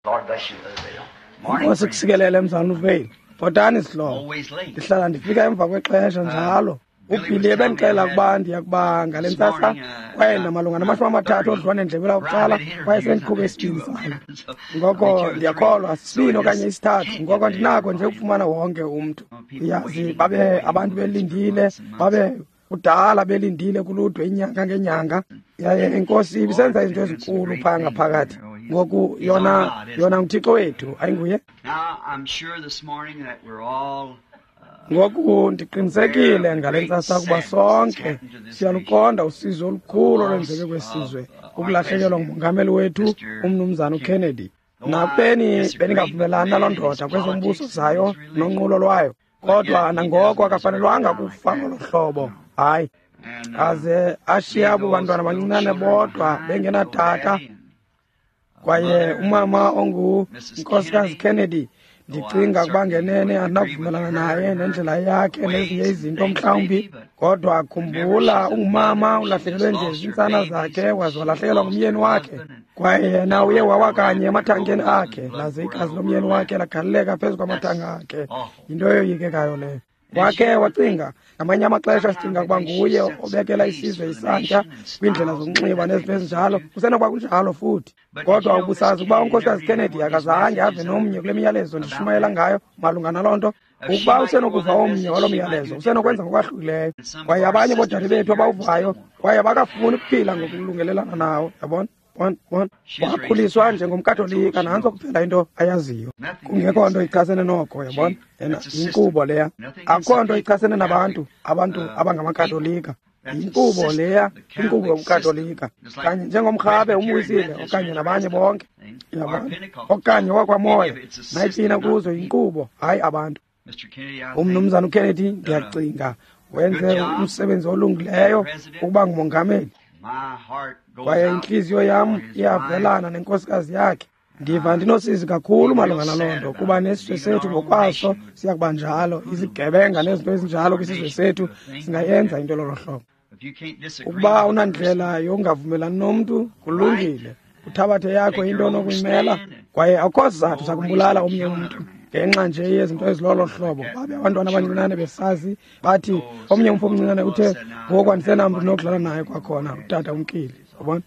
Lord bless you, Brother Bill. Morning, Nkosi friend. kusikelele mzalwana uVeil. Bhotani sihlobo. Always late. Ndihlala ndifika emva kwexesha njalo. UBilly ebendixelela ukuba ndiya kuba ngale This ntsasa morning, kwaye ndamalunga nama-30 odliwano-ndlebe lakuqala kwaye sendiqhube isibini sayo. Ngoko ndiyakholwa sisibini okanye isithathu, ngoko ndinako nje ukufumana wonke umntu. Uyazi, babe abantu belindile, babe kudala belindile kuludwe inyanga ngenyanga, yaye inkosi ibisenza izinto ezinkulu phaya ngaphakathi. Ngoku yona nguThixo wethu, ayinguye? Now, I'm sure this morning that we're all Ngoku ndiqinisekile ngale ntsasa ukuba sonke siyaluqonda usizi olukhulu olwenzeke kwesizwe, ukulahlekelwa ngumongameli wethu umnumzana uKennedy. Nakubeni bendingavumelani naloo ndoda kwezombuso zayo nonqulo lwayo, kodwa nangoko akafanelwanga kufa ngolo hlobo. Hayi, and aze ashiye abo bantwana bancinane bodwa bengenatata. Kwaye umama ongunkosikazi Kennedy, ndicinga ukuba ngenene andinakuvumelana naye nendlela yakhe nezinye izinto mhlawumbi, kodwa khumbula ungumama ulahlekelwe nje ziintsana zakhe waze walahlekelwa ngumyeni wakhe, kwaye yena uye wawa kanye emathangeni akhe, laze igazi lomyeni wakhe lagaleleka phezu kwamathanga akhe. Yinto eyoyikekayo leyo. Wakhe wacinga, ngamanye amaxesha sicinga ukuba nguye obekela isizwe isantya kwiindlela zokunxiba nezinto ezinjalo. Kusenokuba kunjalo futhi, kodwa ubusazi ukuba unkosikazi Kennedy akazange ave nomnye kule miyalezo ndishumayela ngayo malunga naloo nto. Ukuba usenokuva omnye waloo myalezo, usenokwenza ngokwahlukileyo. Kwaye abanye boodade bethu abawuvayo kwaye abakafuni ukuphila ngokulungelelana nawo, yabona? Bona, bona. Wakhuliswa njengomKatolika, nantso kuphela into ayaziyo. Kungekho nto ichasene noko, yabona? Yena yinkqubo leya. Akukho nto ichasene nabantu, abantu abangamaKatolika. Yinkqubo leya, inkqubo yobuKatolika. Kanye njengomrhabe umwisile okanye nabanye bonke, yabona? Okanye wakwamoya, nayiphina kuzo yinkqubo, hayi abantu. Mr. Kennedy, I think, Umnumzana uKennedy, ndiyacinga wenze umsebenzi olungileyo ukuba ngumongameli. my heart goes Kwaye out intliziyo yam for his wife. iyavelana nenkosikazi yakhe. Ndiva ndinosizi kakhulu malunga naloo nto, kuba nesizwe sethu ngokwaso siya kuba njalo. Izigebenga nezinto ezinjalo kwisizwe sethu singayenza into lolo hlobo. If you can't disagree Ukuba with a person, unandlela yokungavumelani nomntu, kulungile, uthabathe yakho into onokuyimela, kwaye akukho sizathu sakumbulala omnye umntu ngenxa nje yezinto ezilolo hlobo. Babe abantwana abancinane besazi, bathi omnye umfo omncinane uthe, ngoku andisenamntu ndinokudlala naye kwakhona, utata umkile, yabona?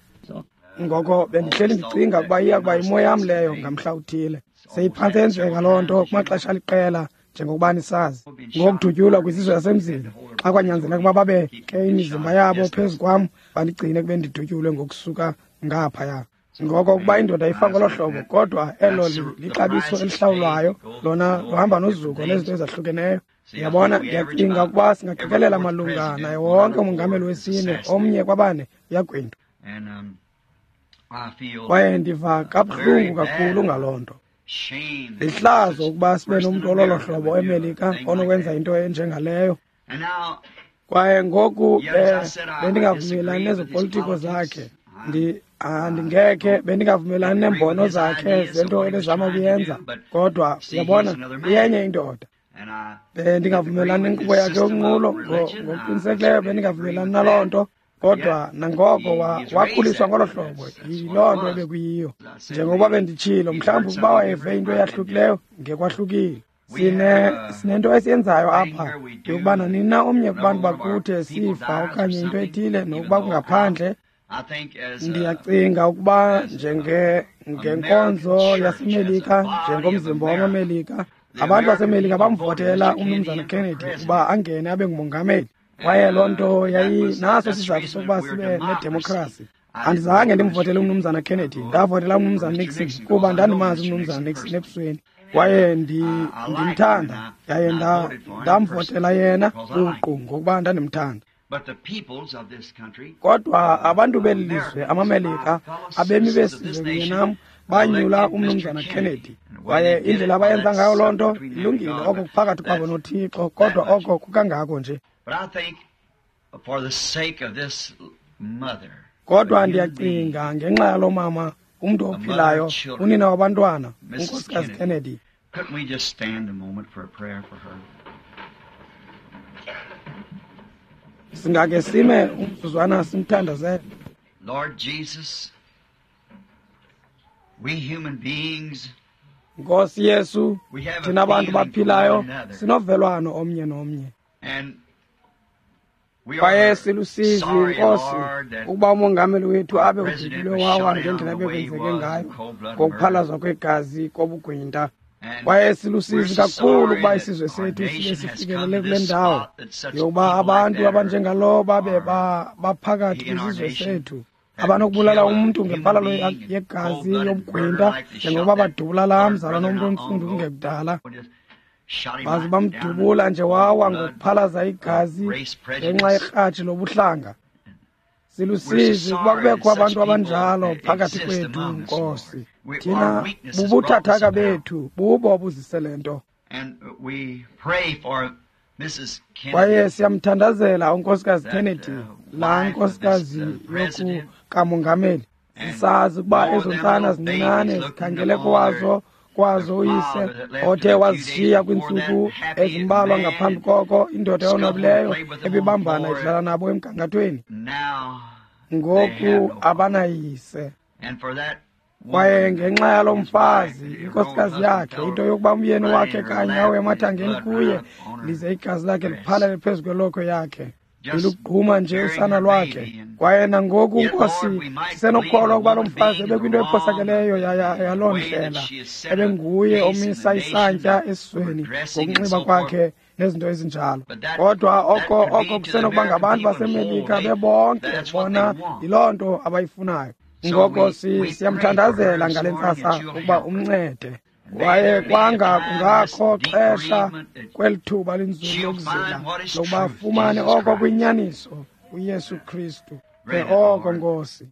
Ngoko bendihleli ndicinga ukuba iya kuba yimo yam leyo ngamhla uthile. Seyiphantse yenzeka loo nto kumaxesha aliqela, njengokuba nisazi, ngokudutyulwa kwizizwe zasemzini, xa kwanyanzeleka ukuba babeke imizimba yabo phezu kwam bandigcine kube ndidutyulwe ngokusuka ngaphaya. Ngoko ukuba indoda ifa ngolo hlobo, kodwa elo lixabiso elihlawulwayo, lona luhamba nozuko nezinto ezahlukeneyo. Ndiyabona, ndiyacinga ukuba singaqikelela malunga naye wonke umongameli wesine, omnye kwabane uyagwintwa. and I feel Kwaye ndiva kabuhlungu kakhulu ngaloo nto. shame. Lihlazo ukuba sibe Person nomntu in ololo America hlobo would do a eMelika thing like onokwenza that. into enjengaleyo. And now, Kwaye ngoku Yes, I said I bendingavumelani disagree with his nezopolitiko politics. zakhe. Andingekhe bendingavumelani neembono with his zakhe ideas of zento what he was ebezama trying to ukuyenza, do, but kodwa see, uyabona, he's another man. uyenye indoda. And I Bendingavumelani disagree with nenkqubo his yakhe system of yonqulo, religion. I ngokuqinisekileyo certainly bendingavumelani disagree with naloo that. nto, kodwa nangoko He's wakhuliswa raised ngolo that. hlobo, That's what it yiloo nto was. ebekuyiyo. I said Njengokuba maybe benditshilo, he mhlawumbi heard ukuba something wayeve different, into might have been eyahlukileyo, ngekwahlukile. We have a Sinento esiyenzayo thing apha where we do yokuba nanini na omnye whenever kubantu one of our bakuthi people esifa dies or okanye into something, ethile, even nokuba though kungaphandle, I think as a ndiyacinga ukuba as a ngenkonzo American church, yaseMelika, as a body of njengomzimba America, wamaMelika, the abantu American baseMelika people bamvotela voted Mr. umnumzana Kennedy in for Kennedy president. ukuba angene abe ngumongameli. Kwaye loo nto And that was yayinaso that's the isizathu reason sokuba we're sibe democracy. nedemokhrasi. I didn't Andizange vote for Mr. ndimvotele Kennedy. umnumzana I Kennedy, voted ndavotela for umnumzana Mr. Nixon Nixon kuba because I know ndandimazi Mr. umnumzana Nixon Nixon personally. ebusweni, kwaye I liked him and ndimthanda, yaye I voted for him ndamvotela personally yena because I liked buqu him. ngokuba ndandimthanda. But the peoples of this country, Kodwa abantu beli lizwe, Americans, my amaMelika, fellow abemi citizens of this besizwe kunye nation, nam, banyula elected Mr. umnumzana Kennedy. Kennedy. And the way Kwaye they did indlela it, well, abayenza ngayo that's loo nto between them and ilungile, God, oko but kuphakathi kwabo that's noThixo, that kodwa much. oko kukangako nje. But I think for the sake of this mother, a Kodwa human being, ndiyacinga ngenxa yalo mama, umntu a mother ophilayo, of children, unina wabantwana, Mrs. unkosikazi Kennedy, Kennedy, couldn't we just stand a moment for a prayer for her? singake sime umzuzwana simthandazele. Lord Jesus, Nkosi Yesu, thina bantu baphilayo sinovelwano omnye nomnye. Kwaye silusizi, Nkosi, ukuba umongameli wethu abe udutyulwe wawa ngendlela ebekwenzeke ngayo ngokuphalazwa kwegazi kobugwinta. Kwaye silusizi kakhulu ukuba isizwe sethu sibe sifikelele kule ndawo yokuba abantu abanjengalo babe baphakathi kwisizwe sethu, abanokubulala umntu ngempalalo yegazi yobugwinta njengokuba badubula laa mzalwana omntu ontsundu kungekudala. Baze bamdubula nje wawa ngokuphalaza igazi ngenxa yerhatshi lobuhlanga. Silusizi ukuba kubekho abantu abanjalo phakathi kwethu, Nkosi. Thina bubuthathaka bethu bubo obuzise le nto. Kwaye siyamthandazela uNkosikazi Kennedy, laa nkosikazi yokukamongameli. Sisazi ukuba ezo ntsana zincinane zikhangele kwazo uyise othe wazishiya kwiintsuku ezimbalwa ngaphambi koko, indoda eyonwabileyo ebibambana idlala nabo emgangathweni. Ngoku abanayise. Kwaye ngenxa yalo mfazi, inkosikazi yakhe, into yokuba umyeni wakhe kanye awe emathangeni kuye, lize igazi lakhe liphalele phezu kwelokhwe yakhe, lilugquma nje usana lwakhe. Kwaye nangoku, Nkosi, sisenokukholwa ukuba lo mfazi ebekwinto ephosakeleyo yaloo ndlela, ebenguye omisa isantya esizweni ngokunxiba kwakhe nezinto ezinjalo. Kodwa oko kusenokuba ngabantu baseMelika bebonke, bona yiloo nto abayifunayo. Ngoko siyamthandazela ngale ntsasa ukuba umncede. Kwaye kwanga kungakho xesha kweli thuba linzulu lokuzila lokuba afumane oko kwinyaniso uYesu Kristu. Ke oko, Nkosi,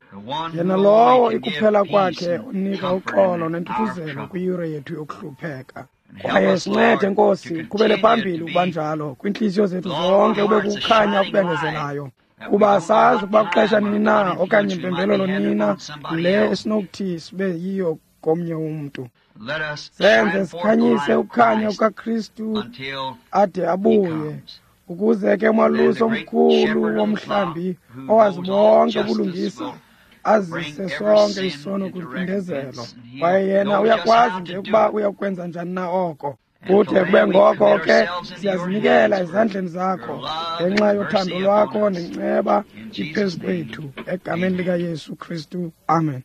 yena lowo ikuphela kwakhe onika uxolo nentuthuzelo kwiyure yethu yokuhlupheka. Kwaye sincede, Nkosi, uqhubele phambili ukuba njalo kwiintliziyo zethu zonke, ube kukhanya okubengezelayo, kuba sazi ukuba kuxesha nini na okanye impembelelo nini na le esinokuthi sibe yiyo komnye umntu. Senze sikhanyise ukukhanya kukaKristu ade abuye, ukuze ke umalusi omkhulu womhlambi owazi bonke ubulungisa azise sonke isono kwimpindezelo. Kwaye yena uyakwazi nje ukuba uyakwenza njani na oko. Kude kube ngoko ke siyazinikela ezandleni zakho ngenxa yothando lwakho nenceba iphezu kwethu, egameni likaYesu Kristu, amen.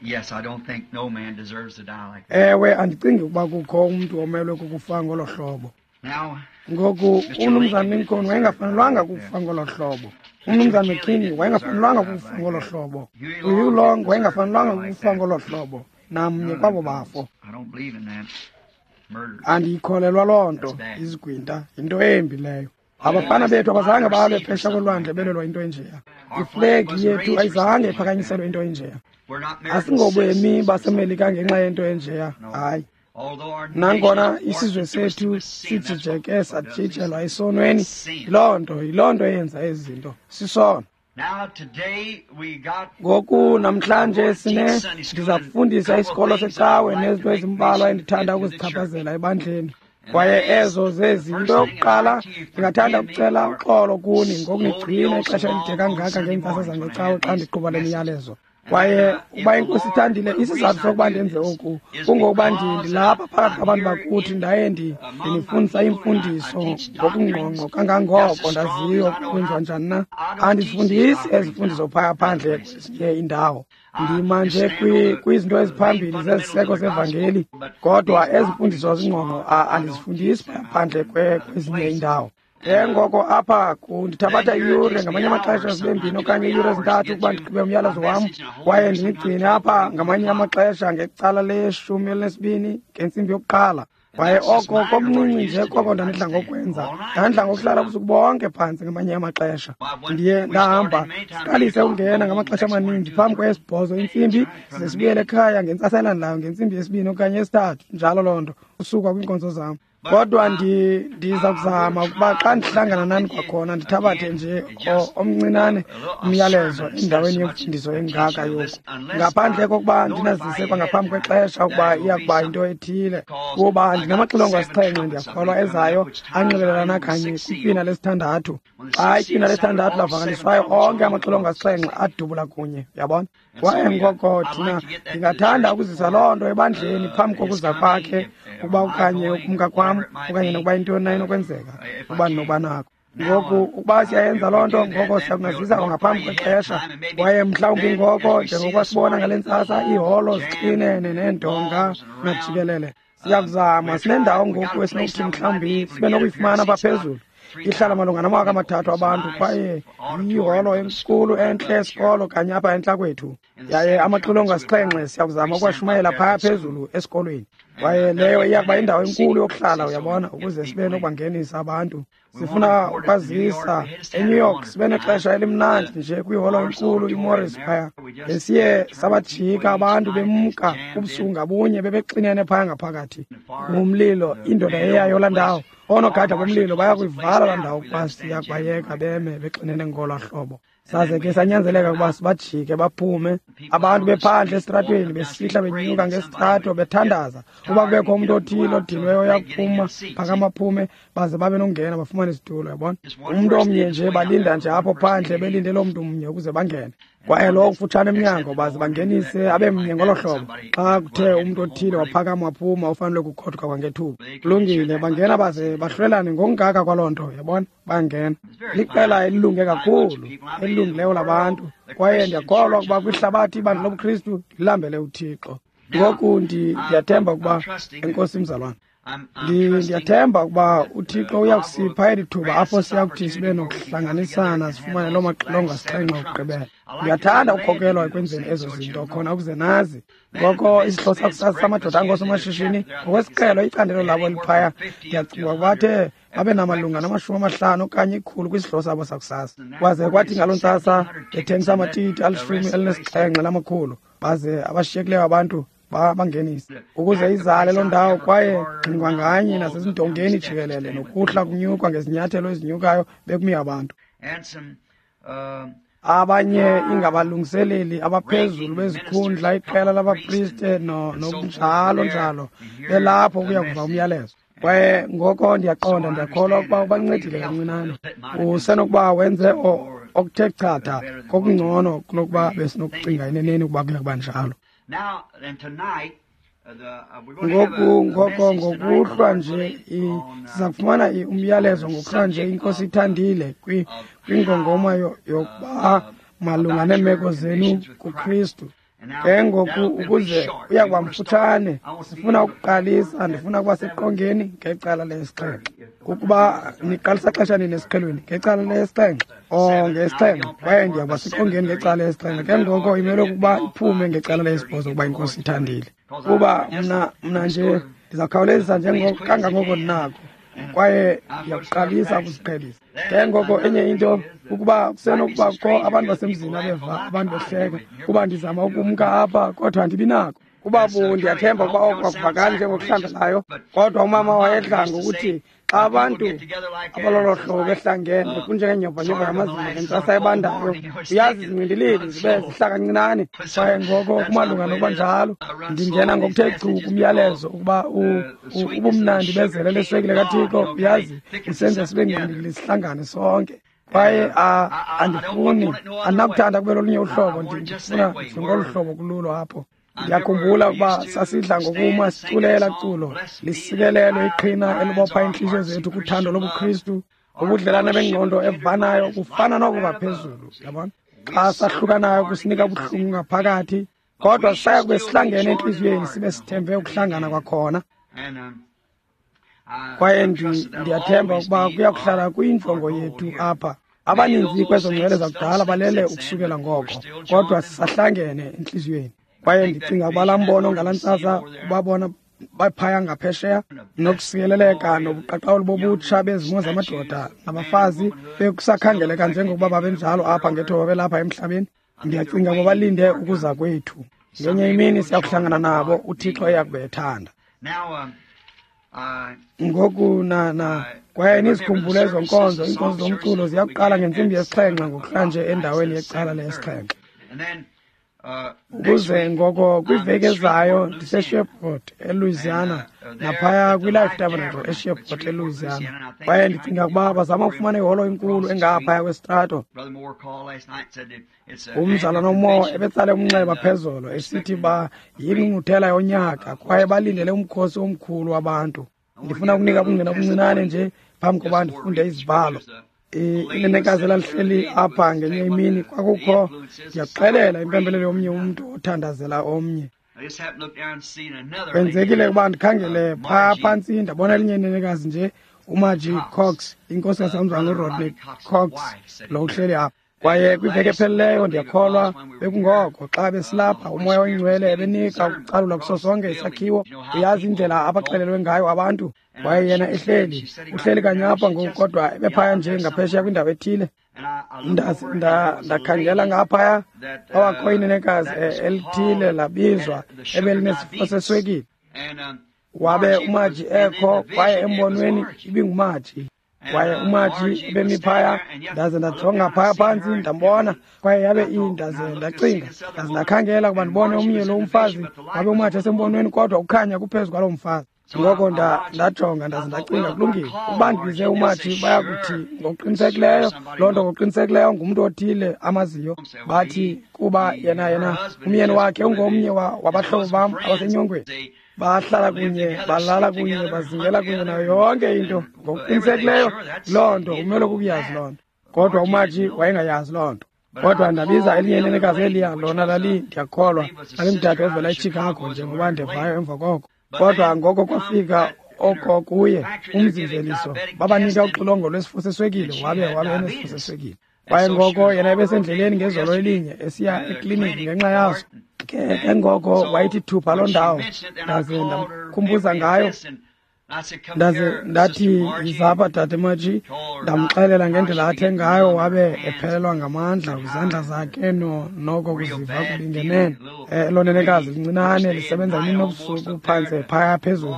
Yes, I don't think no man deserves to die like that. Ewe, andicingi ukuba kukho umntu omelwe kukufa ngolo hlobo. Now, Ngoku uMnumzana Lincoln wayengafanelwanga kukufa ngolo hlobo. UMnumzana McKinney wayengafanelwanga kukufa ngolo hlobo. UHugh Long wayengafanelwanga kukufa ngolo hlobo. Namnye kwabo bafo. I don't believe in that. Murder. Andiyikholelwa loo nto, izigwinta yinto embi leyo. Abafana bethu abazange balwe phesha kolwandle belelwa into enjeya. Iflegi yethu ayizange iphakanyiselwe into enjeya. We're not American Asingobemi citizens. baseMelika ngenxa yento enjeya, hayi. Although our Nangona nation is isizwe warped and sethu twisted with sin, that's sijijeke what does sajijelwa esonweni, Sin. yiloo nto eyenza ezi zinto, sisono. Now today we got Ngoku namhlanje sine ndiza kufundisa isikolo secawe nezinto ezimbalwa endithanda ukuzichaphazela ebandleni. Kwaye ezo zezi. Into yokuqala, ndingathanda ukucela uxolo kuni ngokunigcina ixesha elide kangaka ngeentsasa zangecawe xa ndiqhuba le miyalezo. Kwaye ukuba iNkosi ithandile, isizathu sokuba ndenze oku kungokuba ndilapha phakathi kwabantu bakuthi, ndaye ndinifundisa iimfundiso ngokungqongqo kangangoko ndaziyo kwenziwa njani na. Andizifundisi ezi mfundiso phaya phandle kwezinye iindawo. Ndima nje kwizinto eziphambili zeziseko zevangeli, kodwa ezi mfundiso zingqongqo andizifundisi phaya phandle kwezinye iindawo. Ke ngoko apha kundithabatha iyure, ngamanye amaxesha zibe mbini okanye iiyure ezintathu ukuba ndigqibe umyalezo wam, kwaye ndinigcine apha ngamanye amaxesha ngecala le-12 ngentsimbi yokuqala. Kwaye oko komncinci nje koko ndandidla ngokwenza. Ndandidla ngokuhlala ubusuku bonke phantsi ngamanye amaxesha. Ndiye ndahamba siqalise ukungena ngamaxesha amaninzi phambi kweyesi-8 intsimbi, size sibuyele ekhaya ngentsasa elandelayo ngentsimbi yesi-2 okanye yesi-3, njalo loo nto. Usuka kwiinkonzo zam. Kodwa ndiza kuzama ukuba xa ndihlangana nani kwakhona ndithabathe nje omncinane umyalezo endaweni yemfundiso engaka yoku, ngaphandle kokuba ndinazise kwangaphambi kwexesha ukuba iya kuba yinto ethile, kuba ndinamaxilongo asixhenxe ndiyakholwa ezayo anxibelelana kanye kwitywina lesithandathu. Xa itywina lesithandathu lavakaliswayo, onke amaxilongo asixhenxe adubula kunye, uyabona. Kwaye ngoko thina ndingathanda ukuzisa loo nto ebandleni phambi kokuza kwakhe, ukuba okanye ukumka kwam, okanye nokuba intoni na inokwenzeka, ukuba ndinokuba nako. Ngoku ukuba siyayenza loo nto, ngoko siyakunazisa kwangaphambi kwexesha. Kwaye mhlawumbi ngoko, njengokuba sibona ngale ntsasa, iiholo zixinene neendonga najikelele, siyakuzama. Sinendawo ngoku esinokuthi mhlawumbi sibe nokuyifumana apha phezulu. Ihlala malunga nama-3000 abantu, kwaye yiholo enkulu entle esikolo kanye apha entla kwethu. Yaye amaxilongo asixhenxe siyakuzama ukwashumayela phaya phezulu esikolweni. Kwaye leyo iya kuba indawo enkulu yokuhlala, uyabona, ukuze sibe nokubangenisa abantu. Sifuna ukwazisa eNew York, sibe nexesha elimnandi nje kwiholo enkulu iMorris phaya. Besiye sabajika abantu bemka ubusuku ngabunye bebexinene phaya ngaphakathi. Ngumlilo, indoda eyayo laa ndawo. Oonogada bomlilo bayakuyivala laa ndawo ukuba siya kubayeka beme bexinene ngolwaa hlobo. Saze ke sanyanzeleka ukuba sibajike baphume. Abantu bephandle esitratweni besihla benyuka ngesitrato bethandaza uba kubekho umntu othile odinweyo oyakuphuma phakama aphume, baze babe nokungena bafumane isitulo, uyabona. Umntu omnye nje balinda nje apho phandle belinde loo mntu mnye ukuze bangene. Kwaye lowo kufutshane emnyango baze bangenise abe mnye ngolo hlobo. Xa kuthe umntu othile waphakama waphuma, ufanele kukhothuka kwangethuba. Kulungile, bangena baze bahlwelane ngokungaka kwaloo nto, uyabona, bangena. Liqela elilunge kakhulu, elilungileyo labantu. Kwaye ndiyakholwa ukuba kwihlabathi ibandla lobuKristu lilambele uThixo. Ngoku ndiyathemba ukuba, enkosi mzalwana, ndiyathemba ukuba uThixo uyakusipha eli thuba apho siyakuthi sibe nokuhlanganisana sifumane loo maxilongo asixhenxe okugqibela. Ndiyathanda ukukhokelwa ekwenzeni ezo zinto khona ukuze nazi. Ngoko isihlo sakusasa samadoda angoosomashishini ngokwesiqhelo icandelo labo eliphaya, ndiyacinga ukuba bathe babe namalunga nama-50 okanye 100 kwisihlo sabo sakusasa. Kwaze kwathi ngaloo ntsasa bethengisa amatiti 17,000, baze abashiyekileyo abantu bangenise ukuze izale loo ndawo. Kwaye ngxingwa nganye nasezindongeni jikelele nokuhla kunyukwa ngezinyathelo ezinyukayo bekumi abantu. Abanye ingabalungiseleli abaphezulu bezikhundla, iqela labapriste nokunjalo njalo, belapho ukuya kuva umyalezo. Kwaye ngoko ndiyaqonda, ndiyakholwa ukuba ubancedile kancinane. Usenokuba wenze okuthe chatha kokungcono kunokuba besinokucinga eneneni ukuba kuya kuba njalo. Ngoku ngoko ngokuhlwa nje siza kufumana umyalezo ngokuhlwa nje, iNkosi ithandile, kwingongoma yokuba malunga neemeko zenu kuKristu. Ke ngoku ukuze uya kuba mfutshane, sifuna ukuqalisa, ndifuna ukuba seqongeni ngecala lesi-7. Ukuba niqalisa xesha nini esiqhelweni? Ngecala lesi-7 nge-7. Kwaye ndiya kuba seqongeni ngecala lesi-7. Ke ngoko imele ukuba iphume ngecala lesi-8 ukuba iNkosi ithandile. Kuba mna nje ndizawukhawulezisa njengoko kangangoko ndinako, kwaye ndiyakuqalisa ukuziqhelisa. Ke ngoko enye into ukuba kusenokuba kukho abantu basemzini abeva abantu behleka kuba ndizama ukumka apha, kodwa andibi nako. Kuba ndiyathemba ukuba oko akuvakali njengokuhlambelayo, kodwa umama wayedla ngokuthi xa abantu abalolo hlobo behlangene kunjengenyovanyova yamazinyo ngentsasa ebandayo, uyazi zingqindilili zibe zihla kancinane. Kwaye ngoko kumalunga nokuba njalo, ndingena ngokuthe chu kumyalezo ukuba ubumnandi bezele leswekile kaThixo, uyazi, usenza sibe ngqindilili sihlangane sonke. Kwaye andifuni, andinakuthanda kube lolunye uhlobo, ndifuna ngolu hlobo kululo apho. Ndiyakhumbula ukuba sasidla ngokuma siculela culo lisikelelo iqhina elibopha iintliziyo zethu kuthando lobuKristu, ubudlelane bengqondo evanayo kufana noko ngaphezulu, yabona. Xa sahlukanayo kusinika ubuhlungu ngaphakathi, kodwa saya kube sihlangene entliziyweni sibe sithembe ukuhlangana kwakhona. Kwaye ndiyathemba ukuba kuya kuhlala kuyinjongo yethu apha. Abaninzi kwezo ngcwele zakudala balele ukusukela ngoko, kodwa sisahlangene entliziyweni. Kwaye ndicinga ukuba laa mbono ngalaa ntsasa ubabona baphaya ngaphesheya nokusikeleleka nobuqaqawuli bobutsha bezimo zamadoda nabafazi bekusakhangeleka njengokuba babenjalo apha ngethuba belapha emhlabeni. Ndiyacinga ukuba balinde ukuza kwethu. Ngenye imini siya kuhlangana nabo, uThixo eya kube ethanda. Ngoku na kwaye nizikhumbule ezo nkonzo, iinkonzo zomculo ziyakuqala ngentsimbi yesixhenxe ngokuhlanje endaweni yecala leyesixhenxe. Ukuze ngoko kwiveki ezayo ndiseShreveport eLouisiana, naphaya kwiLife Tabernacle eShreveport eLouisiana. Kwaye ndicinga ukuba bazama ukufumana iholo enkulu engaphaya kwesitrato. Umzalwana uMoore ebetsale umnxeba phezolo esithi ba yingqungquthela yonyaka kwaye balindele umkhosi omkhulu wabantu. Ndifuna ukunika ubungqina obuncinane nje phambi koba ndifunde izibhalo. Inenekazi elalihleli apha ngenye imini kwakukho, ndiyakuxelela, impembelelo yomnye umntu othandazela omnye. Kwenzekile ukuba ndikhangele phaa phantsi ndabona elinye inenekazi nje, uMargie Cox, inkosikazi kamzalwana uRodney Cox, lo uhleli apha. Kwaye kwiveki ephelileyo ndiyakholwa bekungoko xa besilapha uMoya oyiNgcwele ebenika ukucalula kuso sonke isakhiwo. Uyazi indlela abaxelelwe ngayo abantu. Kwaye yena ehleli, uhleli kanye apha ngoku, kodwa ebephaya nje ngaphesheya kwindawo ethile. Ndakhangela ngaphaya, kwawakho inenekazi elithile labizwa ebelinesifo seswekile. Wabe uMargie ekho, kwaye embonweni ibinguMargie. Kwaye uMargie ebemi phaya, ndaze ndajonga phaya phantsi ndambona, kwaye yabe ndaze ndacinga, ndaze ndakhangela ukuba ndibone omnye lo umfazi. Wabe uMargie esembonweni, kodwa ukhanya kuphezu kwaloo mfazi. Ngoko ndajonga ndaze ndacinga, kulungile, ukuba ndibize uMargie bayakuthi ngokuqinisekileyo loo nto, ngokuqinisekileyo ngumntu othile amaziyo. Bathi kuba yena umyeni wakhe ungomnye wabahlobo bam abasenyongweni. Bahlala kunye, balala kunye, bazingela kunye nayo yonke into. Ngokuqinisekileyo loo nto umele kukuyazi loo nto. Kodwa uMargie wayengayazi loo nto. Kodwa ndabiza elinye inenekazi eliya, lona lali, ndiyakholwa, lalimdade ovela eChicago, njengoba ndivayo emva koko. Kodwa ngoko kwafika oko kuye umzimveliso, babanika uxilongo lwesifo seswekile, wabe enesifo seswekile. Kwaye ngoko yena ebesendleleni ngezolo elinye esiya ekliniki ngenxa yaso. Ke ngoko wayithi thupha loo ndawo, ndaze ndamkhumbuza ngayo. Ndaze ndathi, yizapha dade Margie, ndamxelela ngendlela athe ngayo, wabe ephelelwa ngamandla kwizandla zakhe noko kuziva kubingenene. Elo nenekazi lincinane lisebenza imini nobusuku phantse phaya phezulu.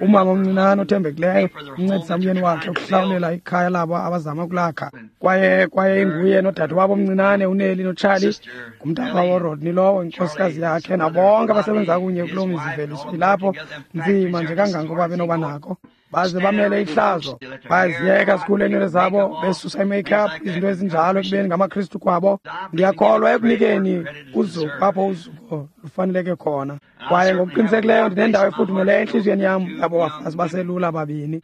Umama omncinane othembekileyo uncedisa umyeni wakhe ukuhlawulela ikhaya labo abazama ukulakha. Kwaye inguye nodade wabo omncinane uNelly noCharlie, ngumntaka woRodney lowo, inkosikazi yakhe, nabonke abasebenza kunye kuloo mizimveliso ilapho nzima nje kangangoba benoba nako. Baze bamele ihlazo, baziyeka sikhule iinwele zabo, besusa i-makeup, izinto ezinjalo ekubeni ngamaKristu kwabo. Ndiyakholwa ekunikeni uzuko apho uzuko lufaneleke khona. Kwaye ngokuqinisekileyo ndinendawo efudumeleyo entliziyweni yam yabo bafazi baselula babini.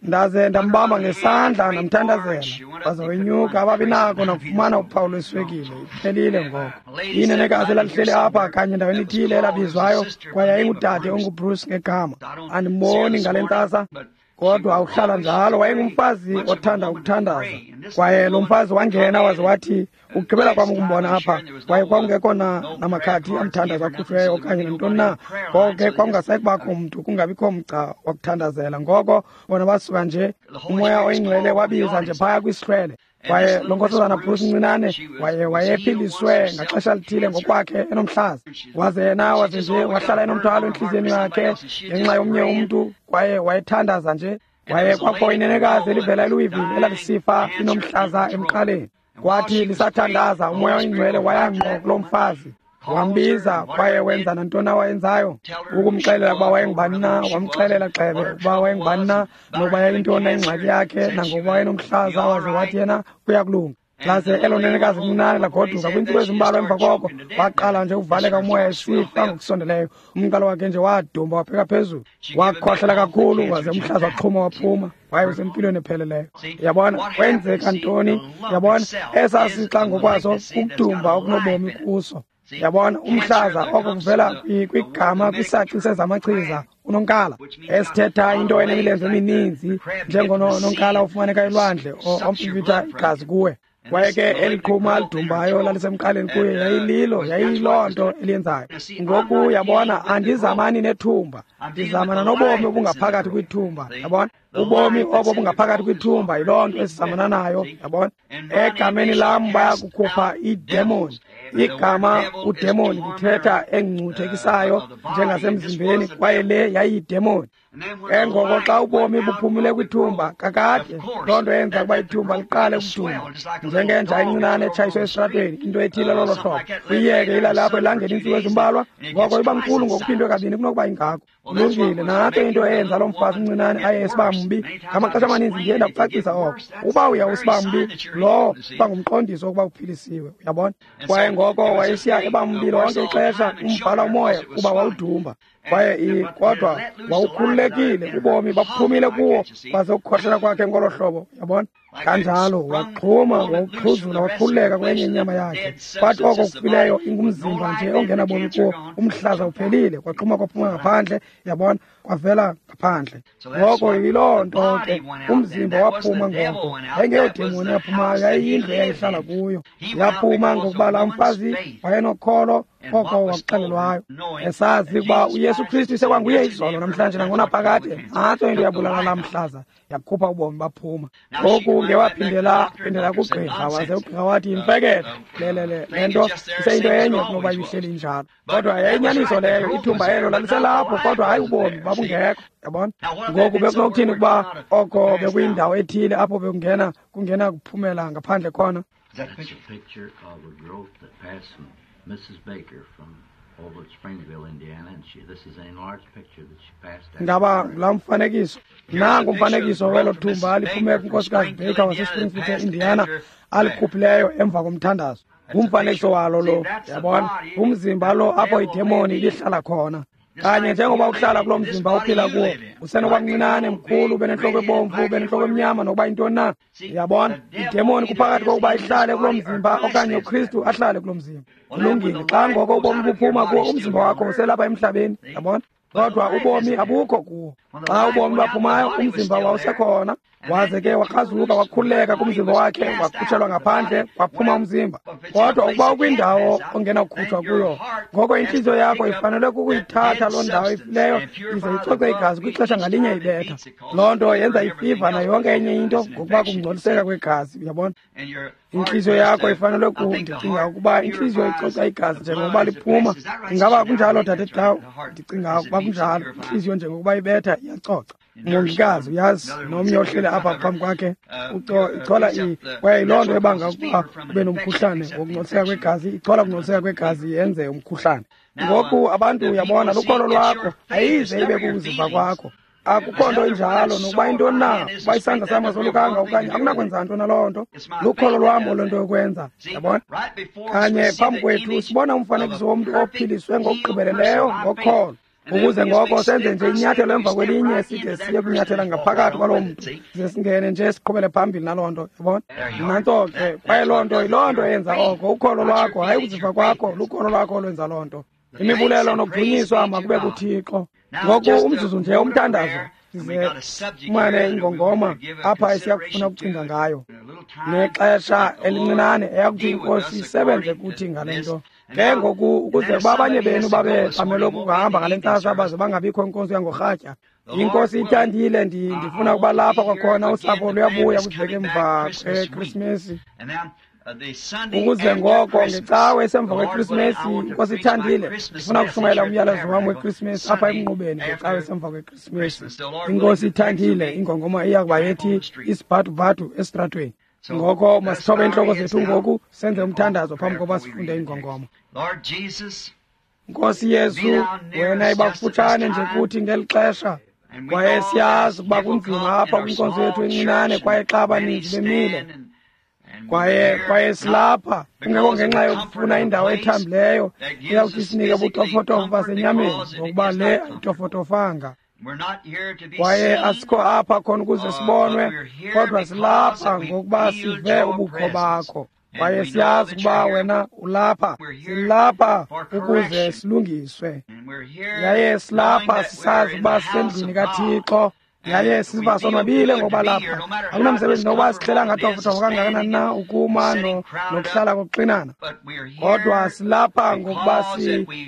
Ndaze ndambamba ngesandla ndamthandazela, waze wenyuka, ababi nako nakufumana uphawu lweswekile. Iphelile ngoko. Inenekazi elalihleli apha kanye ndaweni ithile elabizwayo, kwaye yayingudade onguBruce ngegama. Andimboni ngale ntsasa, kodwa uhlala njalo. Wayengumfazi othanda ukuthandaza. Kwaye lo mfazi wangena waze wathi, ukugqibela kwam ukumbona apha, kwaye kwakungekho namakhadi amthandazo akhutshweyo okanye nantoni na. Ngoko ke kwakungasayi kubakho mntu, kungabikho mgca wakuthandazela. Ngoko bona basuka nje, uMoya oyiNgcwele wabiza nje phaya kwisihlwele. Kwaye lo nkosazana Bruce ncinane wayephiliswe ngaxesha lithile ngokwakhe enomhlaza. Waze yena waze nje wahlala enomthwalo entliziyweni yakhe ngenxa yomnye umntu, kwaye wayethandaza nje. Kwaye kwakho inenekazi elivela eLouisville elalisifa linomhlaza emqaleni. Kwathi lisathandaza, uMoya oyiNgcwele waya ngqo kulo mfazi, wambiza, kwaye wenza nantoni awayenzayo ukumxelela ukuba wayengubani na. Wamxelela gxebe ukuba wayengubani na, nokuba yayintoni na ingxaki yakhe, nangokuba wayenomhlaza. Waze wathi yena kuyakulunga. Laze elo nenekazi lincinane lagoduka. Kwiintsuku ezimbalwa emva koko waqala nje ukuvaleka umoya esifa ngokusondeleyo. Umqalo wakhe nje wadumba wabheka phezulu, wakhohlela kakhulu, waze umhlaza waxhuma waphuma. Waye usempilweni epheleleyo. Yabona kwenzeka ntoni? Yabona esasixa ngokwaso ukudumba okunobomi kuso. Yabona umhlaza oko kuvela kwigama kwisaci sezamachiza unonkala, esithetha into enemilenze emininzi njengononkala ofumaneka elwandle omfifitha igazi kuwe. Kwaye ke eliqhuma lidumbayo lalisemqaleni kuye, yayililo, yayiyiloo nto eliyenzayo. Ngoku yabona, andizamani nethumba, ndizamana nobomi obungaphakathi kwithumba. Yabona? Ubomi obo bungaphakathi kwithumba yiloo nto esizamana nayo, yabona. Egameni lam bayakukhupha iidemoni. Igama udemoni lithetha engcuthekisayo njengasemzimbeni, kwaye le yayiyidemoni. Ke ngoko xa ubomi buphumile kwithumba, kakade loo nto yenza ukuba ithumba liqale ukuduma njengenja encinane etshayiswe esitratweni, into ethile lolo hlobo. Uyiyeke ilalapho elangeni iintsuku ezimbalwa, ngoko iba mkhulu ngokuphindwe kabini kunokuba ingako. Kulungile, nantso into eyenza loo mfazi umncinane aye esiba mbi. Ngamaxesha amaninzi ndiye ndakucacisa oko. Uba uya usiba mbi, lowo uba ngumqondiso wokuba uphilisiwe, uyabona. Kwaye ngoko wayesiya eba mbi lonke ixesha, umbhala umoya kuba wawudumba. Kwaye kodwa wawukhululekile, ubomi baphumile kuwo kwaze ukukhohlela kwakhe ngolo hlobo, uyabona. Kanjalo waxhuma, wawuxhuzula, wakhululeka kwenye inyama yakhe. Kwathi oko kufileyo ingumzimba nje ongenabomi kuwo, umhlaza uphelile, kwaxhuma kwaphuma ngaphandle, yabona, kwavela ngaphandle. Ngoko yiloo nto ke, umzimba waphuma ngoko. Yayingeyodemoni yaphumayo, yayiyindlu eyayihlala kuyo. Yaphuma ngokuba laa mfazi wayenokholo oko wakuxelelwayo, esazi ukuba uYesu Kristu isekwanguye izolo, namhlanje nangonaphakade. Nantso into yabulala laa mhlaza, yakhupha ubomi baphuma. Ngoku ngewaphindela phindela kugqirha, waze ugqirha wathi yimfeketho le nto iseyinto enye kunokuba ibihleli injalo. Kodwa yayinyaniso leyo, ithumba elo laliselapho, kodwa hayi ubomi babungekho, yabona. Ngoku bekunokuthini ukuba oko bekuyindawo ethile apho bekungena kungena kuphumela ngaphandle khona? That's a picture of a growth that passed from Mrs. Baker from over at Springville, Indiana, and this is an enlarged picture that she passed out. Ngaba ngulaa mfanekiso. Nangu umfanekiso welo thumba aliphume kuNkosikazi Baker waseSpringfield, Indiana, alikhuphileyo emva komthandazo. Ngumfanekiso walo lo, yabona. Ngumzimba lo apho idemoni ibihlala khona. Kanye njengoba uhlala kulo mzimba uphila kuwo, usenokuba mncinane, mkhulu, ube nentloko ebomvu, ube nentloko emnyama, nokuba yintoni na. Uyabona, idemoni kuphakathi kokuba ihlale kulo mzimba okanye uKristu ahlale kulo mzimba. Kulungile, xa ngoko ubomi buphuma kuwo, umzimba wakho uselapha emhlabeni, yabona. Kodwa ubomi abukho kuwo. Xa ubomi baphumayo, umzimba wawusekhona. Waze ke wakrazuka, wakhululeka kumzimba wakhe, wakhutshelwa ngaphandle, waphuma umzimba. Kodwa ukuba ukwindawo ongenakukhutshwa kuyo, ngoko intliziyo yakho ifanele kukuyithatha loo ndawo ifileyo ize icoce igazi kwixesha ngalinye ibetha. Loo nto yenza ifiva nayo yonke enye into ngokuba kungcoliseka kwegazi, uyabona. Intliziyo yakho ifanele ndicinga ukuba intliziyo icoca igazi njengokuba liphuma. Ingaba kunjalo, Dade Dawu? Ndicinga ukuba kunjalo. Intliziyo njengokuba ibetha iyacoca. Mongikazi, uyazi, nomnye ohleli apha phambi kwakhe ichola kwaye yiloo nto ebanga ukuba ube nomkhuhlane wokungcoliseka kwegazi. Ichola ukungcoliseka kwegazi yenze umkhuhlane. Ngoku abantu, uyabona, lukholo lwakho ayize ibe kukuziva kwakho. Akukho nto injalo, nokuba yintoni na, ukuba isandla sam asolukanga okanye akunakwenza nto naloo nto. Lukholo lwam oloo nto yokwenza, yabona. Kanye phambi kwethu sibona umfanekiso womntu ophiliswe ngokugqibeleleyo ngokholo, ukuze ngoko senze nje inyathelo emva kwelinye side siye kunyathela ngaphakathi kwaloo mntu, ze singene nje siqhubele phambili naloo nto, yabona. Nantso ke, kwaye loo nto yiloo nto eyenza oko. Ukholo lwakho, hayi ukuziva kwakho, lukholo lwakho olwenza loo nto. Imibulelo nokudunyiswa makube kuThixo. Ngoku umzuzu nje umthandazo, size sifumane ingongoma apha esiyakufuna ukucinga ngayo, nexesha elincinane eyakuthi iNkosi isebenze kuthi ngale nto. Ke ngoku ukuze ukuba abanye benu babe bamelwe kukuhamba ngale ntsasa baze bangabikho inkonzo yangorhatya. INkosi ithandile, ndifuna ukuba lapha kwakhona. Usapho luyabuya kwiveki emva kweKrisimesi. Ukuze ngoko ngecawe esemva kweKrisimesi, iNkosi ithandile, ndifuna ukushumayela umyalezo wam weKrisimesi apha emnqubeni ngecawe esemva kweKrisimesi. INkosi ithandile, ingongoma iya kuba yethi isibhadubhadu esitratweni. Ngoko masithobe iintloko zethu ngoku senze umthandazo phambi koba sifunde ingongoma. Nkosi Yesu, wena iba kufutshane nje kuthi ngeli xesha. Kwaye siyazi ukuba kunzima apha kwinkonzo yethu encinane, kwaye xa abaninzi bemile, kwaye silapha kungekho ngenxa yokufuna indawo ethambileyo eyawuthi sinike ubutofotofo basenyameni, ngokuba le ayitofotofanga. Kwaye asikho apha khona ukuze sibonwe, kodwa silapha ngokuba sive ubukho bakho. Kwaye siyazi ukuba wena ulapha. Silapha ukuze silungiswe, yaye silapha sisazi ukuba sisendlwini kaThixo, yaye siva sonwabile ngokuba lapha. Akunamsebenzi nokuba sihlela ngatofotofo kangakanani na ukuma nokuhlala kokuxinana, kodwa silapha ngokuba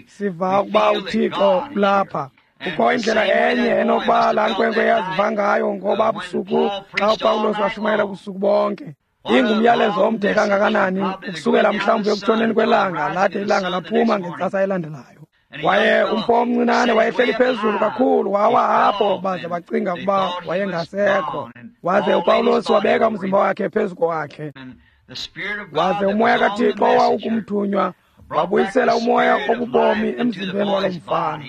siva ukuba uThixo ulapha. Kukho indlela enye enokuba laa nkwenkwe yaziva ngayo ngoba busuku xa uPawulos washumayela ubusuku bonke. Ingumyalezo omde kangakanani ukusukela mhlawumbi ekutshoneni kwelanga lade ilanga laphuma ngentsasa elandelayo. Kwaye umfo omncinane wayehleli phezulu kakhulu, wawa apho baze bacinga ukuba wayengasekho. Waze uPawulos wabeka umzimba wakhe phezu kwakhe. Waze umoya kaThixo owawukumthunywa wabuyisela umoya obubomi emzimbeni walo mfana.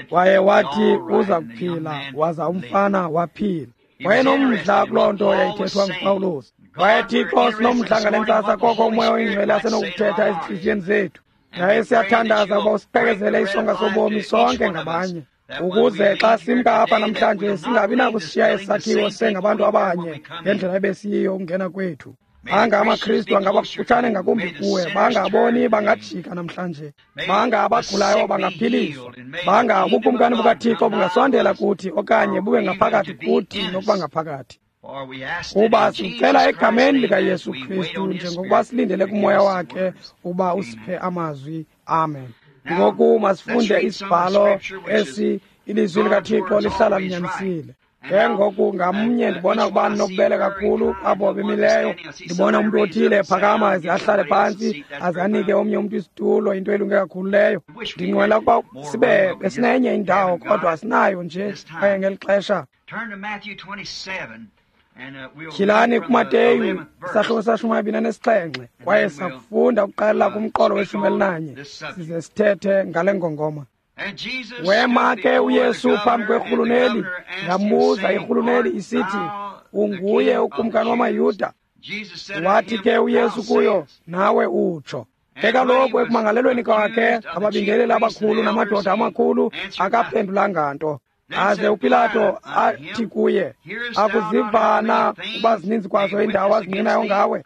Kwaye wathi uza kuphila, waza umfana waphila. Wayenomdla kuloo nto yayithethwa nguPawulos. Kwaye Thixo, sinomdla ngale ntsasa koko umoya oyingcwele asenokuthetha ezintliziyweni zethu. Yaye siyathandaza ukuba usiqhekezele isonka sobomi sonke ngabanye, ukuze xa simka apha namhlanje singabi nakusishiya esi sakhiwo sengabantu abanye ngendlela ebesiyiyo ukungena kwethu. Banga amaKristu angaba kufutshane ngakumbi kuwe, bangaboni bangajika namhlanje, banga abagulayo bangaphiliswa, banga ubukumkani bukaThixo bungasondela kuthi okanye bube ngaphakathi kuthi nokuba ngaphakathi. Kuba sicela egameni likaYesu Kristu, njengokuba silindele kumoya wakhe uba usiphe amazwi. Amen. Ngoku masifunde isibhalo esi, ilizwi likaThixo lihlala linyanisile. Ke ngoku ngamnye ndibona ukuba ninobubele kakhulu abo bemileyo. Ndibona umntu othile ephakama aze ahlale phantsi aze anike omnye umntu isitulo, into elunge kakhulu leyo. Ndinqwela ukuba sibe besinenye indawo, kodwa asinayo nje kwaye ngeli xesha. Tyhilani kuMateyu isahluko se-27, kwaye safunda ukuqalela kumqolo we-11 size sithethe ngale ngongoma. Wema ke uYesu phambi kwerhuluneli, yambuza irhuluneli isithi, unguye ukumkani wamaYuda? Wathi ke uYesu kuyo, nawe utsho. Ke kaloku ekumangalelweni kwakhe ababingeleli abakhulu namadoda amakhulu akaphendulanga nto. Aze uPilato athi kuye, akuziva na uba zininzi kwazo iindawo azinqinayo ngawe?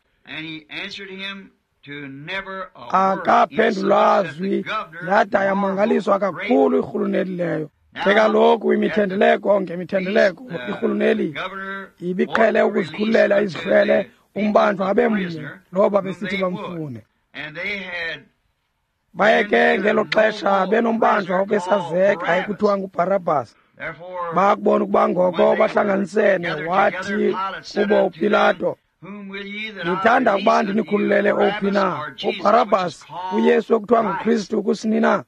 Akaphendula zwi, yada yamangaliswa kakhulu irhuluneli leyo. Ke kaloku imithendeleko ngemithendeleko irhuluneli ibiqhele ukuzikhululela izihlwele umbanjwa abe mnye lowo babesithi bamfune. Baye ke ngelo xesha benombanjwa obesazeka ekuthiwa nguBharabhas. Bakubona ukuba ngoko bahlanganisene, wathi kubo uPilato, nithanda ukuba ndinikhululele ophi na, uBharabhas, uYesu ekuthiwa nguKristu kusini na?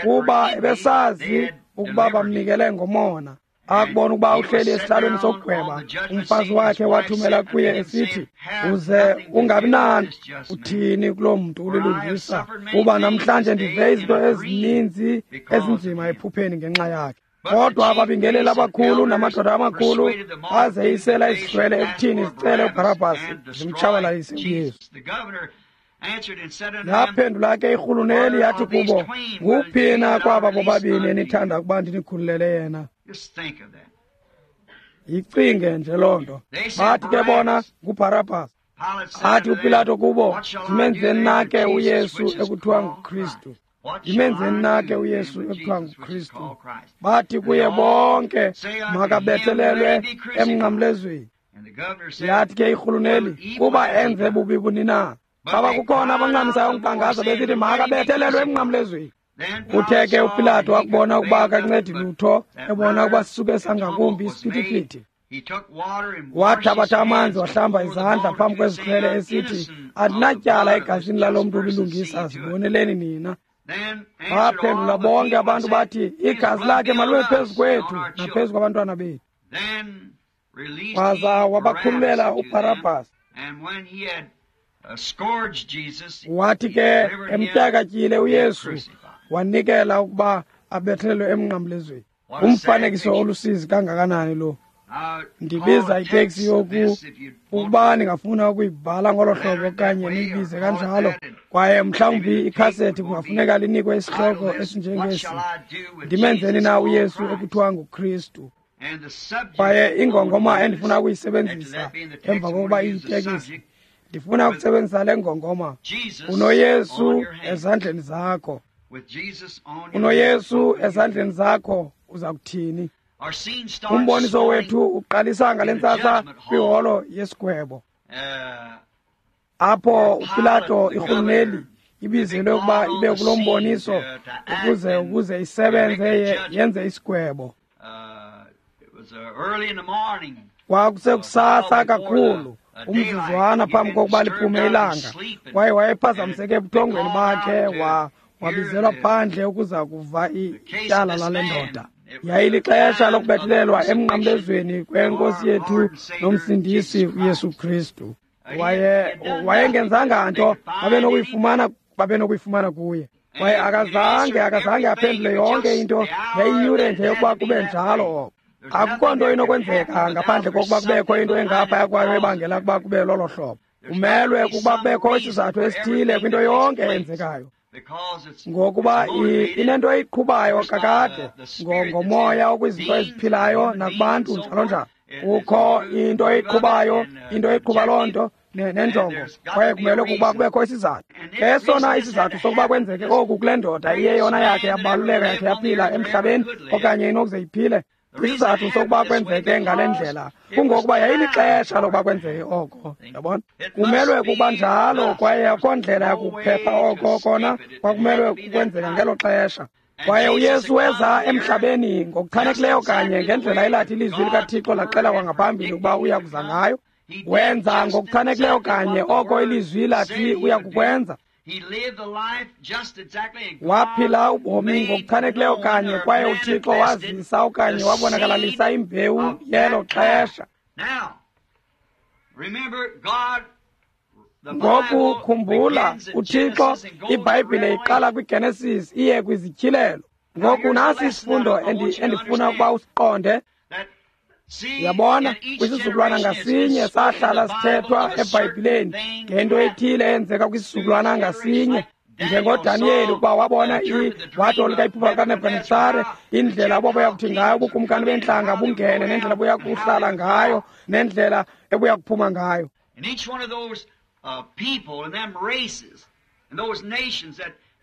Kuba ebesazi ukuba bamnikele ngomona. Akubona ukuba uhleli esihlalweni sokugweba, umfazi wakhe wathumela kuye esithi, uze ungabi nanto uthini kuloo mntu ulilungisa, kuba namhlanje ndive izinto ezininzi ezinzima ephupheni ngenxa yakhe. Kodwa ababingeleli abakhulu namadoda amakhulu bazeyisela izihlwele ekuthini zicele uBharabhasi zimtshabalalise uYesu. Yaphendula ke irhuluneli yathi kubo, nguphi na kwaba bobabini enithanda ukuba ndinikhululele yena? Yicinge nje loo nto. Bathi ke bona, nguBharabhas. Athi uPilato kubo, ndimenzeni na ke uYesu ekuthiwa nguKristu? Ndimenzeni na ke uYesu ekuthiwa nguKristu? Bathi kuye bonke, makabethelelwe emnqamlezweni. Yathi ke irhuluneli, kuba enze bubi buni na? Baba kukhona abancamisayo unkqangaza besithi makabethelelwe emnqamlezweni. Uthe ke uPilato wakubona ukuba akancedi lutho, ebona ukuba sisuke sangakumbi isiphithiphithi, wathabatha amanzi wahlamba izandla phambi kwezihlwele esithi, andinatyala egazini lalo mntu ulilungisa, ziboneleni nina. Baphendula bonke abantu bathi, igazi lakhe malube phezu kwethu naphezu kwabantwana bethu. Waza wabakhululela uBharabhas. Wathi ke emtyakatyile uYesu, wanikela ukuba abethelelwe emnqamlezweni. Umfanekiso olusizi kangakanani lo! Ndibiza iteksi yoku ukuba ningafuna ukuyibhala ngolo hlobo okanye niyibize kanjalo, kwaye mhlawumbi ikhasethi kungafuneka linikwe isihloko esinjengesi, ndimenzeni na uYesu ekuthiwa nguKristu? Kwaye ingongoma endifuna ukuyisebenzisa emva kokuba iyitekisi, ndifuna ukusebenzisa le ngongoma, unoYesu ezandleni zakho. UnoYesu ezandleni zakho, uza kuthini? Umboniso wethu uqalisa ngale ntsasa kwiholo yesigwebo, apho uPilato irhuluneli Ibizelwe ukuba ibe kulo mboniso ukuze isebenze yenze isigwebo. Kwakusekusasa kakhulu, umzuzwana phambi kokuba liphume ilanga, kwaye wayephazamiseke ebuthongweni bakhe, wabizelwa phandle ukuza kuva ityala lale ndoda. Yayilixesha lokubethelelwa emnqamlezweni kwenkosi yethu nomsindisi uYesu Kristu. Wayengenzanga nto, babenokuyifumana kuye. Kwaye akazange aphendule yonke into. Yayiyure nje yokuba kube njalo oko. Akukho nto inokwenzeka ngaphandle kokuba kubekho into engaphaya kwayo ebangela ukuba kube lolo hlobo. Kumelwe ukuba kubekho isizathu esithile kwinto yonke eyenzekayo, ngokuba inento eyiqhubayo kakade ngomoya okwizinto eziphilayo nakubantu njalo njalo. Kukho into eyiqhubayo, into eyiqhuba loo nto nenjongo, kwaye kumele ukuba kubekho isizathu. Ke sona isizathu sokuba kwenzeke oku kule ndoda iyeyona yakhe yabaluleka yakhe yaphila emhlabeni okanye inokuze iphile. Isizathu sokuba kwenzeke ngale ndlela kungokuba yayilixesha lokuba kwenzeke oko. Yabona, kumelwe kuba njalo, kwaye akho ndlela yakuphepha oko kona kwakumelwe kukwenzeka ngelo xesha. Kwaye uYesu weza emhlabeni ngokuchanekileyo kanye ngendlela elathi ilizwi likaThixo laxela kwangaphambili ukuba uya kuza ngayo. Wenza ngokuchanekileyo kanye oko ilizwi lathi uya kukwenza. Waphila ubomi ngokuchanekileyo kanye, kwaye uThixo wazisa okanye wabonakalalisa imbewu yelo xesha. Ngoku khumbula, uThixo, iBhayibhile iqala kwiGenesis iye kwizityhilelo. Ngoku nasi isifundo endifuna ukuba usiqonde. Yabona, kwisizukulwana ngasinye sahlala sithethwa eBhayibhileni ngento ethile eyenzeka kwisizukulwana ngasinye. NjengoDaniyeli, ukuba wabona watolika iphupha likaNebukadnetsare, indlela obuya kuthi ngayo ubukumkani bentlanga bungene, nendlela obuya kuhlala ngayo, nendlela ebuya kuphuma ngayo.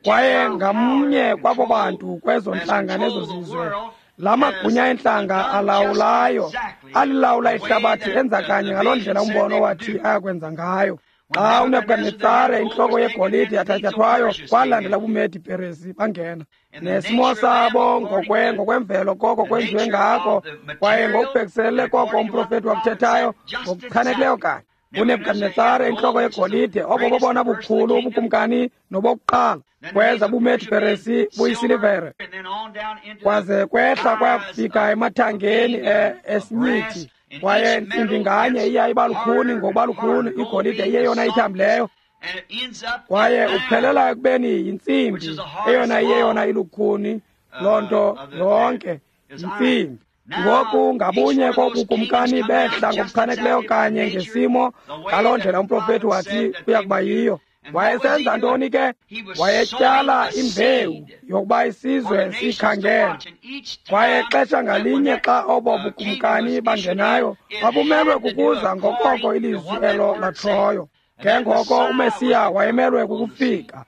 Kwaye ngamnye kwabo bantu kwezo ntlanga nezo zizwe, la magunya entlanga alawulayo alilawula ihlabathi enza kanye ngaloo ndlela umbono wathi ayakwenza ngayo. Xa uNebukadnetsare intloko yegolide yathatyathwayo, kwalandela ubuMedi Peresi bangena nesimo sabo ngokwemvelo koko kwenziwe ngako, kwaye ngokubhekiselele koko umprofethi wakuthethayo ngokuchanekileyo kanye. uNebukadnetsare intloko yegolide, obo bobona bukhulu ubukumkani nobokuqala, kweza buMedi Peresi buyisilivere, kwaze kwehla kwaya kufika emathangeni esinyithi. Kwaye ntsimbi nganye iya iba lukhuni ngokuba lukhuni, igolide iyeyona ithambileyo, kwaye uphelela ekubeni yintsimbi eyona iyeyona ilukhuni. Loo nto yonke yintsimbi. Ngoku ngabunye kobukumkani behla ngokuchanekileyo kanye ngesimo ngaloo ndlela umprofethi wathi uya kuba yiyo. Wayesenza ntoni ke? Wayetyala imbewu yokuba isizwe siyikhangele. Kwaye xesha ngalinye xa obo bukumkani bangenayo, babumelwe kukuza ngokoko ilizwi elo latshoyo. Ke ngoko uMesiya wayemelwe kukufika.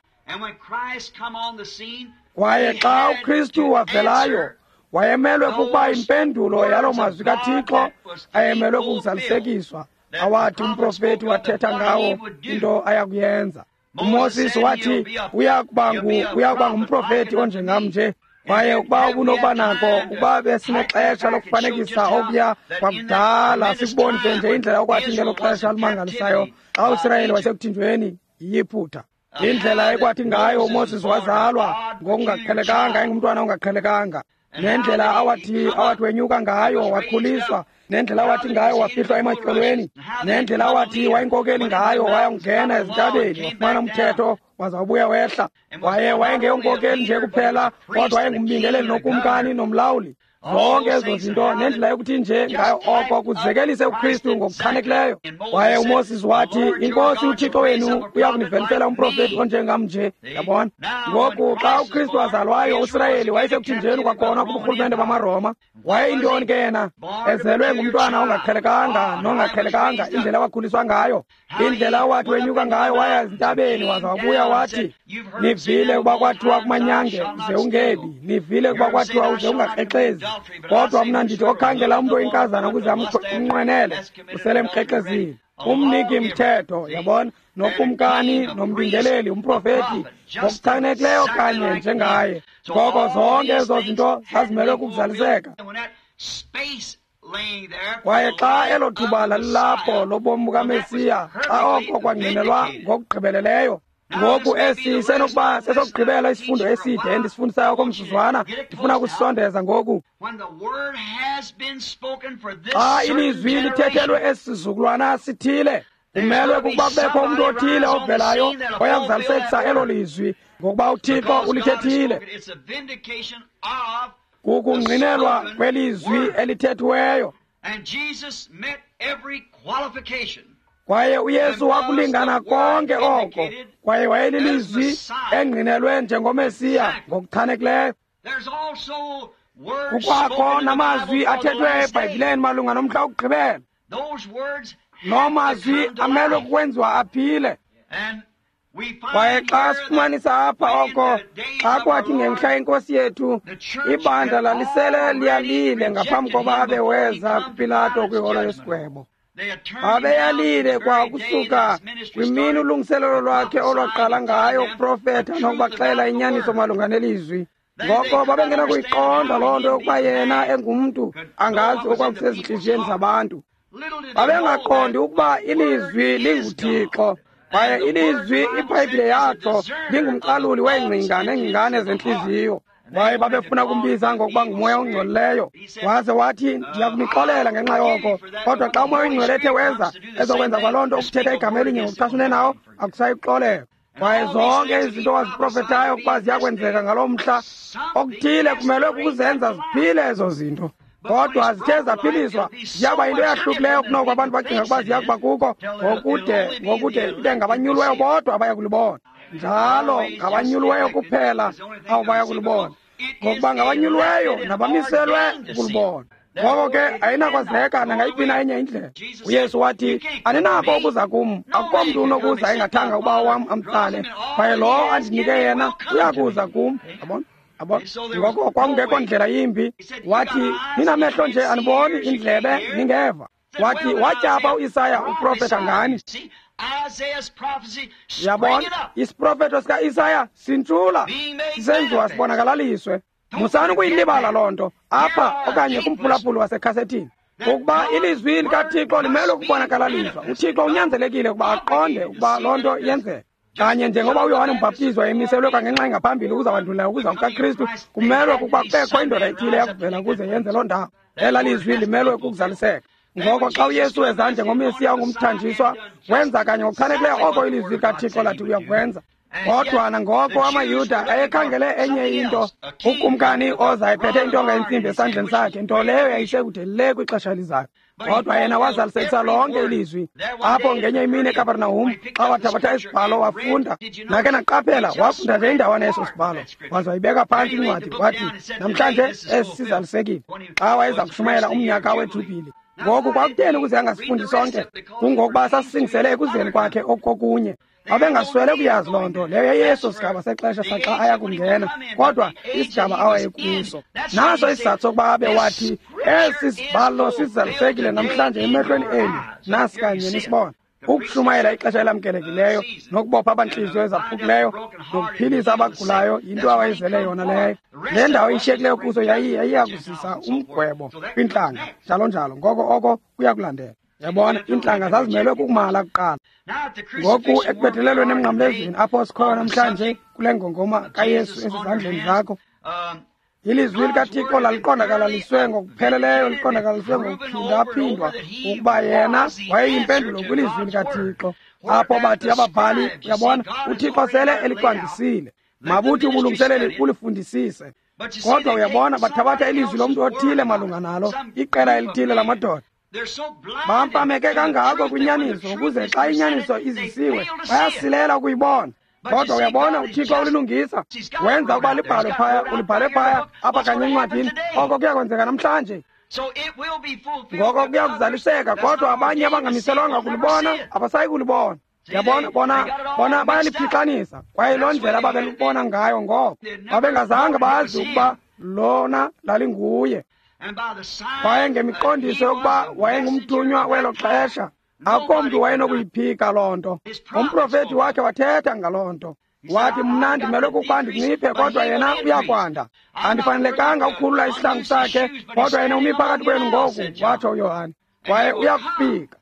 Kwaye xa uKristu wavelayo, wayemelwe kukuba impendulo yaloo mazwi kaThixo ayemelwe kukuzalisekiswa, awathi umprofethi wathetha ngawo into ayakuyenza. uMoses wathi uya kuba ngumprofethi onjengam nje. Kwaye ukuba ubunokuba nako, ukuba besinexesha lokufanekisa okuya kwakudala, sikubonise nje indlela okwathi ngelo xesha limangalisayo xa uSirayeli wayesekuthinjweni yiYiphutha, indlela ekwathi ngayo uMoses wazalwa ngokungaqhelekanga, engumntwana ongaqhelekanga, nendlela awathi wenyuka ngayo wakhuliswa, nendlela awathi ngayo wafihlwa ematyholweni, nendlela awathi wayinkokeli ngayo wayongena ezintabeni wafumana umthetho waza wabuya wehla. Waye wayengeyonkokeli nje kuphela, kodwa wayengumbingeleli nokumkani nomlawuli. Zonke ezo zinto nendlela yokuthi nje ngayo oko kuzekelise uKristu ngokuchanekileyo. Kwaye uMoses wathi, iNkosi uThixo wenu uya kunivelisela umprofethi onjengam nje. Yabona? Ngoku xa uKristu wazalwayo, uSirayeli wayesekuthinjeni kwakhona kuburhulumente bamaRoma. Wayeyintoni ke yena? Ezelwe ngumntwana ongaqhelekanga nongaqhelekanga, indlela awakhuliswa ngayo, indlela awathi wenyuka ngayo waya ezintabeni waza wabuya wathi, nivile ukuba kwathiwa kumanyange uze ungebi, nivile ukuba kwathiwa uze ungakrexezi. Kodwa mna ndithi okhangela umntu oyinkazana ukuze amnqwenele usele mkrexezile. Umniki mthetho, yabona, nokumkani nombingeleli, umprofeti, ngokuchanekileyo kanye njengaye. Ngoko zonke ezo zinto zazimelwe kukuzaliseka. Kwaye xa elo thuba lalilapho lobomi bukaMesiya, xa oko kwangqinelwa ngokugqibeleleyo. Ngoku esi senokuba sesokugqibela isifundo eside endisifundisayo komzuzwana, ndifuna ukusisondeza ngoku. Xa ilizwi lithethelwe esi sizukulwana sithile, kumelwe kukuba kubekho umntu othile ovelayo oya kuzalisekisa elo lizwi, ngokuba uThixo ulithethile. Kukungqinelwa kwelizwi elithethiweyo. Kwaye uYesu wakulingana konke oko, kwaye wayelilizwi engqinelwe njengoMesiya ngokuchanekileyo. Kukwakho namazwi athethwe eBhayibhileni malunga nomhla wokugqibela. Loo mazwi amelwe kukwenziwa aphile. Kwaye xa sifumanisa apha oko, xa kwathi ngemhla yenkosi yethu, ibandla lalisele liyalile ngaphambi koba abe weza kuPilato kwiholo yesigwebo. Babeyalile kwa kusuka kwimini ulungiselelo lwakhe olwaqala ngayo ukuprofetha nokubaxela inyaniso malunga nelizwi. Ngoko babengenakuyiqonda loo nto yokuba yena engumntu angazi okwakusezintliziyweni zabantu. Babengaqondi ukuba ilizwi linguThixo, kwaye ilizwi iBhayibhile yatsho lingumqaluli weengcinga neengcingane zentliziyo. Kwaye babefuna ukumbiza ngokuba ngumoya ongcolileyo. Waze wathi, ndiya kunixolela ngenxa yoko, kodwa xa umoya oyingcwele ethe weza ezokwenza kwaloo nto ukuthetha igama elinye ngokuchasene nawo, akusayi kuxolelwa. Kwaye zonke izinto waziprofethayo ukuba ziyakwenzeka ngaloo mhla, okuthile kumelwe kukuzenza ziphile ezo zinto. Kodwa zithe zaphiliswa, ziyaba yinto eyahlukileyo kunoko abantu bacinga ukuba ziya kuba kuko, ngokude ibe ngabanyulweyo bodwa abaya kulibona. Njalo ngabanyulweyo kuphela abo baya kulibona, ngokuba ngabanyulweyo nabamiselwe ukulibona. Ngoko ke ayinakwazeka nangayiphi na enye indlela. uYesu wathi, aninako ukuza kum, akukho mntu unokuza engathanga ubawo wam amtsale, kwaye lowo andinike yena uyakuza kum. Yabona? Yabona? Ngoko kwakungekho ndlela yimbi. Wathi, ninamehlo nje aniboni, indlebe ningeva. Wathi, watyapha uIsaya uprofeta ngani. Yabona, isiprofeto sikaIsaya sintshula, sisenziwa sibonakalaliswe. Musani ukuyilibala loo nto apha okanye kumphulaphuli wasekhasethini, ukuba ilizwi likaThixo limelwe ukubonakalaliswa. uThixo unyanzelekile ukuba aqonde ukuba loo nto yenzeka. Kanye njengoba uYohane uMbhaptizi wayemiselwe kwangenxa engaphambili ukuza wandula ukuza kukaKristu, kumelwe kukuba kubekho indoda ethile yakuvela ukuze yenze loo ndawo. Ela lizwi limelwe kukuzaliseka. Ngoko xa uYesu weza njengoMesiya ongumthanjiswa, wenza kanye ngokuchanekileyo oko ilizwi likaThixo lathi uyakwenza. Kodwa nangoko amaYuda ayekhangele enye into, ukumkani oza ephethe intonga yentsimbi esandleni sakhe, nto leyo yayisekude le kwixesha elizayo. Kodwa yena wazalisekisa lonke ilizwi. Apho ngenye imini eKapernahum, xa wathabatha isibhalo wafunda, nake naqaphela, wafunda nje indawana yeso sibhalo, waze wayibeka phantsi incwadi, wathi, namhlanje esi sizalisekile, xa wayeza kushumayela umnyaka weJubhili. Ngoku kwakutheni ukuze angasifundi sonke? Kungokuba sasisingisele ekuzeni kwakhe okokunye. Babengaswele kuyazi loo nto leyo yeyeso sigaba sexesha saxa aya kungena, kodwa isigaba awayekuso. Naso isizathu sokuba abe wathi, esi sibhalo sizalisekile namhlanje emehlweni enu, nasi kanye nisibona. Ukushumayela ixesha elamkelekileyo nokubopha abantliziyo ezaphukileyo nokuphilisa abagulayo yinto awayezele yona leyo. Le ndawo ishiyekileyo kuso yayiya kuzisa umgwebo kwiintlanga, njalo njalo. Ngoko oko kuyakulandela. Yabona, iintlanga zazimelwe kukumala kuqala. Ngoku ekubethelelweni emnqamlezweni apho sikhoyo namhlanje kule ngongoma kaYesu esezandleni zakho, ilizwi likaThixo laliqondakalaliswe ngokupheleleyo, liqondakalaliswe ngokuphindaphindwa ukuba yena wayeyimpendulo kwilizwi likaThixo. Apho bathi ababhali, uyabona, uThixo sele elicwangcisile, mabuthi ubulungiseleli ulifundisise. Kodwa uyabona, bathabatha ilizwi lomntu othile malunga nalo, iqela elithile lamadoda. Bampameke kangako kwinyaniso ukuze xa inyaniso izisiwe bayasilela ukuyibona. Kodwa uyabona, uThixo ulilungisa, wenza ukuba libhalwe phaya, ulibhale phaya apha kanye encwadini. Oko kuyakwenzeka namhlanje. Ngoko kuyakuzaliseka, kodwa abanye abangamiselwanga kulibona abasayi kulibona. Yabona, bona bayaliphixanisa, kwaye loo ndlela babelubona ngayo ngoko. Babengazange bazi ukuba lona lalinguye. Kwaye ngemiqondiso yokuba wayengumthunywa welo xesha, akukho mntu wayenokuyiphika loo nto. Umprofethi wakhe wathetha ngaloo nto. Wathi, mna ndimelwe kukuba ndinciphe, kodwa yena uyakwanda. Andifanelekanga ukukhulula isihlangu sakhe, kodwa yena umi phakathi kwenu ngoku, watsho uYohane. Kwaye uyakufika.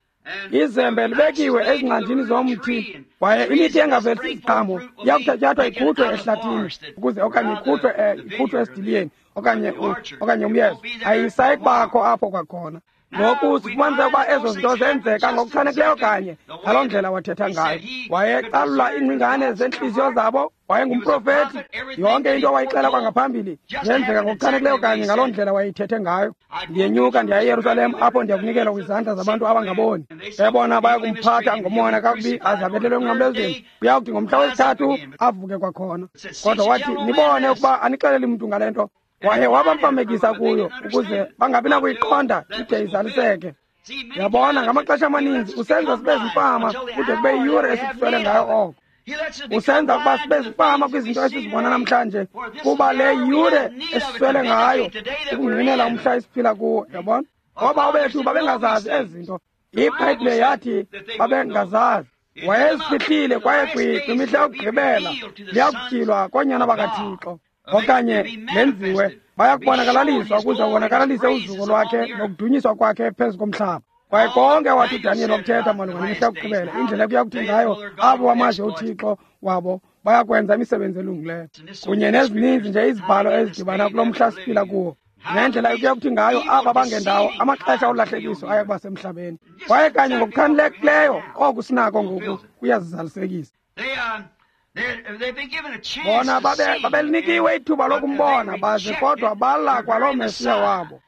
Izembe libekiwe ezingcanjini zomthi, kwaye imithi engavelisi iziqhamo iyakuthatyathwa ikhutshwe ehlathini ukuze okanye ikhutshwe esidiliyeni okanye umyezo. Ayisayi kubakho apho kwakhona. Ngoku sifumanisa ukuba ezo zinto zenzeka ngokuchanekileyo kanye ngaloo ndlela wathetha ngayo. Wayecalula iingcingane zeentliziyo zabo, wayengumprofethi. Yonke into wayixela kwangaphambili yenzeka ngokuchanekileyo kanye ngaloo ndlela wayeyithethe ngayo. Ndiyenyuka ndiya eYerusalem, apho ndiyakunikelwa kwizandla zabantu abangaboni. Ebona bayakumphatha ngomona kakubi aze abethelwe emnqamlezweni. Kuyakuthi ngomhla wesithathu avuke kwakhona. Kodwa wathi, nibone ukuba anixeleli mntu ngale nto. Waye wabamfamekisa kuyo ukuze bangabi nakuyiqonda ide izaliseke. Yabona, ngamaxesha amaninzi usenza sibe zimfama kude kube yiyure esikuswele ngayo oko. Usenza ukuba sibe zimfama kwizinto esizibona namhlanje, kuba le yure esiswele ngayo ukungqinela umhla esiphila kuwo. Yabona, ngoba bethu babengazazi ezi zinto. IBhayibhile yathi babengazazi. Wayezifihlile kwaye kwimihla yokugqibela liyakutyhilwa koonyana bakaThixo, okanye lenziwe, bayakubonakalaliswa ukuze ubonakalalise uzuko lwakhe nokudunyiswa kwakhe phezu komhlaba. Kwaye konke wathi uDaniyeli wakuthetha malunga nemihla yokugqibela, indlela ekuya kuthi ngayo abo bamazi uThixo wabo bayakwenza imisebenzi elungileyo, kunye nezininzi nje izibhalo ezidibana kulo mhla siphila kuwo, nendlela ekuya kuthi ngayo aba bangendawo amaxesha olahlekiso aya kuba semhlabeni. Kwaye kanye ngokuchanekileyo oku sinako ngoku kuyazizalisekisa. Bona babelinikiwe ithuba lokumbona baze, kodwa bala kwaloo Mesiya wabo.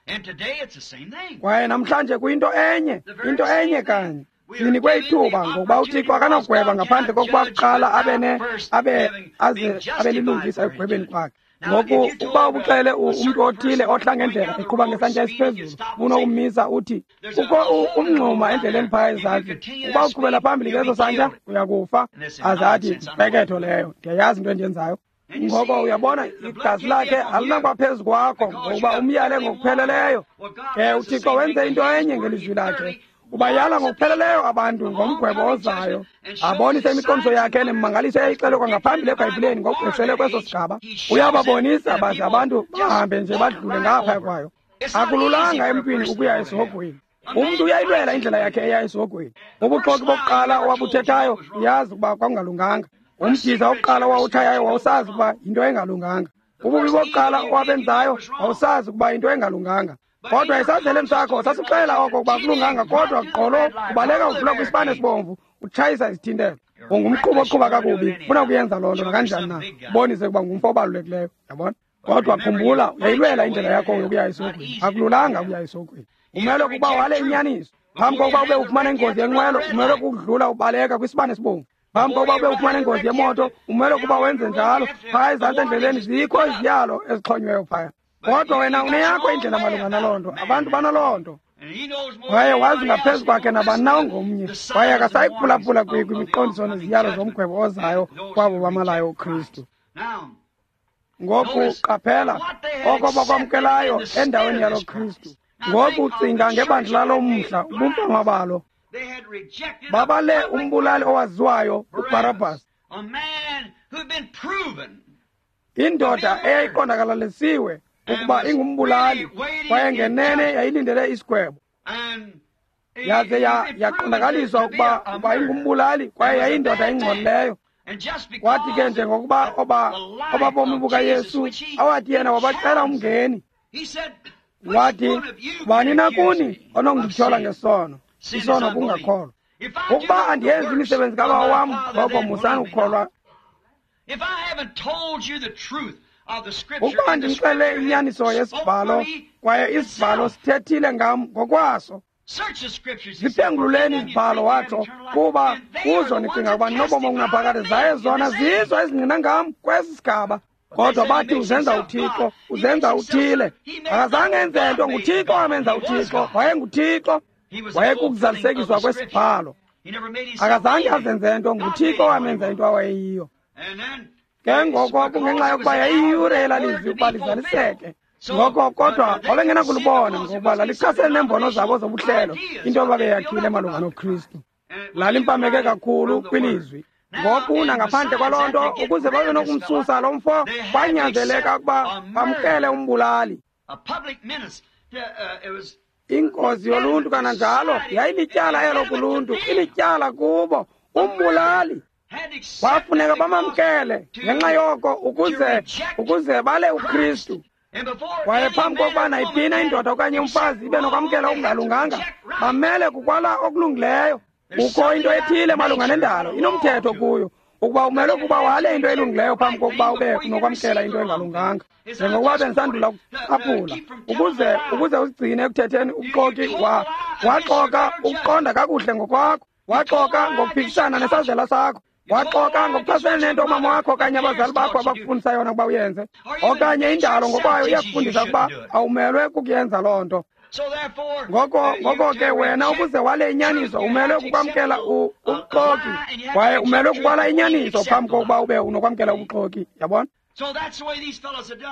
Kwaye namhlanje kuyinto enye, into enye kanye. Sinikwe ithuba ngokuba uThixo akanagweba ngaphandle kokuba kuqala abe lilungisa ekugwebeni kwakhe. Ngoku ukuba ubuxele umntu othile ohla ngendlela eqhuba ngesantya esiphezulu, unokumisa uthi kukho umngxuma endleleni phaya ezantsi, ukuba uqhubela phambili ngeso santya uyakufa. Aze athi, mpeketho leyo, ndiyayazi into endiyenzayo. Ngoko uyabona, igazi lakhe alinakuba phezu kwakho ngokuba umyale ngokupheleleyo. Ke uThixo wenze into enye ngelizwi lakhe. Ubayala ngokupheleleyo abantu ngomgwebo ozayo, abonise imiqondiso yakhe nemimangaliso eyayixelwe kwangaphambili eBhayibhileni ngokugqwesele kweso sigaba. Uyababonisa baze abantu bahambe nje badlule ngaphaya kwayo. Akululanga emntwini ukuya esihogweni. Umntu uyayilwela indlela yakhe eya esihogweni. Ubuxoki bokuqala owabuthethayo uyazi ukuba kwakungalunganga. Umdiza wokuqala owawutshayayo wawusazi ukuba yinto engalunganga. Ububi bokuqala owabenzayo wawusazi ukuba yinto engalunganga. Kodwa esazeleni sakho sasixela oko ukuba kulunganga, kodwa gqolo ubaleka udlula kwisibane esibomvu utshayisa izithintelo. Ungumqhubi oqhuba kakubi, ufuna ukuyenza loo nto nakanjani na, ubonise ukuba ngumfo obalulekileyo. Yabona? Kodwa khumbula, uyayilwela indlela yakho yokuya esihogweni. Akululanga ukuya esihogweni. Umele ukuba wale inyaniso. Phambi kokuba ube ufumana ingozi yenqwelo, umele ukudlula ubaleka kwisibane esibomvu. Phambi kokuba ube ufumana ingozi yemoto, umele ukuba wenze njalo. Phaya ezantsi endleleni zikho iziyalo ezixhonyweyo phaya. Kodwa wena uneyakho indlela malunga naloo nto. Abantu banaloo nto. Kwaye wazi ngaphezu kwakhe nabani na ongomnye. Kwaye akasayi kuphulaphula kwimiqondiso neziyalo zomgwebo ozayo kwabo bamalayo uKristu. Ngoku qaphela oko bakwamkelayo endaweni yalo Kristu. Ngoku cinga ngebandla lalo mhla, ubumfama balo. Babale umbulali owaziwayo uBarabas, indoda eyayiqondakalalisiwe ukuba ingumbulali, kwaye ngenene yayilindele isigwebo. Yaze yaqondakaliswa ukuba ingumbulali, kwaye yayindoda engcolileyo. Wathi ke njengokuba obabomi bukaYesu awathi yena wabacela umngeni, wathi, bani na kuni onondityhola ngesono? Isono kungakholwa. Ukuba andiyenzi imisebenzi kaBawo wam, ngoko musani ukukholwa. Ukuba ndimxele inyaniso yesibhalo, kwaye isibhalo sithethile ngam ngokwaso. Ziphengululeni izibhalo, watsho, kuba kuzo nicinga ukuba ninobomi obungaphakathi, zaye zona zizo ezingqina ngam kwesi sigaba. Kodwa bathi uzenza uThixo, uzenza uthile. Akazange enze nto, nguThixo amenza uThixo. WayenguThixo, wayekukuzalisekiswa kwesibhalo. Akazange azenze nto, nguThixo amenza into awayeyiyo. Ke ngoko kungenxa yokuba yayiyure elalizwi ukuba lizaliseke. Ngoko kodwa babengenakulubona ngokuba lalichasene neembono zabo zobuhlelo, into ababeyakhile malunga noKristu. Lalimpameke kakhulu kwilizwi. Ngoku nangaphandle kwaloo nto, ukuze babe nokumsusa lo mfo, kwanyanzeleka ukuba bamkele umbulali. Ingozi yoluntu kananjalo yayilityala elo kuluntu, ilityala kubo, umbulali. Kwafuneka bamamkele ngenxa yoko ukuze bale uKristu. Kwaye phambi kokuba nayiphina indoda okanye umfazi ibe nokwamkela okungalunganga, bamele kukwala okulungileyo. Kukho into ethile malunga nendalo, inomthetho kuyo, ukuba umele ukuba wale into elungileyo phambi kokuba ube nokwamkela into engalunganga. Njengokuba bendisandula ukucaphula, ukuze uzigcine ekuthetheni ubuxoki, waxoka ukuqonda kakuhle ngokwakho, waxoka ngokuphikisana nesazela sakho, waxoka ngokuchasene nento umama wakho okanye abazali bakho abakufundisa yona ukuba uyenze, okanye indalo ngokwayo iyakufundisa ukuba awumelwe kukuyenza loo nto. Ngoko ke wena ukuze wale inyaniso umelwe kukwamkela ubuxoki, kwaye umelwe kukwala inyaniso phambi kokuba ube unokwamkela ubuxoki. Yabona?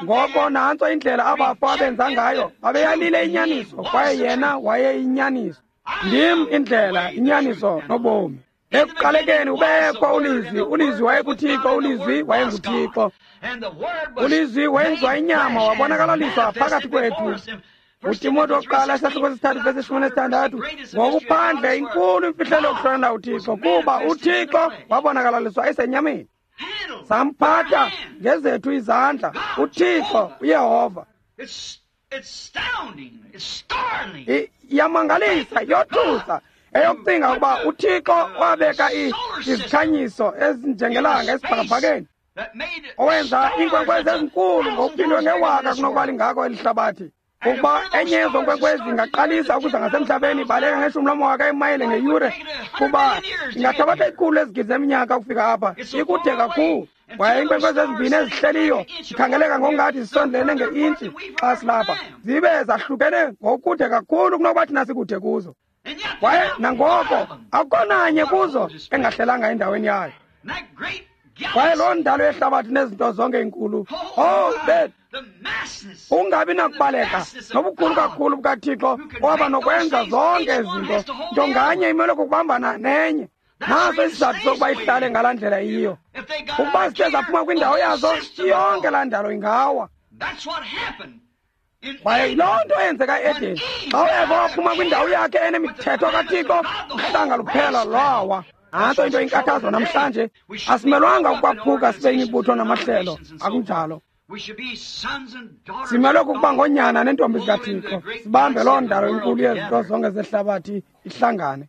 Ngoko nantso indlela abafo abenza ngayo, babeyalile inyaniso, kwaye yena wayeyinyaniso. Ndim indlela, inyaniso nobomi. Ekuqalekeni ubekho uLizwi, uLizwi wayekuThixo, uLizwi wayenguThixo. uLizwi wenziwa inyama wabonakalaliswa phakathi kwethu. uTimothy wokuqala isahluko sesithathu vesi 16, ngokuphandle inkulu imfihlelo yokuhlonela uThixo, kuba uThixo wabonakalaliswa esenyameni. Samphatha ngezethu izandla uThixo uYehova. Iyamangalisa, yothusa eyokucinga ukuba uThixo wabeka izikhanyiso ezinjengelanga esibhakabhakeni, owenza iinkwenkwezi ezinkulu ngokuphindwe ngewaka kunokuba lingako eli hlabathi. Ukuba enye yezo nkwenkwezi ingaqalisa ukuza ngasemhlabeni ibaleka ngeshumi lamawaka emayile ngeyure, kuba ingathabatha ikhulu lezigidi zeminyaka ukufika apha, ikude kakhulu. Kwaye iinkwenkwezi ezimbini ezihleliyo zikhangeleka ngokungathi zisondelene nge-intshi xa silapha, zibe zahlukene ngokude kakhulu kunokuba thina sikude kuzo. Kwaye nangoko akukho nanye kuzo engahlelanga endaweni yayo. Kwaye loo ndalo yehlabathi nezinto zonke inkulu, ungabi nakubaleka nobukhulu kakhulu bukaThixo owaba nokwenza zonke izinto, nto nganye imele kukubambana nenye. Naso isizathu sokuba ihlale ngalaa ndlela iyiyo. Ukuba zithe zaphuma kwindawo yazo, yonke laa ndalo ingawa. Kwaye yiloo nto eyenzeka e-Edeni. Xa uEva waphuma kwindawo yakhe enemithetho kaThixo, uhlanga luphela lwawa. Nantso into inkathazo namhlanje. Asimelwanga ukwaphuka sibe imibutho namahlelo, akunjalo. Simelwe kukuba ngoonyana neentombi zikaThixo, sibambe loo ndalo inkulu yezinto zonke zehlabathi ihlangane.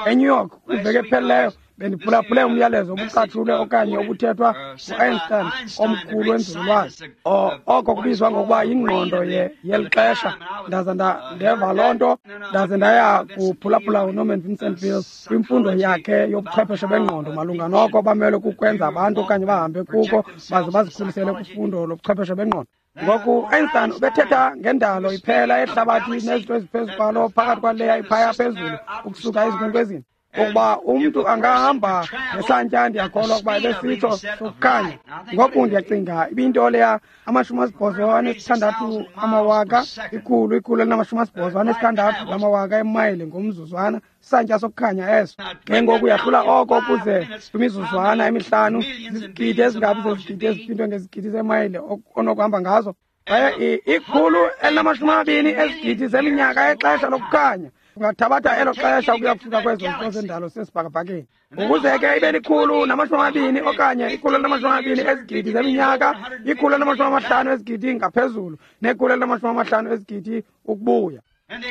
ENew York kwiveki ephelileyo bendiphulaphule umyalezo obucatshulwe okanye obuthethwa ngu-Einstein omkhulu wenzululwazi, oko kubizwa ngokuba yingqondo yeli xesha. Ndaze ndeva loo nto, ndaze ndaya kuphulaphula uNorman Vincent Peale kwimfundo yakhe yobuchwepheshe bengqondo malunga noko bamelwe kukwenza abantu okanye bahambe kuko baze bazikhulisele kufundo lobuchwepheshe bengqondo. Ngoku Einstein ubethetha ngendalo iphela ehlabathi nezinto eziphezu kwalo phakathi kwaleya iphaya phezulu ukusuka ezinkwenkwezini, ukuba umntu angahamba ngesantya, ndiyakholwa ukuba ebesitsho sokukhanya. Ngoku ndiyacinga ibinto leya 86 amawaka, ikhulu 186 lamawaka emayile ngomzuzwana, isantya sokukhanya eso. Ke ngoku yahlula oko ukuze kwimizuzwana emihlanu zizigidi ezingabi zezigidi eziphindwe ngezigidi zemayile onokuhamba ngazo. Kwaye 120 ezigidi zeminyaka exesha lokukhanya. Ungathabatha elo xesha ukuya kufika kwezo zinto zendalo sesibhakabhakeni. Ukuze ke ibe 120 okanye 120 ezigidi zeminyaka, 150 ezigidi ngaphezulu, ne-150 ezigidi ukubuya.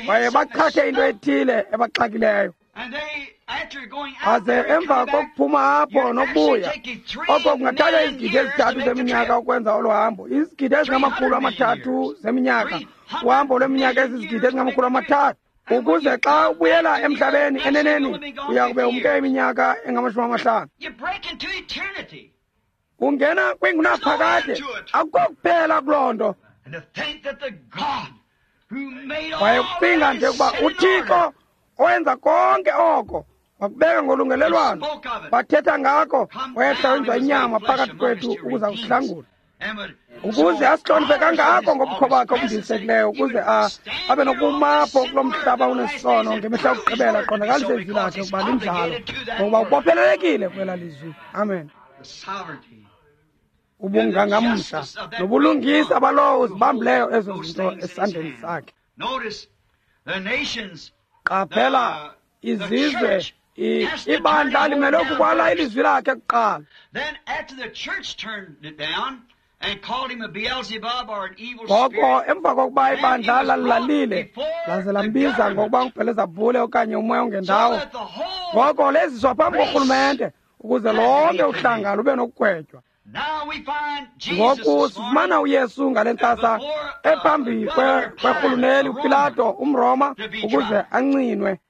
Kwaye baqhathe into ethile ebaxakileyo. Aze emva kokuphuma apho nokubuya, oko kungathatha izigidi ezithathu zeminyaka ukwenza olo hambo, izigidi ezingama-300 zeminyaka, uhambo lweminyaka ezizigidi ezingama-300. Ukuze xa ubuyela emhlabeni eneneni uya kube umke iminyaka engama-50. Ungena kwingunaphakade, akukho kuphela kuloo nto. Kwaye kucinga nje ukuba uThixo owenza konke oko wakubeka ngolungelelwano, bathetha ngako, wehla wenziwa inyama phakathi kwethu ukuza kusihlangula. Ukuze asihloniphe kangako ngobukho bakhe obundilisekileyo, ukuze abe nokuma apho kulo mhlaba unesono ngemihla yokugqibela, aqondakalise izwi lakhe ukuba linjalo, ngokuba ubophelelekile kwela lizwi. Amen. Ubungangamsha nobulungisa balowo uzibambileyo ezo zinto esandleni sakhe. Qaphela izizwe, ibandla limele ukukwala ilizwi lakhe kuqala. Ngoko emva kokuba ibandla lalilalile laze lambiza ngokuba nguBhelezabhule okanye umoya ongendawo, ngoko leziswa phambi korhulumente ukuze lonke uhlanga lube nokugwetywa. Ngoku sifumana uYesu ngale ntsasa ephambi kwerhuluneli uPilato umRoma ukuze ancinwe.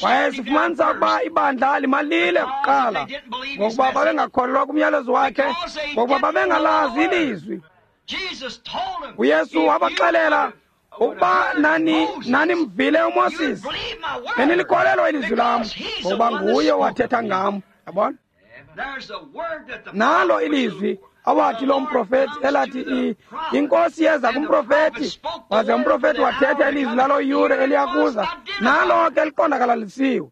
Kwaye sifumanisa ukuba ibandla limalile kuqala, ngokuba babengakholelwa kumyalezo wakhe, ngokuba babengalazi ilizwi. UYesu wabaxelela ukuba nanimvile uMoses, benilikholelwa ilizwi lam, ngokuba nguye owathetha ngam. Yabona? Nalo ilizwi awathi lo mprofeti elathi inkosi yeza kumprofeti, waze umprofeti wathetha ilizwi lalo yure eliyakuza, nalo ke liqondakalalisiwe.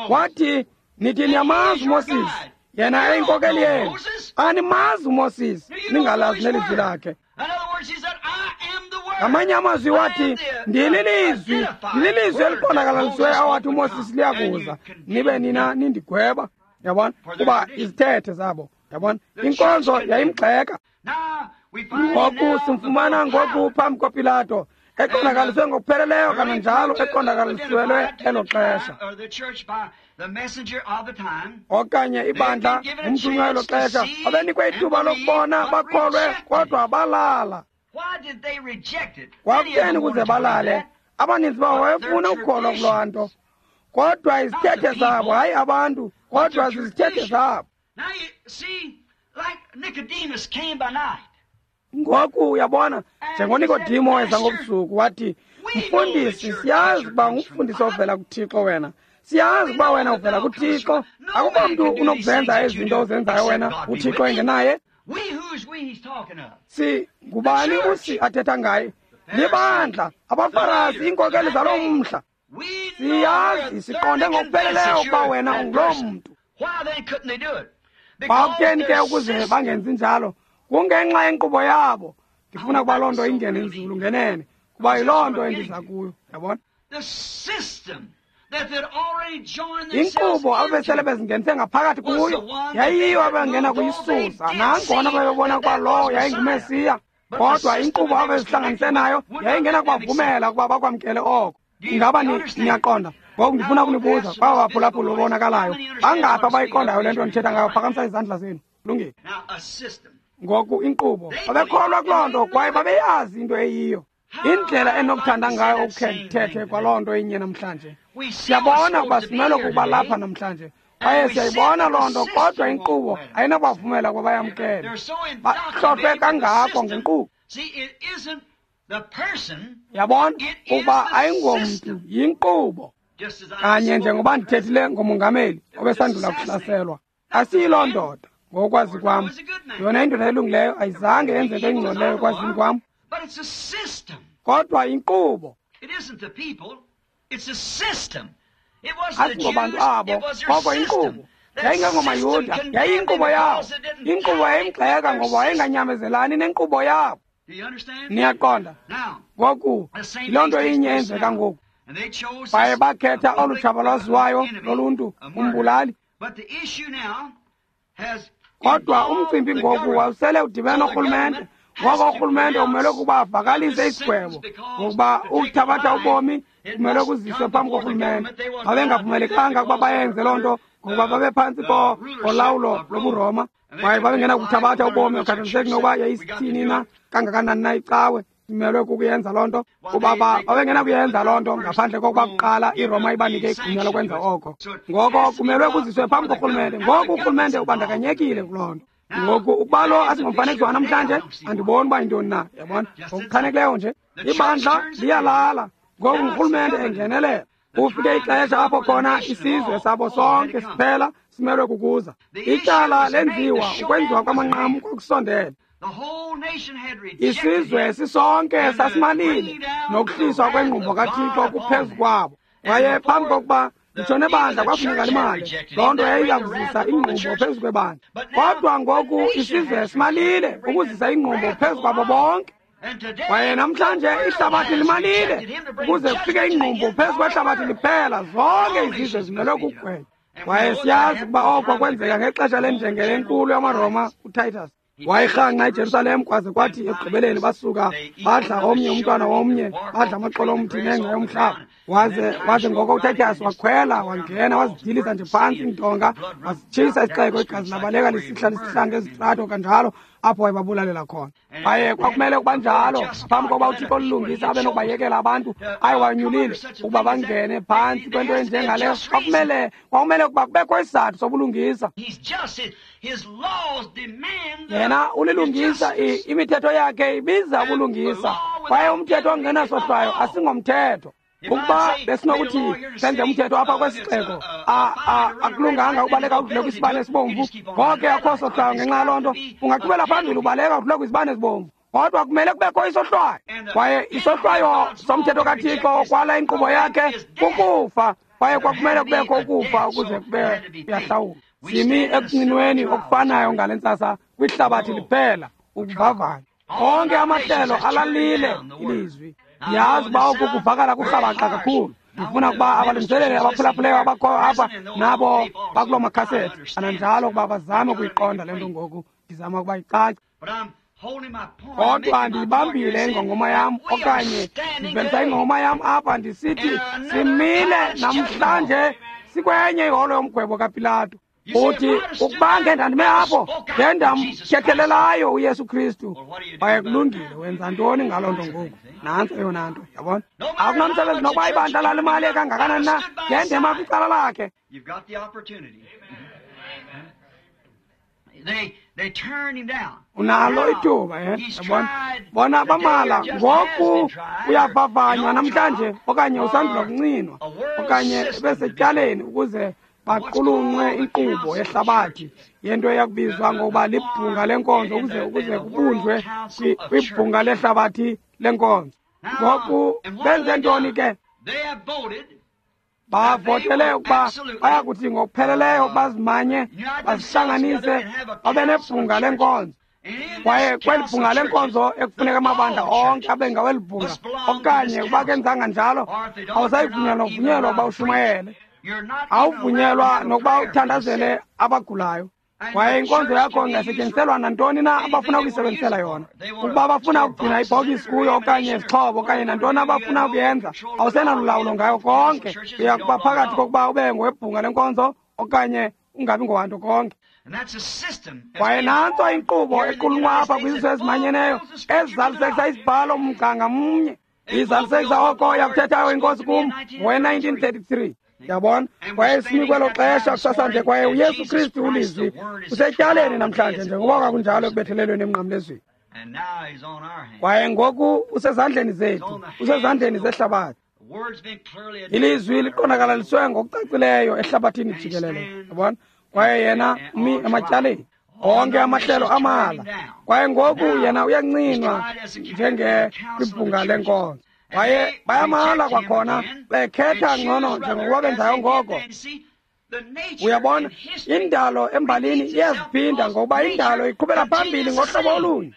Wathi, nithi niyamazi uMoses, yena eyinkokeli yenu. Animazi uMoses, ningalazi nelizwi lakhe. Ngamanye amazwi wathi, ndililizwi, ndililizwi eliqondakalalisiweyo awathi uMoses liyakuza, nibe nina nindigweba. Yabona? Kuba izithethe zabo. Yabona? Inkonzo yayimgxeka. Ngoku simfumana ngoku phambi koPilato, eqondakaliswe ngokupheleleyo kananjalo eqondakalisiwelwe elo xesha. Okanye ibandla umthunywa elo xesha babenikwe ithuba lokubona bakholwe, kodwa balala. Kwakutheni ukuze balale? Abaninzi babo wayefuna ukukholwa kuloo nto, kodwa izithethe zabo, hayi abantu, kodwa zizithethe zabo. Ngoku uyabona, njengoNikodimo weza ngobusuku wathi, mfundisi, siyazi ukuba ngumfundisi ovela kuThixo wena. Siyazi ukuba wena uvela kuThixo. Akukho mntu unokuzenza ezi zinto ozenzayo wena, uThixo engenaye. Si ngubani usi athetha ngaye? Libandla, abaFarasi, iinkokeli zaloo mhla. Siyazi, siqonde ngokupheleleyo ukuba wena unguloo mntu. Kwakutheni ke ukuze bangenzi njalo? Kungenxa yenkqubo yabo. Ndifuna ukuba loo nto ingene nzulu ngenene, kuba yiloo nto endiza kuyo. Yabona? Inkqubo ababesele bezingenise ngaphakathi kuyo yayiyo abangena kuyisusa, nangona babebona ukuba lowo yayinguMesiya, kodwa inkqubo ababezihlanganise nayo yayingena kubavumela ukuba bakwamkele oko. Ingaba niyaqonda? Ngoku ndifuna ukunibuza kwaba baphulaphula obonakalayo, bangaphi abayiqondayo le nto ndithetha ngayo? Phakamisa izandla zenu. Lungile. Ngoku inkqubo babekholwa kuloo nto kwaye babeyazi into eyiyo. Indlela enokuthanda ngayo ukukhe ndithethe kwaloo nto inye namhlanje. Siyabona ukuba simele ukuba lapha namhlanje, kwaye siyayibona loo nto, kodwa inkqubo ayinakubavumela ukuba bayamkele. Bahlohlwe kangako ngenkqubo. Yabona ukuba ayingomntu, yinkqubo. Kanye njengoba ndithethile ngomongameli obesandula kuhlaselwa, asiyiloo ndoda ngokwazi kwam. Yona indoda elungileyo ayizange yenze nto engcolileyo ekwazini kwam, kodwa inkqubo. Asingobantu abo, koko inkqubo. YayingengomaYuda, yayiyinkqubo yabo. Inkqubo yayimgxeka ngoba wayenganyamezelani nenkqubo yabo. Niyaqonda? Ngoku yiloo nto inye eyenzeka ngoku. Baye bakhetha olu tshaba lwaziwayo loluntu, umbulali. Kodwa umcimbi ngoku wawusele udibene norhulumente. Ngoko urhulumente umele ukuba avakalise isigwebo, ngokuba ukuthabatha ubomi kumele kuziswe phambi korhulumente. Babengavumelekanga ukuba bayenze loo nto ngokuba babephantsi kolawulo lobuRoma, kwaye babengenakuthabatha ubomi okhathaliseki nokuba yayisithini na kangakanani na icawe. Simelwe kukuyenza loo nto, kuba babengenakuyenza loo nto ngaphandle kokuba kuqala iRoma ibanike igunya lokwenza oko. Ngoko kumelwe kuziswe phambi korhulumente. Ngoku urhulumente ubandakanyekile kuloo nto. Ngoku ukuba lo asingomfanekiso wanamhlanje, andiboni uba yintoni na. Yabona? Ngokuchanekileyo nje ibandla liyalala. Ngoku ngurhulumente engenelela. Kufike ixesha apho khona isizwe sabo sonke siphela simelwe kukuza. Ityala lenziwa, ukwenziwa kwamanqamu kwakusondele. Isizwe sisonke sasimalile nokuhliswa kwengqumbo kaThixo kuphezu kwabo. Kwaye phambi kokuba nditsho nebandla kwafuneka limali, loo nto yayiza kuzisa ingqumbo phezu kwebandla. Kodwa ngoku isizwe simalile ukuzisa ingqumbo phezu kwabo bonke. Kwaye namhlanje ihlabathi limalile ukuze kufike ingqumbo phezu kwehlabathi liphela. Zonke izizwe zimelwe kugwetywa. Kwaye siyazi ukuba oko kwenzeka ngexesha lenjengele enkulu yamaRoma uTitus. Wayirhangqa iJerusalem kwaze kwathi ekugqibeleni basuka badla omnye umntwana womnye, badla amaxolo omthi nengca yomhlaba. Waze ngoko uTitus wakhwela wangena wazidilisa nje phantsi iintonga, wasitshisa isixeko, igazi labaleka lisihla lisihla ngezitrato kanjalo apho wayebabulalela khona. Kwaye kwakumele ukuba njalo phambi kokuba uThixo olulungisa abe nokubayekela abantu ayewanyulile ukuba bangene phantsi kwento enjengaleyo. Kwakumele ukuba kubekho isizathu sobulungisa. Yena ulilungisa, imithetho yakhe ibiza ubulungisa, kwaye umthetho ongenasohlwayo asingomthetho. Ukuba besinokuthi senze umthetho apha kwesixeko, akulunganga ubaleka udlule kwisibane esibomvu, ngoko akho sohlwayo ngenxa yaloo nto. Ungaqhubela phambili ubaleka udlule kwizibane ezibomvu, kodwa kumele kubekho isohlwayo. Kwaye isohlwayo somthetho kaThixo okwala inkqubo yakhe kukufa, kwaye kwakumele kubekho ukufa ukuze kube kuyahlawulwa. Simi ekuncinweni okufanayo ngale ntsasa kwihlabathi liphela, ukuvavanya. Onke amahlelo alalile ilizwi. Ndiyazi uba oku kuvakala kurhabaxa kakhulu. Ndifuna ukuba abalungiseleli abaphulaphuleyo abakhoyo apha nabo bakuloo makhasethi kananjalo ukuba bazame ukuyiqonda le nto ngoku. Ndizama ukuba icace. Kodwa ndiyibambile ingongoma yam, okanye ndivelisa ingongoma yam apha ndisithi simile namhlanje sikwenye iholo yomgwebo kaPilato. Uthi ukuba ngendandime apho ngendamthethelelayo uYesu Kristu, kwaye kulungile. Wenza ntoni ngaloo nto ngoku? Nantso eyona nto, yabona. Akunamsebenzi nokuba ibandla lalimali kangakanani na, ngendema kwicala lakhe. Unalo ithuba, yabona. Bona bamala ngoku uyavavanywa namhlanje, okanye usandula kuncinwa, okanye besetyaleni ukuze baqulunqwe inkqubo yehlabathi yento eyakubizwa ngokuba libhunga lenkonzo, ukuze kubunjwe kwibhunga lehlabathi lenkonzo. Ngoku benze ntoni ke? Bavotele ukuba bayakuthi ngokupheleleyo bazimanye, bazihlanganise, babe nebhunga lenkonzo. Kwaye kweli bhunga lenkonzo ekufuneka amabandla onke abe ngaweli bhunga, okanye ukuba kenzanga njalo awusayivunyelwa nokuvunyelwa ukuba ushumayele, awuvunyelwa nokuba uthandazele abagulayo. Kwaye inkonzo yakho ingasetyenziselwa nantoni na abafuna ukuyisebenzisela yona. Ukuba bafuna ukugcina ibhokisi kuyo okanye izixhobo okanye nantoni abafuna ukuyenza, awusenalulawulo ngayo konke. Uya kuba phakathi kokuba ube ngowebhunga lenkonzo okanye ungabi ngowanto konke. Kwaye nantso inkqubo equlunqwa apha kwizizwe ezimanyeneyo ezizalisekisa isibhalo mgca ngamnye. Izalisekisa oko yakuthethayo inkosi kum ngowe-1933. Yabona, kwaye simi kwelo xesha kusasanje, kwaye uYesu Kristu ulizwi usetyaleni namhlanje njengoba kwakunjalo ekubethelelweni emnqamlezweni. Kwaye ngoku usezandleni zethu, usezandleni zehlabathi. Ilizwi liqondakalaliswe ngokucacileyo ehlabathini jikelele, yabona. Kwaye yena umi ematyaleni onke amahlelo amala. Kwaye ngoku yena uyancinwa njenge kwibhunga lenkonzo. Kwaye bayamala kwakhona, bekhetha ngcono njengokuba benzayo ngoko. Uyabona, indalo embalini iyaziphinda ngokuba indalo iqhubela phambili ngohlobo olunye.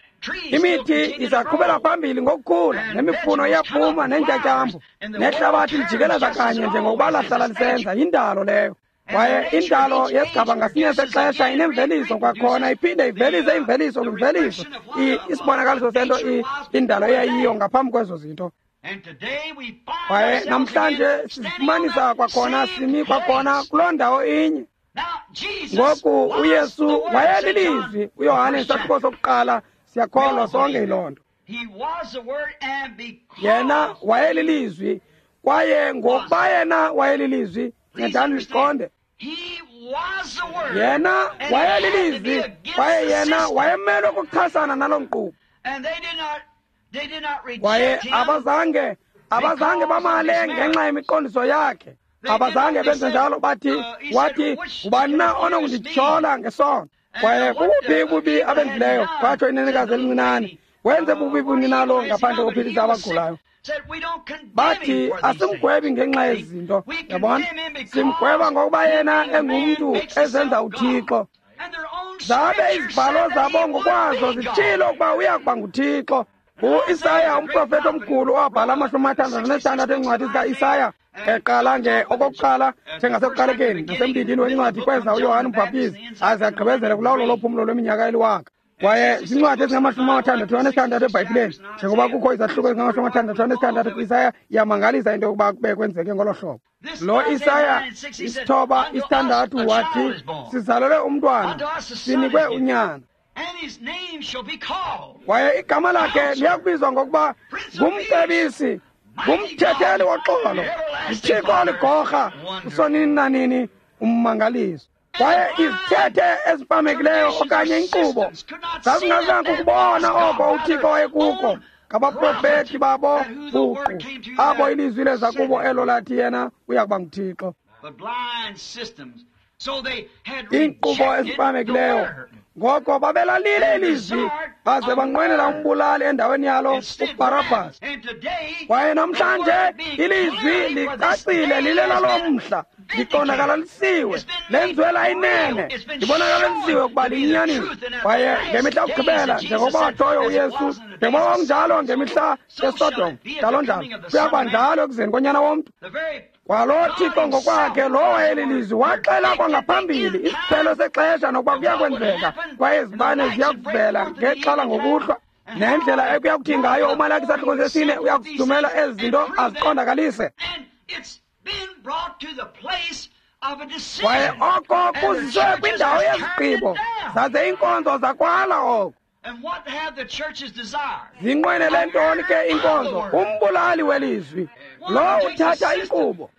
Imithi izaqhubela phambili ngokukhula, nemifuno iyaphuma neentyatyambo, nehlabathi lijikeleza kanye njengokuba lahlala lisenza. Yindalo leyo. Kwaye indalo yesigaba ngasinye sexesha inemveliso kwakhona, iphinde ivelise imveliso kwimveliso, isibonakaliso sento indalo eyayiyo ngaphambi kwezo zinto. Kwaye namhlanje sizifumanisa kwakhona simi kwakhona kuloo ndawo inye. Ngoku uYesu wayelilizwi. uYohane isahluko sokuqala, siyakholwa sonke yiloo nto. Yena wayelilizwi, kwaye ngokuba yena wayelilizwi, ncedani niqonde. Yena wayelilizwi, kwaye yena wayemelwe ukuchasana naloo nkqubo. Kwaye abazange bamale ngenxa yemiqondiso yakhe. Abazange benze njalo. Bathi, wathi, ngubani na onokundityhola ngesono? Kwaye bubuphi ububi abenzileyo? Kwatsho inenekazi elincinane. Wenze bubi buni nalo ngaphandle kophilisa abagulayo? Bathi, asimgwebi ngenxa yezinto. Yabona, simgweba ngokuba yena engumntu ezenza uThixo. Zabe izibhalo zabo ngokwazo zitshilo ukuba uya kuba nguThixo. U-Isaya, umprofeti omkhulu, owabhala 66 eencwadi zika-Isaya, eqala nge okokuqala njengasekuqalekeni nasembindini wencwadi kweza uYohane uMbhaptizi aze agqibezele kulawulo lophumlo lweminyaka eliwaka. Kwaye zincwadi ezingama-66 eBhayibhileni, njengoba kukho izahluko ezingama-66 kwi-Isaya. Iyamangalisa into yokuba kube kwenzeke ngolo hlobo. Lo Isaya 9:6 wathi, sizalelwe umntwana, sinikwe unyana, kwaye igama lakhe liyakubizwa ngokuba ngumcebisi, ngumthetheli woxolo, nguThixo oligorha, usonini nanini, ummangaliso. Kwaye izithethe ezipamekileyo okanye inkqubo zazingazinako ukubona oko uThixo wayekuko ngabaprofeti babo buqu, abo ilizwi leza kubo elo lathi yena uya kuba nguThixo. Iinkqubo ezipamekileyo, ngoko babelalile ilizwi baze banqwenela umbulali endaweni yalo, uBharabhas. Kwaye namhlanje ilizwi licacile, lilela mhla, liqondakalisiwe, lenziwe layinene, libonakalisiwe ukuba liyinyaniso. Kwaye ngemihla yokugqibela, njengokuba watshoyo uYesu, njengoba kwakunjalo ngemihla yeSodom, njalo njalo kuya kuba njalo ekuzeni koNyana womntu. Kwalo Thixo ngokwakhe lo wayelilizwi waxela kwangaphambili isiphelo sexesha nokuba kuya kwenzeka, kwaye izibane ziya kuvela ngexhala ngokuhlwa, nendlela ekuya kuthi ngayo uMalaki isahluko sesine uya kuzithumela ezi zinto aziqondakalise. Kwaye oko kuziswe kwindawo yezigqibo, zaze iinkonzo zakwala oko. Zinqwenele ntoni ke inkonzo? Umbulali welizwi, lo uthatha inkqubo.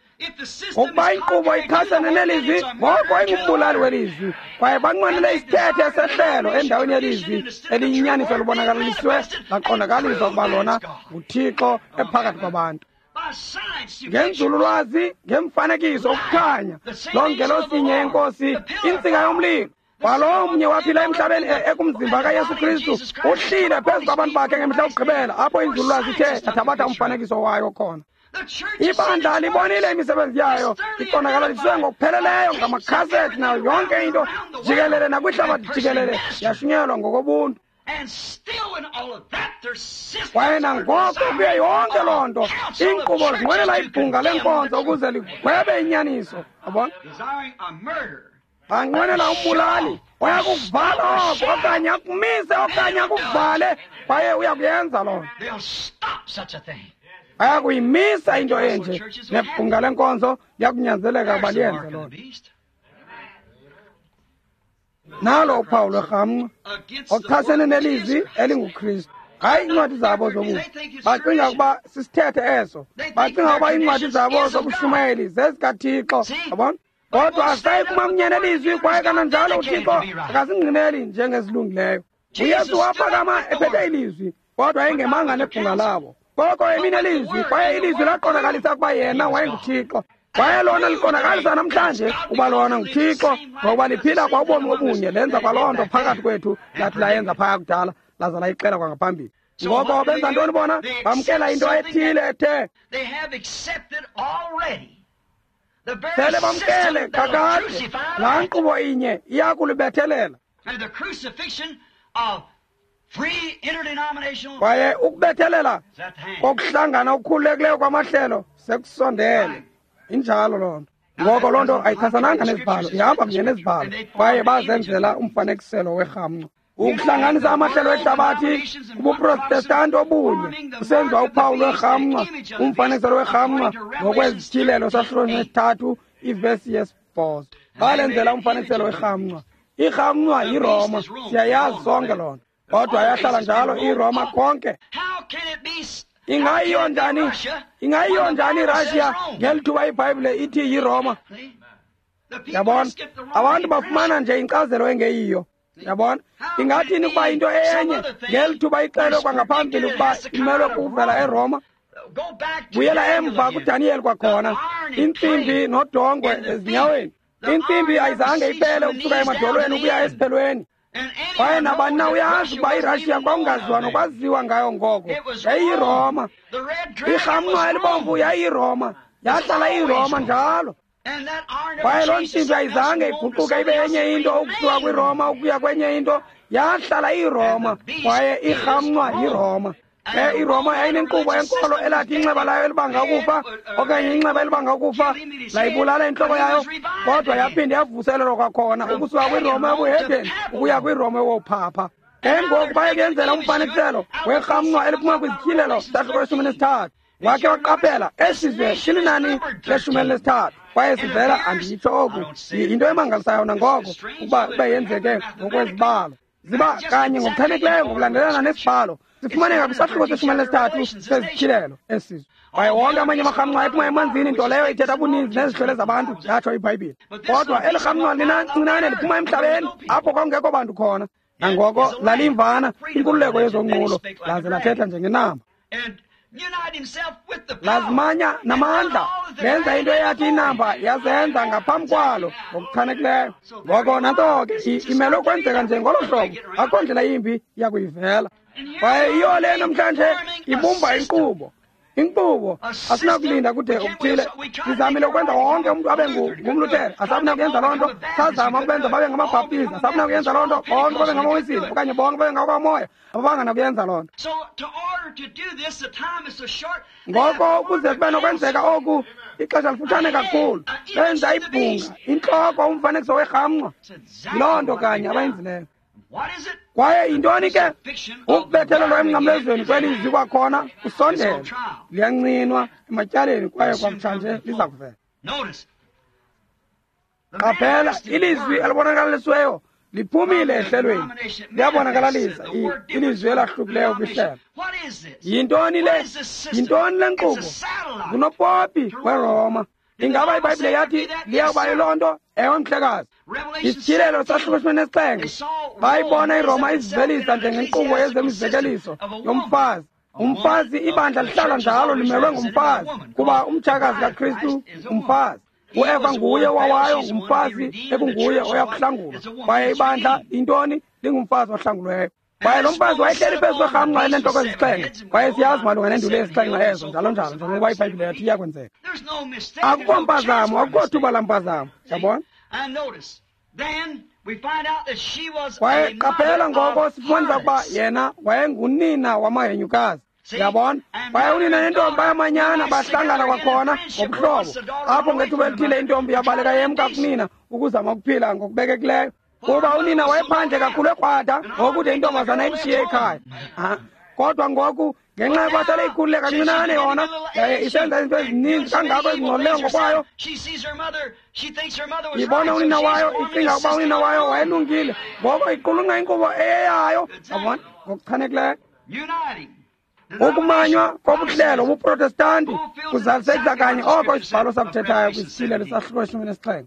Ngokuba inkqubo ichasene nelizwi, ngoko ingumbulali welizwi. Kwaye banqwenele isithethe sehlelo endaweni yelizwi eliyinyaniso libonakalaliswe laqondakaliswa ukuba lona nguThixo ephakathi kwabantu. Ngenzululwazi, ngemfanekiso, ukukhanya, loo ngelosi yenkosi, intsika yomlilo, kwalo mnye waphila emhlabeni ekumzimba kaYesu Kristu, uhlile phezu kwabantu bakhe ngemihla yokugqibela, apho inzululwazi ithe yathabatha umfanekiso wayo khona. Ibandla libonile imisebenzi yayo iqondakalaliswe ngokupheleleyo ngamakhasethi nayo yonke into jikelele nakwihlabathi jikelele, yashunyelwa ngokobuntu. Kwaye nangoko kuyo yonke loo nto, iinkqubo zinqwenela ibhunga lenkonzo ukuze ligwebe inyaniso. Yabona, banqwenela umbulali oya kukuvala oko, okanye akumise, okanye akuvale, kwaye uya kuyenza loo nto. Aya kuyimisa into enje, nebhunga lenkonzo liyakunyanzeleka ukuba liyenze loo nto. Nalo uphawu lwerhamncwa ochasene nelizwi elinguKristu. Hayi iincwadi zabo zobubi, bacinga ukuba sisithethe eso, bacinga ukuba iincwadi zabo zobushumayeli zezikaThixo. Yabona, kodwa asayi kuma kunye nelizwi, kwaye kananjalo uThixo akazingqineli njengezilungileyo. uYesu waphakama ephethe ilizwi, kodwa engemanga nebhunga labo. Koko emi nelizwi, kwaye ilizwi laqondakalisa ukuba yena wayenguThixo. Kwaye lona liqondakalisa namhlanje ukuba lona nguThixo, ngokuba liphila kwaubomi obunye, lenza kwaloo nto phakathi kwethu lathi layenza phaya kudala, laza layixela kwangaphambili. Ngoko benza ntoni bona? Bamkela into ethile ethe sele bamkele kakade. Laa nkqubo inye iya kulibethelela. Kwaye ukubethelela kokuhlangana okukhululekileyo kwamahlelo sekusondele. Injalo loo nto. Ngoko loo nto ayichasananga nezibhalo, ihamba kunye nezibhalo. Kwaye bazenzela umfanekiselo werhamncwa. Ukuhlanganisa amahlelo ehlabathi kubuprotestanti obunye kusenziwa uphawu lwerhamncwa, umfanekiselo werhamncwa, ngokwezityhilelo sahluko 3 ivesi 8. Balenzela umfanekiselo werhamncwa. Irhamncwa yiRoma, siyayazi sonke loo nto, kodwa yahlala njalo iRoma konke. Ingayiyo njani? Ingayiyo njani iRussia ngeli thuba iBhayibhile ithi yiRoma? Yabona, abantu bafumana nje inkcazelo engeyiyo. Yabona, ingathini ukuba into enye ngeli thuba ixelwe kwangaphambili ukuba imelwe kuvela eRoma? Buyela emva kuDaniyeli kwakhona, intsimbi nodongwe ezinyaweni. Intsimbi ayizange iphele ukusuka emadolweni ukuya esiphelweni. Kwaye nabani na uyazi ukuba iRashiya kwakungaziwa nokwaziwa ngayo ngoko. YayiyiRoma. Irhamncwa elibomvu yayiyiRoma. Yahlala iyiRoma njalo. Kwaye loo ntsimbi ayizange iguquke ibe yenye into ukusuka kwiRoma ukuya kwenye into. Yahlala iyiRoma, kwaye irhamncwa yiRoma. Ke iRoma yayinenkqubo yenkolo elathi inxeba layo elibanga ukufa, okanye inxeba elibanga ukufa layibulala intloko yayo, kodwa yaphinda yavuselelwa kwakhona ukusuka kwiRoma yobuhedeni ukuya kwiRoma yowophapha. Ke ngoku baye kuyenzela umfanekiselo werhamncwa eliphuma kwizityhilelo sahluko 13. Wakhe waqaphela esi sizwe silinani le-13, kwaye sivela, anditsho oku, yinto emangalisayo nangoko ukuba kube yenzeke ngokwezibalo. Ziba kanye ngokuchanekileyo ngokulandelelana nesibhalo. Sifumaneka kwisahluko se-13 sezityhilelo esizwe. Kwaye wonke amanye amarhamncwa ephuma emanzini, nto leyo ithetha ubuninzi nezihlwele zabantu, yatsho iBhayibhile. Kodwa eli rhamncwa lincinane liphuma emhlabeni apho kwakungekho bantu khona. Nangoko laliyimvana, inkululeko yezonqulo, laze lathetha njengenamba. Lazimanya namandla, lenza into eyathi inamba yazenza ngaphambi kwalo ngokuchanekileyo. Ngoko nantso ke imelwe kwenzeka nje ngolo hlobo, akho ndlela yimbi yakuyivela. Kwaye yiyo le namhlanje ibumba inkqubo. Inkqubo asinakulinda kude okuthile. Sizamile ukwenza wonke umntu abe ngumLuthere, asabinakuyenza loo nto. Sazama ukubenza babe ngamaBhaptizi, asabinakuyenza loo nto. Bonke babe ngamaWisile okanye bonke babe ngakwaMoya, ababanganakuyenza loo nto. Ngoko ukuze kube nokwenzeka oku, ixesha lifutshane kakhulu. Benza ibhunga, intloko, umfanekiso werhamncwa. Yiloo nto kanye abayenzileyo. Kwaye yintoni ke? Ukubethelelwa emnqamlezweni kwelizwi kwakhona kusondela, liyancinwa ematyaleni kwaye kwakutshanje liza kuvela. Qaphela, ilizwi elibonakalisiweyo liphumile ehlelweni, liyabonakalalisa ilizwi elahlukileyo kwihlelo. Yintoni le? Yintoni le nkqubo? Ngunopopi weRoma. Ingaba iBhayibhile yathi liyawuba yiloo nto? Ewe, mhlekazi. Isityhilelo sahluko 17, bayibona iRoma izivelisa njengenkqubo yezemizekeliso yomfazi. Umfazi, ibandla lihlala njalo limelwe ngumfazi, kuba umtshakazi kaKristu ngumfazi. uEva nguye wawayo, ngumfazi ekunguye oyakuhlangulwa. Kwaye ibandla intoni? Lingumfazi ohlangulweyo. Kwaye lo mfazi wayehleli phezu kwerhamncwa eneentloko ezisixhenxe. Kwaye siyazi malunga nenduli ezisixhenxe ezo, njalo njalo, njengokuba iBhayibhile yathi iyakwenzeka. Akukho mpazamo, akukho thuba lampazamo, yabona? Kwaye qaphela ngoko sifumanisa ukuba yena wayengunina wamahenyukazi. Yabona? Kwaye unina nentombi bayamanyana, bahlangana kwakhona ngobuhlobo. Apho ngethuba elithile intombi yabaleka yemka kunina ukuzama ukuphila ngokubekekileyo, kuba unina wayephandle kakhulu ekrwada ngokude intombazana imshiye ekhaya. Kodwa ngoku ngenxa yokuba sele ikhulule kancinane yona, yaye isenza izinto ezininzi kangako ezingcolileyo ngokwayo, ibona unina wayo, icinga ukuba unina wayo wayelungile, ngoko iqulunqa inkqubo eyeyayo. Yabona? Ngokuchanekileyo. Ukumanywa kobuhlelo ubuProtestanti kuzalisekisa kanye oko isibhalo sakuthethayo kwisityhilelo sahluko 17.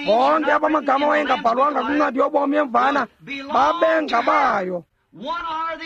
Bonke abamagama wayengabhalwanga kwincwadi yobomi yemvana babengabayo,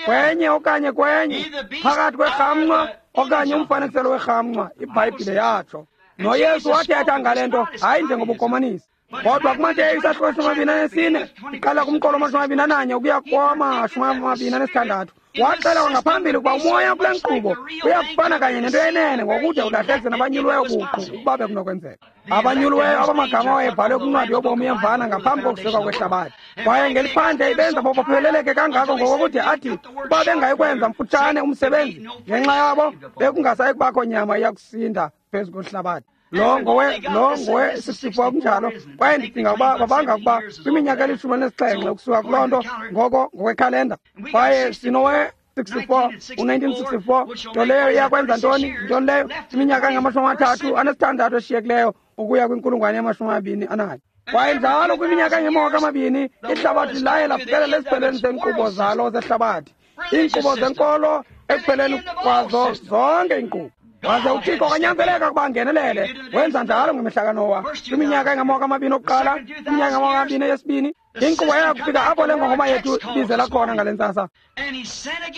kwenye okanye kwenye, phakathi kwerhamncwa okanye umfanekiselo werhamncwa, iBhayibhile yatsho. NoYesu wathetha ngale nto, hayi njengobukomanisi, kodwa kuMateyu isahluko 24, iqala kumqolo 21 ukuya kowama-26, waxela kwangaphambili ukuba umoya kule nkqubo uyakufana kanye nento yenene ngokude ulahlekise nabanyuliweyo buqu ukuba bekunokwenzeka. Abanyuliweyo abamagama wayebhalwe kwincwadi yobomi yemvana ngaphambi kokusekwa kwehlabathi. Kwaye ngeliphandle ibenza bopheleleke kangako ngokokude athi ukuba bengayikwenza mfutshane umsebenzi ngenxa yabo, bekungasayi kubakho nyama iyakusinda phezu kwehlabathi. Lo ngowe-64 kunjalo. Kwaye ndicinga ukuba babanga ukuba kwiminyaka eli-17 ukusuka kuloo nto ngoko ngokwekhalenda. Kwaye sinowe-64, u-1964, nto leyo iyakwenza ntoni? Ntoni leyo? Iminyaka engama-36 eshiyekileyo ukuya kwinkulungwane ye-21. Kwaye njalo kwiminyaka engama-20 ihlabathi laye lafikelela esiphelweni seenkqubo zalo zehlabathi, iinkqubo zenkolo ekupheleni kwazo zonke iinkqubo. Waze uThixo kwanyanzeleka ukuba angenelele. Wenza njalo ngemihla kaNowa, kwiminyaka engama-20 okuqala, iminyaka engama-20 yesibini. Inkqubo yayakufika apho le ngongoma yethu ibizela khona ngale ntsasa.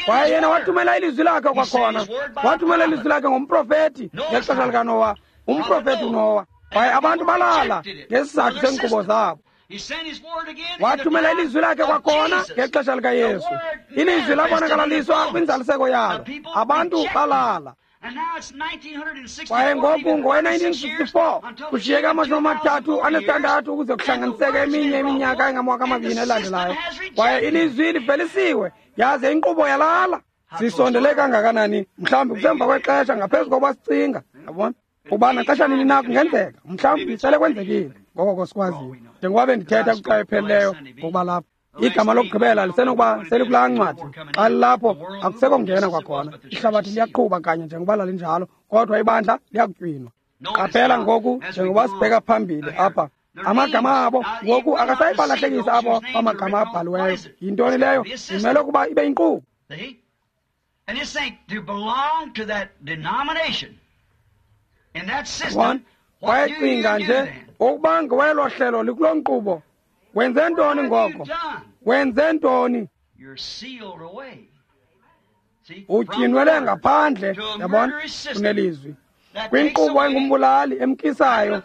Kwaye yena wathumela ilizwi lakhe kwakhona, wathumela ilizwi lakhe ngomprofethi ngexesha likaNowa, umprofethi uNowa. Kwaye abantu balala ngesizathu seenkqubo zabo. Wathumela ilizwi lakhe kwakhona ngexesha likaYesu. Ilizwi labonakalaliswa kwinzaliseko yalo, abantu balala. Kwaye ngoku ngowe-1964 kushiyeke 36 ukuze kuhlanganiseke eminye iminyaka engama-20 elandelayo. Kwaye ilizwi livelisiwe, yaze inkqubo yalala. Sisondele kangakanani? Mhlawumbi kusemva kwexesha ngaphezu kokuba sicinga. Yabona? Kuba naxesha nini na kungenzeka, mhlawumbi sele kwenzekile ngoko sikwaziyo. Njengoba bendithetha kwixa ephelileyo ngokuba lapha, igama lokugqibela lisenokuba selikulaa ncwadi. Xa lilapho akusekho ngena kwakhona. Ihlabathi liyaqhuba kanye njengoba lalinjalo, kodwa ibandla liyakutywinwa. Qaphela ngoku njengoba sibheka phambili apha, amagama abo ngoku akasayibalahlekisa abo amagama abhaliweyo. Yintoni leyo? Imele ukuba ibe yinkqubo. Wayecinga nje ukuba ngowelo hlelo likuloo nkqubo. Wenze ntoni ngoko? Wenze ntoni? Utyinwele ngaphandle, yabona, unelizwi kwinkqubo engumbulali emkisayo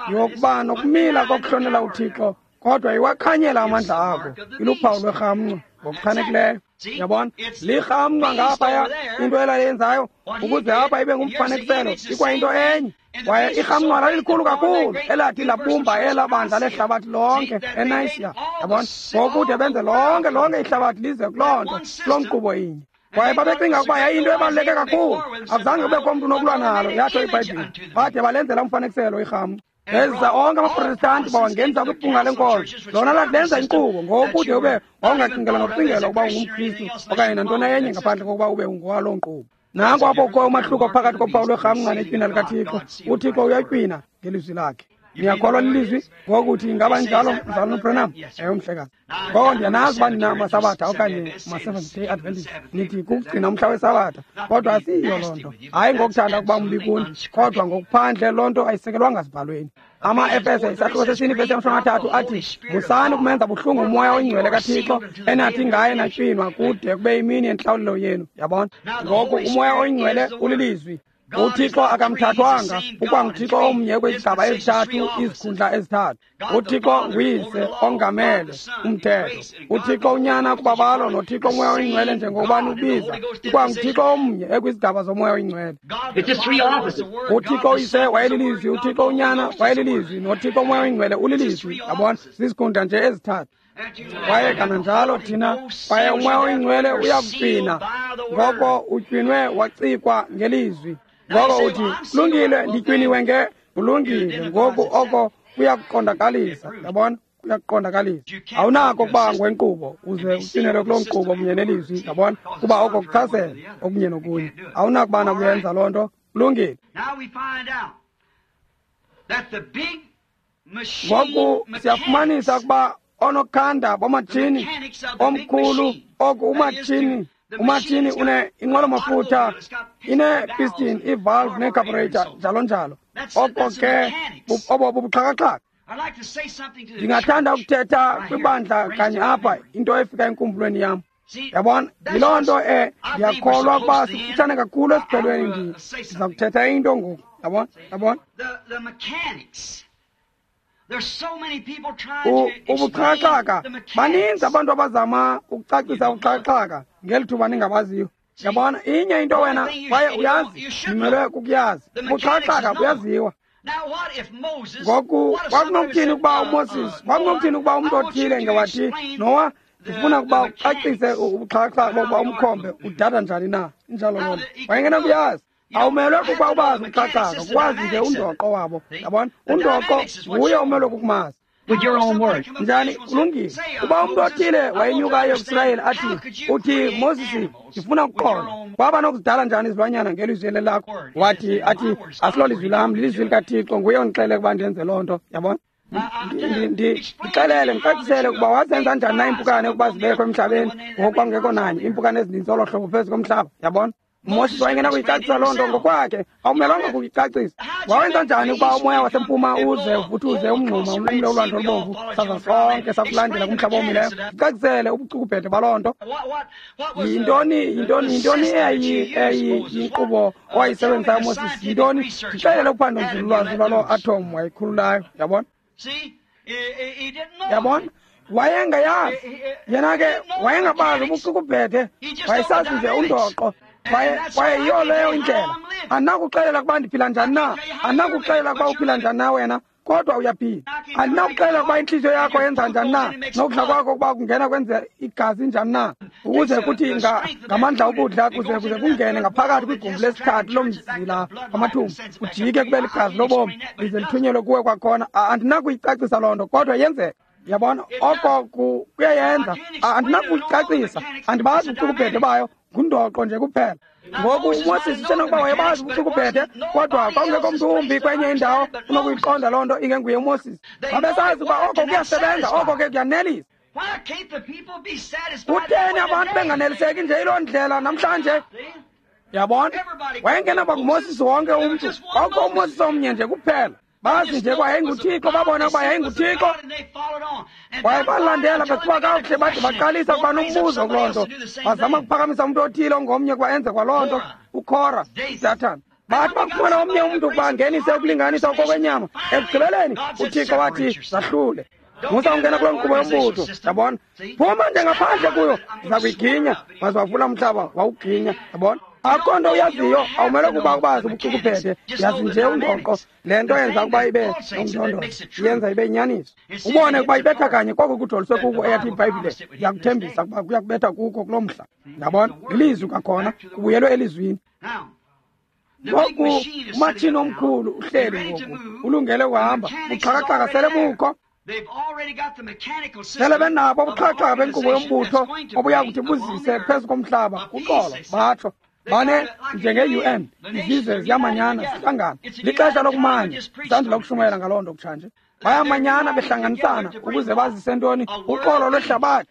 yokuba nokumila kokuhlonela uThixo, kodwa iwakhanyela amandla akho. Iluphawu lwerhamncwa ngokuchanekileyo. Yabona, lirhamncwa ngaphaya into elayenzayo ukuze apha ibe ngumfanekiselo ikwayinto enye. Kwaye irhamncwa lalilikhulu kakhulu elathi labumba elaa bandla lehlabathi lonke eNayisiya. Yabona, ngokude benze lonke ihlabathi lize kuloo nto, kuloo nkqubo inye. Kwaye babecinga ukuba yayinto ebaluleke kakhulu, akuzange kubekho mntu unokulwa nalo, yatsho iBhayibhile. Bade balenzela umfanekiselo irhamncwa. Beza onke amaProtestanti bawangenisa kwibhunga lenkolo. Lona lathi lenza inkqubo ngokude ube wawungacingelwa nokucingelwa ukuba ungumKristu okanye nantoni enye ngaphandle kokuba ube ungowaloo nkqubo. Nanko apho kukho umahluko phakathi kophawu lwerhamncwa netywina likaThixo. uThixo uyatywina ngelizwi lakhe. Niyakholwa lilizwi? Ngokuthi ingaba njalo, mzalwana uBranham? Ewe, mhlekazi. Ngoko ndiyanazi uba nina maSabatha okanye ma-Seventh-day Adventist nithi kukugcina umhla weSabatha, kodwa asiyiyo loo nto. Hayi ngokuthanda ukuba mbi kuni, kodwa ngokuphandle loo nto ayisekelwanga zibhalweni. Ama-Efese isahluko sesine ivesi yama-30 athi, musani ukumenza buhlungu umoya oyingcwele kaThixo enathi ngaye natywinwa kude kube imini yentlawulelo yenu. Yabona? Ngoku umoya oyingcwele ulilizwi. uThixo akamthathwanga, ukwanguThixo omnye kwizigaba ezithathu, izikhundla ezithathu. uThixo nguyise ongamele umthetho, uThixo unyana kubabalo, noThixo umoya oyingcwele njengokuba ubiza. UkwanguThixo omnye ekwizigaba zomoya oyingcwele. uThixo uyise wayelilizwi, uThixo unyana wayelilizwi, noThixo umoya oyingcwele ulilizwi. Yabona, zizikhundla nje ezithathu. Kwaye kananjalo thina, kwaye umoya oyingcwele uyakutywina. Ngoko utywinwe wacikwa ngelizwi. Ngoko uthi, kulungile, nditywiniwe nge, kulungile. Ngoku oko kuyakuqondakalisa. Yabona, kuyakuqondakalisa. Awunako ukuba ngwenkqubo uze utywinelwe kuloo nkqubo kunye nelizwi. Yabona, kuba oko kuchasene okunye nokunye. Awunakuba nakuyenza loo nto. Kulungile. Ngoku siyafumanisa ukuba onokhanda bomatshini omkhulu, oku umatshini une inqwelo-mafutha, ine-piston, i-valve ne-carburetor, njalo njalo. Oko ke obo bubuxhakaxhaka. Ndingathanda ukuthetha kwibandla kanye apha into efika enkumbulweni yam. Yabona, yiloo nto ndiyakholwa ukuba sikufutshane kakhulu esiphelweni. Ndiza kuthetha into ngoku. Yabona, yabona. Ubuxhakaxhaka, baninzi abantu abazama ukucacisa ubuxhakaxhaka ngeli thuba ningabaziyo. Yabona, inye into wena kwaye uyazi, ndimelwe kukuyazi. Ubuxhakaxhaka buyaziwa. Ngoku kwakunokuthini ukuba uMoses, kwakunokuthini ukuba umntu othile ngewathi, Nowa, ndifuna ukuba ucacise ubuxhakaxhaka bokuba umkhombe udada njani na. Injalo loo nto. Wayengenakuyazi. Awumelwe kukuba ubazi ubuxhakaxhaka, ukwazi nje undoqo wabo. Yabona, undoqo nguye omelwe kukumazi. With your own words. Njani? Kulungile. Kuba umntu othile wayenyukayo kuSirayeli athi, uthi Moses, ndifuna ukuqonda waba nokuzidala njani izilwanyana ngelizwi lakho. Wathi athi asilolizwi lam, lilizwi likaThixo, nguye ondixelele ukuba ndenze loo nto. Yabona, ndixelele, ndicacisele ukuba wazenza njani na iimpukane ukuba zibekho emhlabeni, ngoku kwakungekho nanye iimpukane ezininzi olo hlobo phezu komhlaba. Yabona, UMoses wayengenakuyicacisa loo nto ngokwakhe, awumelwanga kuyicacisa. Wawenza njani ukuba umoya wasempuma uze uvuthuze umngxuma unqumle ulwandle olubomvu, saza sonke sakulandela kumhlaba owomileyo? Sicacisele ubucukubhede baloo nto. Yintoni eyayiyinkqubo owayisebenzisayo uMoses? Yintoni? Ndixelele uphando nzululwazi lwaloo atom wayikhululayo. Yabona? Yabona? Wayengayazi. Yena ke wayengabazi ubucukubhede, wayesazi nje undoqo. Kwaye yiyo leyo indlela. Andinakuxelela ukuba ndiphila njani na, andinakuxelela ukuba uphila njani na wena, kodwa uyaphila. Andinakuxelela ukuba intliziyo yakho yenza njani na, nokudla kwakho ukuba kungena kwenze igazi njani na, ukuze kuthi ngamandla okudla kuze kungene ngaphakathi kwigumbi lesithathu lomzila wamathumbu, kujike kube ligazi lobomi lize lithunyelwe kuwe kwakhona. Andinakuyicacisa loo nto, kodwa yenzeka. Yabona, oko kuyayenza. Andinakuyicacisa, andibazi ubucukubhede bayo, ngundoqo nje kuphela. Ngoku uMoses usenokuba wayebazi ubucukubhede, kodwa kwakungekho mntu wumbi kwenye indawo unokuyiqonda loo nto ingenguye uMoses. Babesazi ukuba oko kuyasebenza, oko ke kuyanelisa. Kutheni abantu benganeliseki nje yiloo ndlela namhlanje? Yabona, wayengenaba nguMoses wonke umntu, kwakukho uMoses omnye nje kuphela. Bazi nje uba yayinguThixo, babona ukuba yayinguThixo, kwaye balandela besiba kakuhle, bade baqalisa ukuba nombuzo kuloo nto. Bazama ukuphakamisa umntu othile ongomnye ukuba enze kwaloo nto, uKhora, uDatan. Bathi bakufumana omnye umntu ukuba angenise ukulinganisa okokwenyama, ekugqibeleni uThixo wathi zahlule. Musa ungena kuloo nkqubo yombutho, yabona. Phuma nje ngaphandle kuyo, ndiza kuyiginya. Waze wavula umhlaba wawuginya, yabona. Akho nto uyaziyo, awumele ukuba ubazi ubucukubhede, yazi nje undoqo. Le nto yenza ukuba ibe nomndondozo, yenza ibe yinyaniso. Ubone ukuba ibetha kanye koko kujoliswe kuko eyathi iBhayibhile iyakuthembisa ukuba kuyakubetha kuko kuloo mhla. Yabona, lilizwi kwakhona, kubuyelwe elizwini. Ngoku umatshini omkhulu uhleli ngoku, ulungele ukuhamba, buxhakaxhaka sele bukho. Sele benabo ubuxhakaxhaka benkqubo yombutho obuya kuthi buzise phezu komhlaba uxolo, batsho. Bane njenge-UN, izizwe ziyamanyana, zihlangana. Lixesha lokumanya, sandula ukushumayela ngaloo nto kutshanje. Bayamanyana behlanganisana ukuze bazise ntoni? Uxolo lwehlabathi.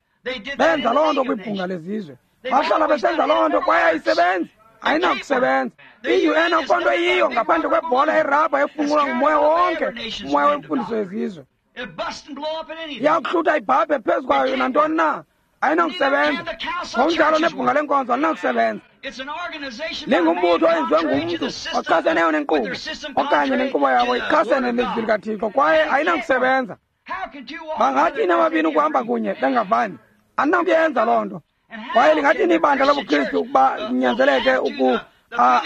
Benza loo nto kwibhunga lezizwe. Bahlala besenza loo nto kwaye ayisebenzi, ayinakusebenza. I-UN akukho nto iyiyo ngaphandle kwebhola erabha efunqulwa ngumoya wonke, umoya wemfundiso yezizwe. Iyakuhlutha ibhabhe phezu kwayo nantoni na, ayinakusebenza. Ngokunjalo nebhunga lenkonzo alinakusebenza. Lingumbutho owenziwe ngumntu ochaseneyo nenkqubo okanye nenkqubo yabo ichasene nelizwi likaThixo, kwaye ayinakusebenza. Bangathini ababini ukuhamba kunye bengavani? Andinakuyenza loo nto. Kwaye lingathini ibandla lobuKristu ukuba linyanzeleke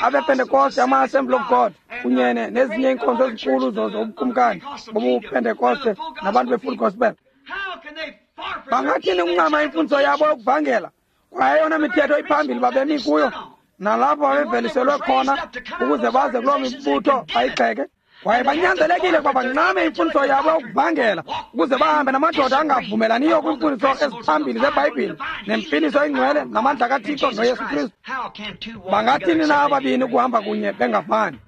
abePentekoste, ama-Assembly of God kunye nezinye iinkonzo ezinkulu zobukumkani bobuPentekoste nabantu be-Full Gospel? Bangathini ukuncama imfundiso yabo yokuvangela kwaye eyona mithetho iphambili babemi kuyo nalapho babeveliselwe khona ukuze baze kuloo mibutho bayigxeke? Kwaye banyanzelekile ukuba bancame imfundiso yabo yokuvangela ukuze bahambe namadoda angavumelaniyo kwiimfundiso eziphambili zeBhayibhile nempiliso engcwele namandla kaThixo noYesu Kristu. Bangathini na ababini ukuhamba kunye bengavani?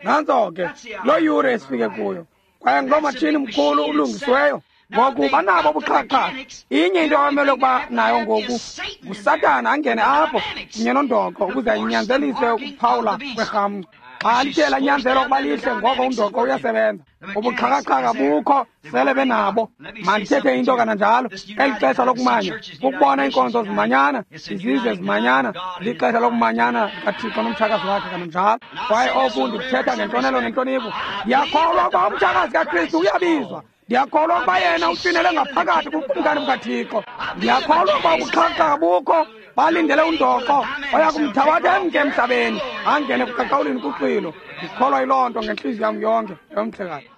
Nantso ke loo yure esifike kuyo, kwaye nguloo matshini mkhulu ulungisiweyo. Ngoku banabo ubuxhakaxhaka. Inye into abamele ukuba nayo ngoku nguSatana angene apho kunye nondoqo ukuze anyanzelise ukuphawula kwerhamncwa. Xa lithe lanyanzelwa ukuba lihle, ngoko undoqo uyasebenza. Ubuxhakaxhaka bukho, sele benabo. Mandithethe into kananjalo, eli xesha lokumanya kukubona iinkonzo zimanyana, izizwe zimanyana, lixesha lokumanyana likaThixo nomtshakazi wakhe kananjalo. Kwaye oku ndikuthetha ngentlonelo nentlonipho. Ndiyakholwa ukuba umtshakazi kaKristu uyabizwa. Ndiyakholwa ukuba yena utywinelwe ngaphakathi kubukumkani bukaThixo. Ndiyakholwa ukuba ubuxhakaxhaka bukho, balindele undoqo oya kumthabatha emke emhlabeni angene kuqaqawulini kuxwilo. Ndikholwa yiloo nto ngentliziyo yam yonke, yomhlekazi.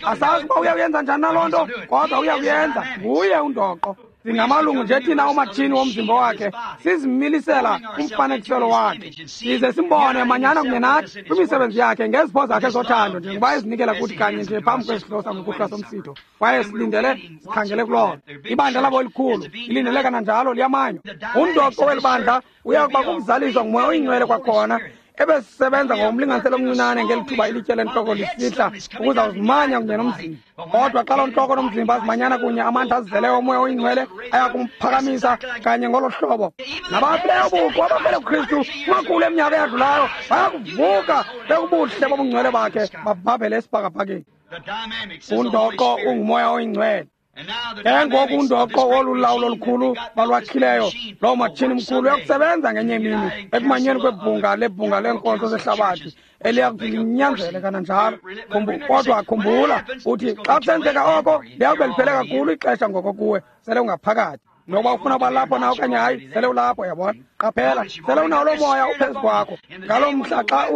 Asazi uba uya kuyenza njani na loo nto, kodwa uya kuyenza. Nguye undoqo. Singamalungu nje thina omatshini womzimba wakhe, sizimilisela umfanekiselo wakhe, size simbone manyana kunye nathi kwimisebenzi yakhe ngezipho zakhe zothando, njengoba ezinikela kuthi kanye nje phambi kwesidlo sangokuhlwa somsitho. Kwaye silindele, sikhangele kuloo nto. Ibandla labo elikhulu ilindele kananjalo liyamanywa. Undoqo weli bandla uya kuba kukuzaliswa nguMoya oyiNgcwele kwakhona. ebesisebenza ngokomlinganiselo omncinane ngeli thuba ilitye lentloko lisihla ukuza kuzimanya kunye nomzimba. Kodwa xa loo ntloko nomzimba azimanyana kunye, amandla azizeleyo omoya oyingcwele ayakumphakamisa kanye ngolo hlobo. Nabafileyo buqu abafele kuKristu kumakhulu eminyaka eyadlulayo bayakuvuka bekubuhle bobungcwele bakhe babhabhele esibhakabhakeni. Undoqo ungumoya oyingcwele. Ke ngoku undoqo wolu lawulo lukhulu balwakhileyo, loo matshini mkhulu uyakusebenza ngenye imini ekumanyeni kwebhunga lebhunga leenkonzo zehlabathi eliya kuthi linyanzele kananjalo. Kodwa khumbula uthi xa kusenzeka oko liyawube liphele kakhulu ixesha ngoko kuwe, sele ungaphakathi. Nokuba ufuna uba lapho na okanye hayi, sele ulapho, yabona. Qaphela, sele unawo loo moya uphezu kwakho. Ngaloo mhla xa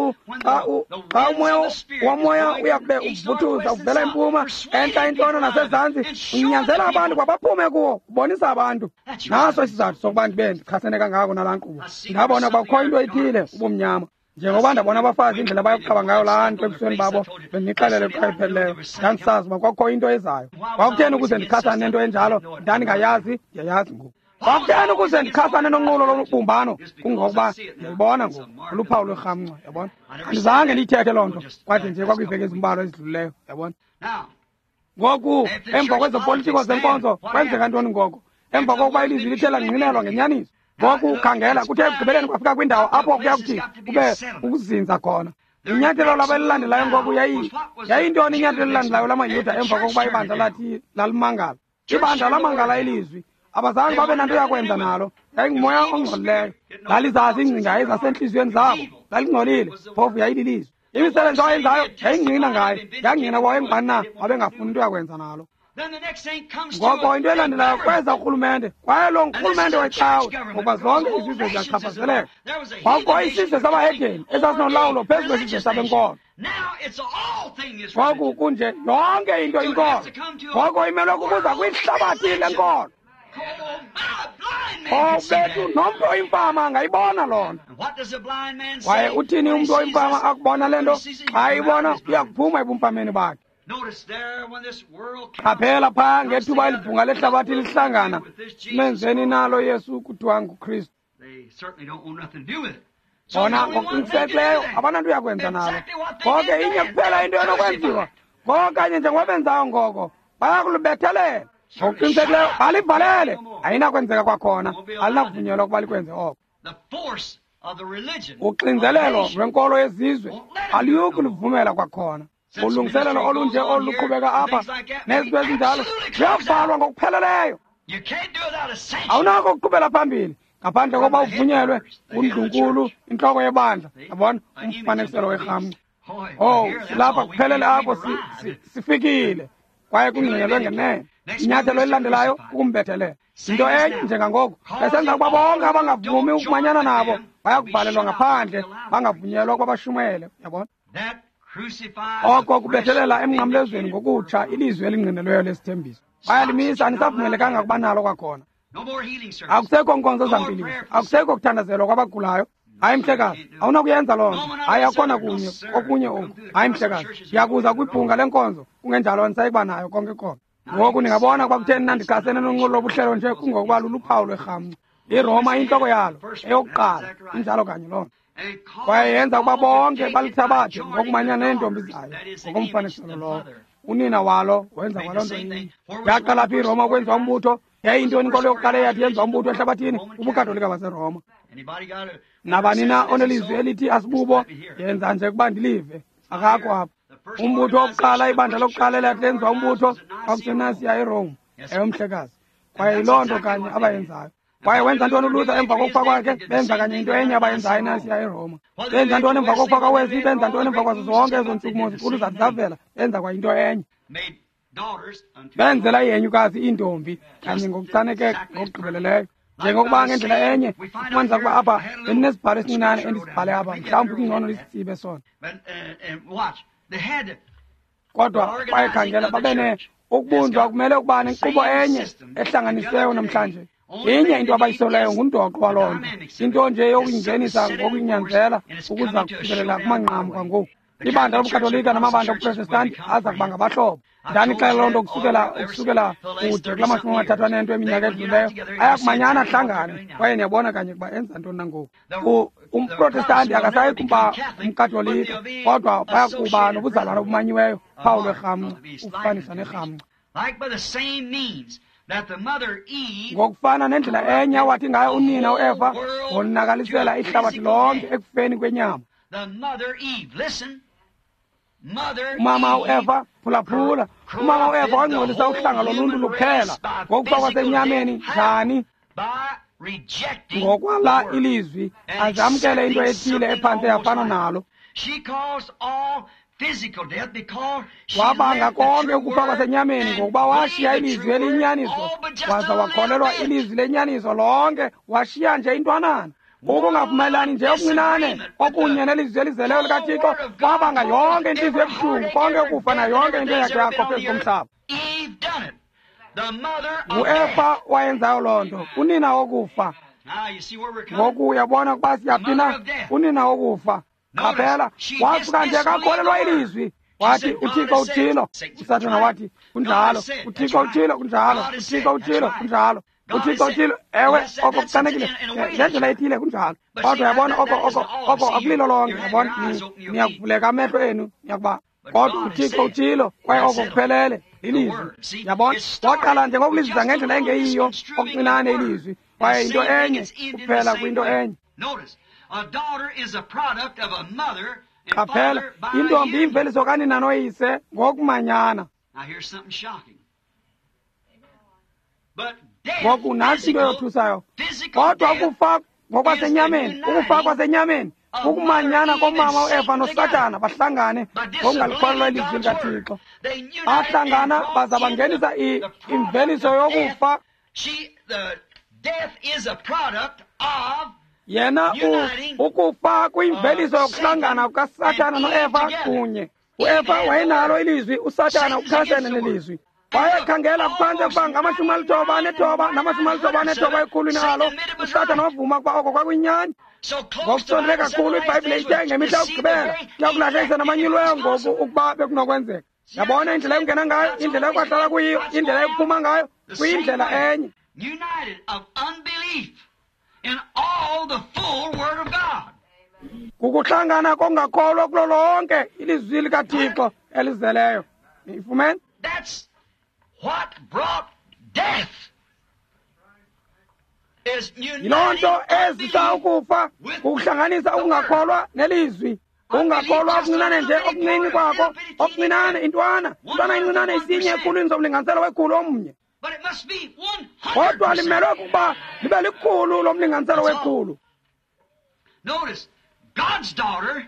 umoya womoya uyakube uvuthuza uvela empuma, entla, intshona nasezantsi, unyanzela abantu ukuba baphume kuwo, ubonisa abantu. Naso isizathu sokuba ndibe ndichasene kangako nalaa nkqubo. Ndabona ukuba kukho into ethile, ubumnyama. Njengoba ndabona abafazi indlela abayokuqaba ngayo laa nto ebusweni babo, bendinixelele xa ipheleleyo, ndandisazi uba kwakukho into ezayo. Kwakutheni ukuze ndichasane nento enjalo? Ndandingayazi, ndiyayazi ngoku. Kwakutheni ukuze ndichasane nonqulo lobumbano? Kungokuba ndiyayibona ngoku, luphawu lwerhamncwa, yabona. Andizange ndiyithethe loo nto, kwade nje kwakwiiveki ezimbalwa ezidlulileyo, yabona. Ngoku emva kwezopolitiko zenkonzo kwenzeka ntoni ngoko? Emva kokuba ilizwi lithe langqinelwa ngenyaniso. Ngoku khangela, kuthe ekugqibeleni kwafika kwindawo apho kuya kuthi kube ukuzinza khona. Inyathelo labo elilandelayo ngoku yayintoni inyathelo elilandelayo lamaYuda emva kokuba ibandla lathi lalimangala? Ibandla lamangala ilizwi. Abazange babe nanto yakwenza nalo. Yayingumoya ongcolileyo. Lalizazi iingcinga ezasentliziyweni zabo. Lalingcolile, phofu yayililizwi. Imisebenzi awayenzayo yayingqina ngaye. Yangqina kwaye ngubani na babengafuni into yakwenza nalo. Ngoko into elandelayo kweza urhulumente, kwaye lo ngurhulumente wecawe, ngokuba zonke izizwe ziyachaphazeleka. Kwakukho isizwe sabahedeni esasinolawulo phezu kwesizwe sabenkolo. Ngoku kunje yonke into inkolo. Ngoko imelwe kukuza kwihlabathi lenkolo. Oh, bethu, nomntu oyimfama angayibona loo nto. Kwaye uthini umntu oyimfama akubona le nto? Xa eyibona uyakuphuma ebumfameni bakhe. Qaphela phaa ngethuba elibhunga lehlabathi lihlangana, menzeni nalo Yesu kuthiwa nguKristu. Bona ngokuqinisekileyo abananto uyakwenza nalo. Ngoko inye kuphela into enokwenziwa, ngoko kanye njengoba benzayo ngoko, bayakulubethelela. Ngokuqinisekileyo balivalele, ayinakwenzeka kwakhona, alinakuvunyelwa ukuba likwenze oko. Uxinzelelo lwenkolo yezizwe aliyukulivumela kwakhona. Ulungiselelo olunje oluqhubeka apha nezinto ezinjalo luyavalwa ngokupheleleyo. Awunako ukuqhubela phambili ngaphandle kokuba uvunyelwe ngundlunkulu, intloko yebandla, yabona, umfanekiselo werhamncwa. Oh, silapha kuphelele apho sifikile kwaye kungqinelwe ngenene. Inyathelo elilandelayo kukumbethelela. Into enye njengangoku besenza ukuba bonke abangavumi ukumanyana nabo bayakuvalelwa ngaphandle, bangavunyelwa ukuba bashumayele, yabona. Oko kubethelela emnqamlezweni ngokutsha ilizwi elingqinelweyo lesithembiso. Bayalimisa, anisavumelekanga ukuba nalo kwakhona. Akusekho nkonzo zampiliso, akusekho kuthandazelwa kwabagulayo. Hayi mhlekazi, awunakuyenza loo nto. Hayi, akhona kunye okunye oku. Hayi mhlekazi, ndiyakuza kwibhunga lenkonzo, kungenjalo andisayikuba nayo konke konke. Ngoku ningabona ukuba kutheni na ndichasene nonqulo lobuhlelo nje, kungokuba luluphawu lwerhamncwa. IRoma intloko yalo eyokuqala, injalo kanye loo nto. Kwaye yenza ukuba bonke balithabathe ngokumanyana neentombi zayo ngokomfanekiselo lowo. Unina walo wenza kwaloo nto inye. Yaqala phi iRoma ukwenziwa umbutho? Yayiyintoni inkolo yokuqala eyathi yenziwa umbutho ehlabathini? UbuKatolika baseRoma. Nabani na onelizwi elithi asibubo, yenza nje ukuba ndilive. Akakho apha. Umbutho wokuqala, ibandla lokuqala elathi lenziwa umbutho kwakuseNasiya eRome, eyomhlekazi. Kwaye yiloo nto kanye abayenzayo. Kwaye wenza ntoni uLuther emva kokufa kwakhe? Benza kanye into enye abayenzayo eNasiya eRoma. Benza ntoni emva kokufa kwaWesley? Benza ntoni emva kwazo zonke ezo ntshukumo zinkulu zathi zavela? Benza kwa into enye. Benzela ihenyukazi iintombi kanye ngokuchaneke ngokugqibeleleyo. Njengokuba ngendlela enye sifumanisa ukuba apha bendinesibhalo esincinane endisibhale apha, mhlawumbi kungcono lisitsibe sona. Kodwa kwaye khangela, babene ukubunjwa kumele ukuba nenkqubo enye ehlanganisiweyo namhlanje. Inye into abayisolayo ngundoqo waloo nto, into nje yokuyingenisa ngokuyinyanzela ukuza kufikelela kumanqamu kwangoku. Ibandla lobuKatolika namabandla obuProtestanti aza kuba ngabahlobo. Ndanixela loo nto kusukela kude kula 38 eminyaka edluleyo. Ayakumanyana ahlangane, kwaye niyabona kanye ukuba enza ntoni na ngoku. UmProtestanti akasayi kuba umKatolika, kodwa bayakuba nobuzalwana obumanyiweyo, phawu lwerhamncwa, ukufanisa nerhamncwa. Ngokufana nendlela enye awathi ngayo unina uEva wonakalisela ihlabathi lonke ekufeni kwenyama. Umama uEva, phulaphula, umama uEva wangcolisa uhlanga loluntu luphela ngokufa kwasenyameni. Njani? Ngokwala ilizwi, azamkele into ethile ephantse yafana nalo. Wabanga konke ukufa kwasenyameni ngokuba washiya ilizwi eliyinyaniso, waza wakholelwa ilizwi lenyaniso lonke, washiya nje intwanana. Ukungavumelani nje okuncinane okunye nelizwi elizeleyo likaThixo kwabanga yonke intliziyo ebuhlungu, konke ukufa nayo yonke into yakhe yakho phezu komhlaba. NguEfa wayenzayo loo nto, unina wokufa. Ngoku uyabona ukuba siyaphi na? Unina wokufa. Qaphela, wasuka nje akakholelwa ilizwi. Wathi uThixo uthilo, uSathana wathi kunjalo, uThixo uthilo kunjalo, uThixo uthilo kunjalo, uThixo uthilo, ewe, oko kuchanekile ngendlela ethile kunjalo. Kodwa uyabona oko akulilo lonke, uyabona, niyakuvuleka amehlo enu, niyakuba kodwa uThixo uthilo, kwaye oko kuphelele lilizwi. Yabona, waqala nje ngokulizisa ngendlela engeyiyo okuncinane ilizwi, kwaye into enye kuphela kwinto enye. Qaphela, intombi imveliso kanina noyise ngokumanyana. Ngoku nantsi into yothusayo. Kodwa ukufa ngokwasenyameni, ukufa kwasenyameni kukumanyana komama uEva noSathana, bahlangane ngokungalikholelwa ilizwi likaThixo. Bahlangana baza bangenisa imveliso yokufa. Yena ukufa kuyimveliso yokuhlangana kukaSathana noEva kunye. UEva wayenalo ilizwi, uSathana uchasene nelizwi. Wayekhangela kuphantse ukuba ngama-99 nama-99 ekhulwini alo. uSathana wavuma ukuba oko kwakuyinyani. Ngokusondele kakhulu iBhayibhile ithe ngemihla yokugqibela iyakulahlekisa namanyuliweyo ngoku ukuba bekunokwenzeka. Yabona indlela ekungena ngayo, indlela ekwahlala kuyiyo, indlela ekuphuma ngayo, kuyindlela enye. Kukuhlangana kongakholwa kulo lonke ilizwi likaThixo elizeleyo. Niyifumene? That's what brought death. Yiloo nto ezisa ukufa, kukuhlanganisa ukungakholwa nelizwi. Ungakholwa okuncinane nje okuncinci kwako, okuncinane intwana, intwana incinane isinye ekhulwini somlinganiselo wekhulu omnye. Kodwa limelwe kukuba libe likhulu lomlinganiselo wekhulu. Notice, God's daughter,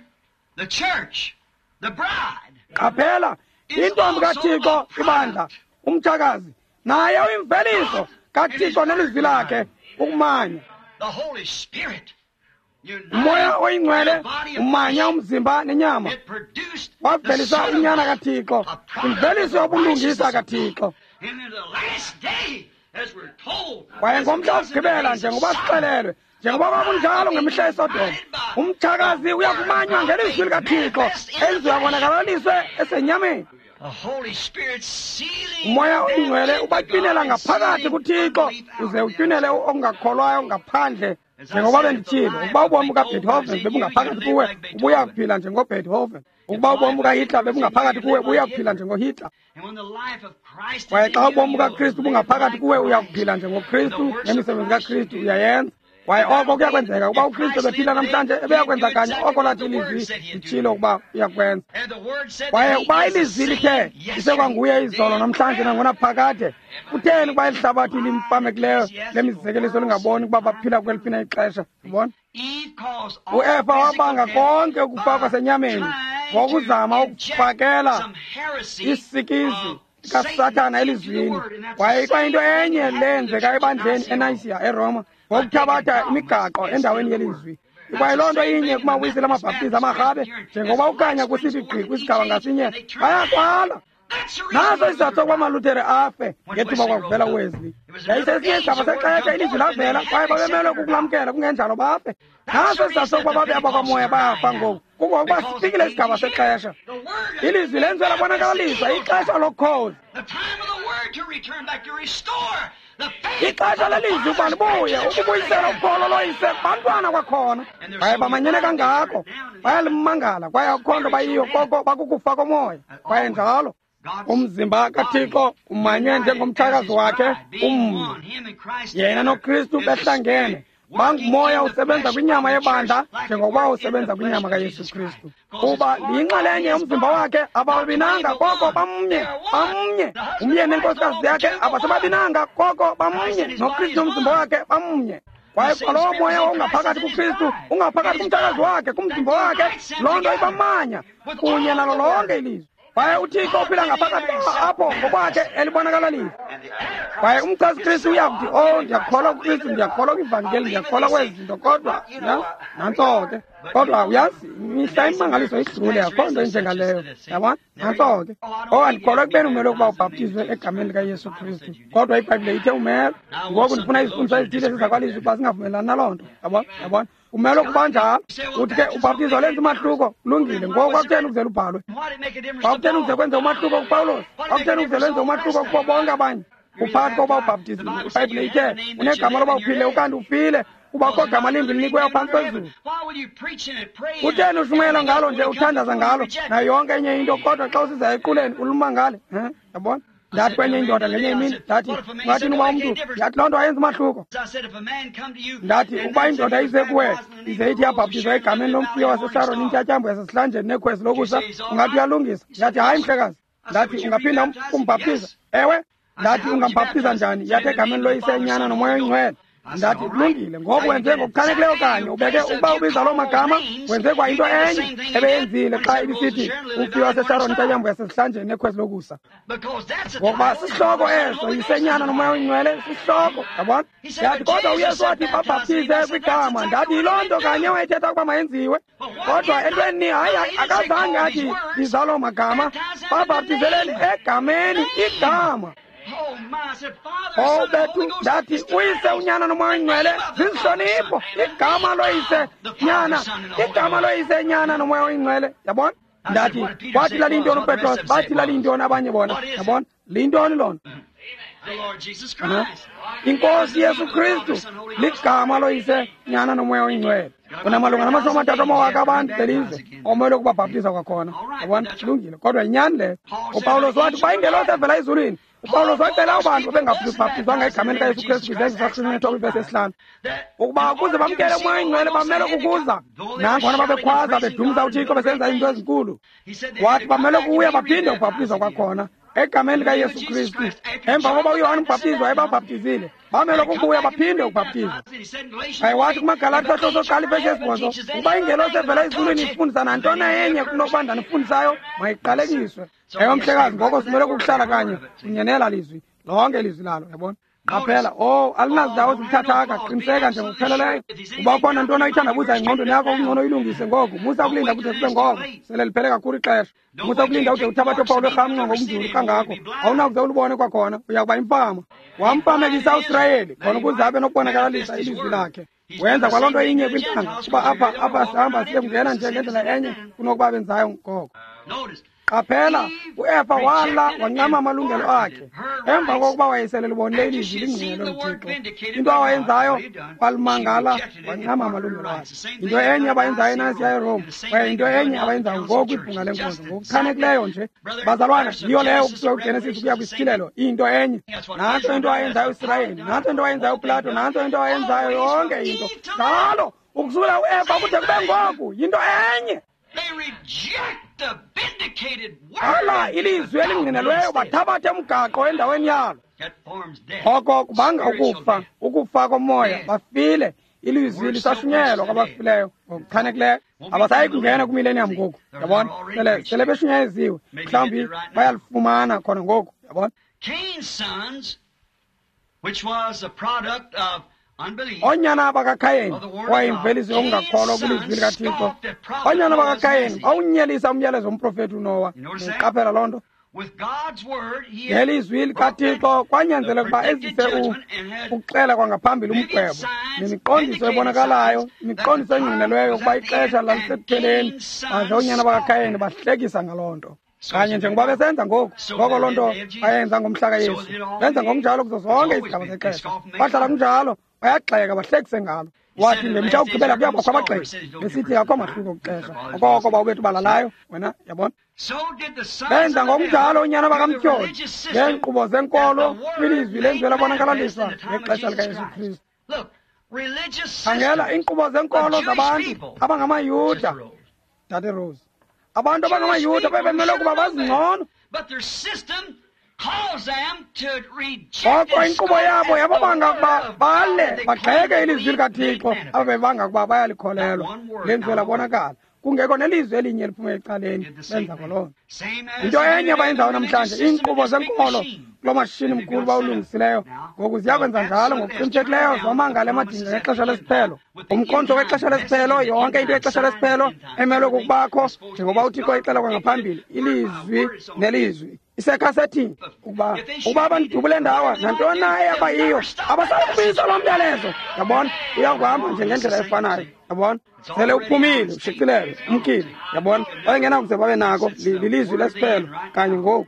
the church, the bride. Qaphela, intombi kaThixo ibandla, umtshakazi, naye uyimveliso kaThixo nelizwi lakhe ukumanya. Umoya oyingcwele umanya umzimba nenyama, wavelisa unyana kaThixo, imveliso yobulungisa kaThixo. Kwaye ngomhla wokugqibela, njengoba sixelelwe, njengoba kwakunjalo ngemihla yeSodoma, umtshakazi uyakumanywa ngelizwi likaThixo elizoyabonakalaliswe esenyameni. Umoya oyingcwele ubatywinela ngaphakathi kuThixo, uze utywinele okungakholwayo ngaphandle. Njengoba benditshilo, ukuba ubomi bukaBeethoven bebungaphakathi kuwe, ubuya kuphila njengoBeethoven. Ukuba ubomi bukaHitler bebungaphakathi kuwe, ubuya kuphila njengoHitler. Kwaye xa ubomi bukaKristu bungaphakathi kuwe, uya kuphila njengoKristu, nemisebenzi kaKristu uyayenza. Kwaye oko kuyakwenzeka ukuba uKristu ebephila namhlanje, ebeyakwenza kanye oko lathi ilizwi litshilo ukuba uyakwenza. Kwaye ukuba ilizwi lithe isekwanguye izolo namhlanje nangonaphakade, kutheni ukuba eli hlabathi limpamekileyo lemizekeliso lingaboni ukuba baphila kweliphi na ixesha? Ubona? UEva wabanga konke ukufa kwasenyameni ngokuzama ukufakela isikizi kaSathana elizwini. Kwaye ikwayinto enye leyenzeka ebandleni eNayisiya eRoma, ngokuthabatha imigaqo endaweni yelizwi. Ikwayiloo nto inye kumawisile amabhaptizi amarhabe, njengoba ukanya kusithi gqi kwisigaba ngasinye, bayakwala. Naso isizathu sokuba amaLuthere afe ngethuba kwakuvela uWesley. Yayisesinye isigaba sexesha ilizwi lavela kwaye babemelwe kukulamkela, kungenjalo bafe. Naso isizathu sokuba babe abakwamoya bayafa ngoku, kungokuba sifikile isigaba sexesha. Ilizwi lenziwe labonakaliswa, ixesha lokhozi. Ixesha lelizwi ukuba libuye ukubuyisela ukholo loyise kubantwana kwakhona. Kwaye bamanyene kangako, bayalimangala kwaye akukho nto bayiyo koko bakukufa komoya. Kwaye njalo umzimba kaThixo umanywe njengomtshakazi wakhe umnye. Yena noKristu behlangene bangumoya usebenza kwinyama yebandla njengokuba usebenza kwinyama kaYesu Kristu. Kuba liyinxalenye yomzimba wakhe, ababinanga koko bamnye, bamnye. Umyeni nenkosikazi yakhe abasebabinanga koko bamnye, noKristu nomzimba wakhe bamnye. Kwaye kwalowo moya ungaphakathi kuKristu, ungaphakathi kumtshakazi wakhe, kumzimba wakhe, loo nto ibamanya kunye nalo lonke ilizwi. Kwaye uThixo uphila ngaphakathi apho ngokwakhe elibonakalaliso. Kwaye umchasi Kristu uyakuthi, oh, ndiyakholwa kuKristu, ndiyakholwa kwivangeli, ndiyakholwa kwezi zinto, kodwa nantso ke. Kodwa uyazi, mihla imimangaliso idlule, akho nto injengaleyo. Yabona? Nantso ke. Oh, andikholwa ekubeni umele ukuba ubhaptizwe egameni likaYesu Kristu, kodwa iBhayibhile ithe umele. Ngoku ndifuna izifundiso ezithile sezakwalizwi ukuba singavumelani naloo nto. Yabona? Yabona? Umele ukuba njalo. Uthi ke ubhaptizo lenza umahluko, kulungile. Ngoku kwakutheni ukuze lubhalwe? Kwakutheni ukuze kwenze umahluko kuPawulos? Kwakutheni ukuze lwenze umahluko kubo bonke abanye? Uphakathi kokuba ubhaptiziwe, iBhayibhile ithe unegama loba uphile ukanti ufile, kuba akukho gama limbi linikweyo phantsi kwezulu. Kutheni ushumayela ngalo nje, uthandaza ngalo nayo yonke enye into, kodwa xa usiza equleni ulumangale? Yabona? Ndathi kwenye indoda ngenye imini, ndathi ungathini uba umntu, ndathi loo nto ayenza umahluko. Ndathi ukuba indoda ize kuwe ize ithi yabhaptizwa egameni lomfuyo waseSharon, intyatyambo yasesihlanjeni nekhwezi lokusa, ungathi uyalungisa? Ndathi hayi mhlekazi. Ndathi ungaphinda umbhaptiza? Ewe. Ndathi ungambhaptiza njani? Yathi egameni loyise, nyana nomoya oyingcwele. Ndathi kulungile, ngoku wenze ngokuchanekileyo kanye, ubeke ukuba ubiza loo magama, wenze kwa into enye ebeyenzile xa ibisithi umfi waseSharon, intyatyambo yasesihlanjeni nekhwezi lokusa. Ngokuba sisihloko eso, yisenyana nomoya oyingcwele, sisihloko, yabona? Ndathi kodwa uYesu wathi babhaptize kwigama. Ndathi yiloo nto kanye wayethetha ukuba mayenziwe, kodwa entweni hayi akazange athi biza loo magama, babhaptizeleni egameni igama. Oh bethu, ndathi uyise, unyana nomoya oyingcwele zizihlonipho, igama loyise nyana, igama loyise nyana nomoya oyingcwele. Yabona? Ndathi wathi laliyintoni uPetros, bathi laliyintoni abanye bona. Yabona? Liyintoni loo nto? Inkosi Yesu Kristu ligama loyise nyana nomoya oyingcwele. Unamalunga nama-30 amawaka abantu belizwe omele ukubabhaptiza kwakhona. Yabona? Kulungile, kodwa yinyani leyo. uPawulos wathi uba ingelosi evela ezulwini, uPawulos wacela abantu bengabhaptizwanga egameni likaYesu Kristu kwizenzo zakusinethwa kwivesi 5, ukuba ukuze bamkele umoya oyingcwele bamele kukuza. Nangona babekhwaza bedumisa uThixo besenza izinto ezinkulu, wathi bamele kuya baphinde ubhaptizwa kwakhona egameni likaYesu Kristu. Emva koba uYohane umbhaptizi wayebabhaptizile, bamele kubuya baphinde ukubhaptizwa. Kwaye wathi kumaGalati sahluko sokuqala ivesi 8, ukuba ingelosi evela ezulwini ifundisa nantoni enye kunokuba ndanifundisayo, mayiqalekiswe. Ewe mhlekazi, ngoko simele kukuhlala kanye kunye nela lizwi, lonke ilizwi lalo. Yabona? Qaphela, oh, alinazindawo zibuthathaka, qiniseka nje ngokupheleleyo. Uba ukhona ntoni oyithandabuza engqondweni yakho, kungcono uyilungise ngoku. Musa ukulinda kude kube ngoko, sele liphele kakhulu ixesha. Musa ukulinda ude uthabathe uphawu lwerhamncwa ngokunzulu kangako, awunakuze ulubone kwakhona, uya kuba imfama. Wamfamekisa uSirayeli khona ukuze abe nokubonakalisa ilizwi lakhe. Wenza kwaloo nto inye kwintlanga, kuba apha sihamba siye kungena nje ngendlela enye kunokuba benzayo ngoko. Qaphela, uEfa wala wancama amalungelo akhe emva kokuba wayesele libonile ilizwi lingqinelwe nguThixo. Into awayenzayo, walimangala wancama amalungelo akhe. Into enye abayenzayo eNasiya eRome, kwaye into enye abayenzayo ngoku kwibhunga lenkonzo, ngokuchanekileyo nje. Bazalwana, yiyo leyo ukusuka kwiGenesis ukuya kwisityhilelo, into enye. Nantso into awayenzayo uSirayeli, nantso into awayenzayo uPlato, nantso into awayenzayo yonke into. Njalo ukusukela uEfa kude kube ngoku, yinto enye. Ala ilizwi elingqinelweyo, bathabathe umgaqo endaweni yalo. Oko kubanga ukufa, ukufa komoya, bafile. Ilizwi lisashunyelwa kwabafileyo ngokuchanekileyo. Abasayi kungena kwimillennium ngoku, yabona? Sele beshunyayeziwe, mhlawumbi bayalifumana khona ngoku, yabona? Oonyana bakaKhayeni, wayimveliso yokungakholwa kwilizwi likaThixo. Oonyana bakaKhayeni bawunyelisa umyalezo womprofethi uNowa. Qaphela loo nto. Ngelizwi likaThixo kwanyanzeleka ukuba ezise ukuxela kwangaphambili umgwebo nemiqondiso ebonakalayo, imiqondiso engqinelweyo ukuba ixesha lalisekupheleni, baze oonyana bakaKhayeni bahlekisa ngaloo nto. Kanye njengoba besenza ngoku, ngoko loo nto bayenza ngomhla kaYesu. Benza ngokunjalo kuzo zonke izigaba zexesha. Bahlala kunjalo, bayagxeka bahlekise ngalo. Wathi ngemihla yokugqibela kuyabakho abagxeki, besithi akho mahluko kuxesha. Okoko bawubethu balalayo, wena yabona. Benza ngokunjalo oonyana bakaMtyholi ngeenkqubo zenkolo kwilizwi lenziwe labonakalaliswa ngexesha likaYesu Kristu. Khangela iinkqubo zenkolo zabantu abangamaYuda, Dade Rose. Abantu abangamaYuda bebemele ukuba bazingcono. Koko inkqubo yabo yababanga ukuba bale bagxeke ilizwi likaThixo abebebanga ukuba bayalikholelwa. Lenziwe labonakala kungekho nelizwi elinye eliphume ecaleni, benza kwaloo nto. Into enye abayenzayo namhlanje, iinkqubo zenkolo kuloo mashishini mkhulu bawulungisileyo ngoku ziyakwenza njalo ngokuqinisekileyo zomangala emadinga ngexesha lesiphelo. Umkhonto wexesha lesiphelo, yonke into yexesha lesiphelo emelwe kukubakho njengoba uThixo ixela kwangaphambili, ilizwi nelizwi isekhasethi ukuba abandidubule ndawa nantoni na eyaba yiyo abasayi kubuyisa loo myalezo. Yabona, uyakuhamba nje ngendlela efanayo. Yabona, sele uphumile, ushicilelwe, umkile. Yabona, babengenakuze babe nako lilizwi lesiphelo kanye ngoku.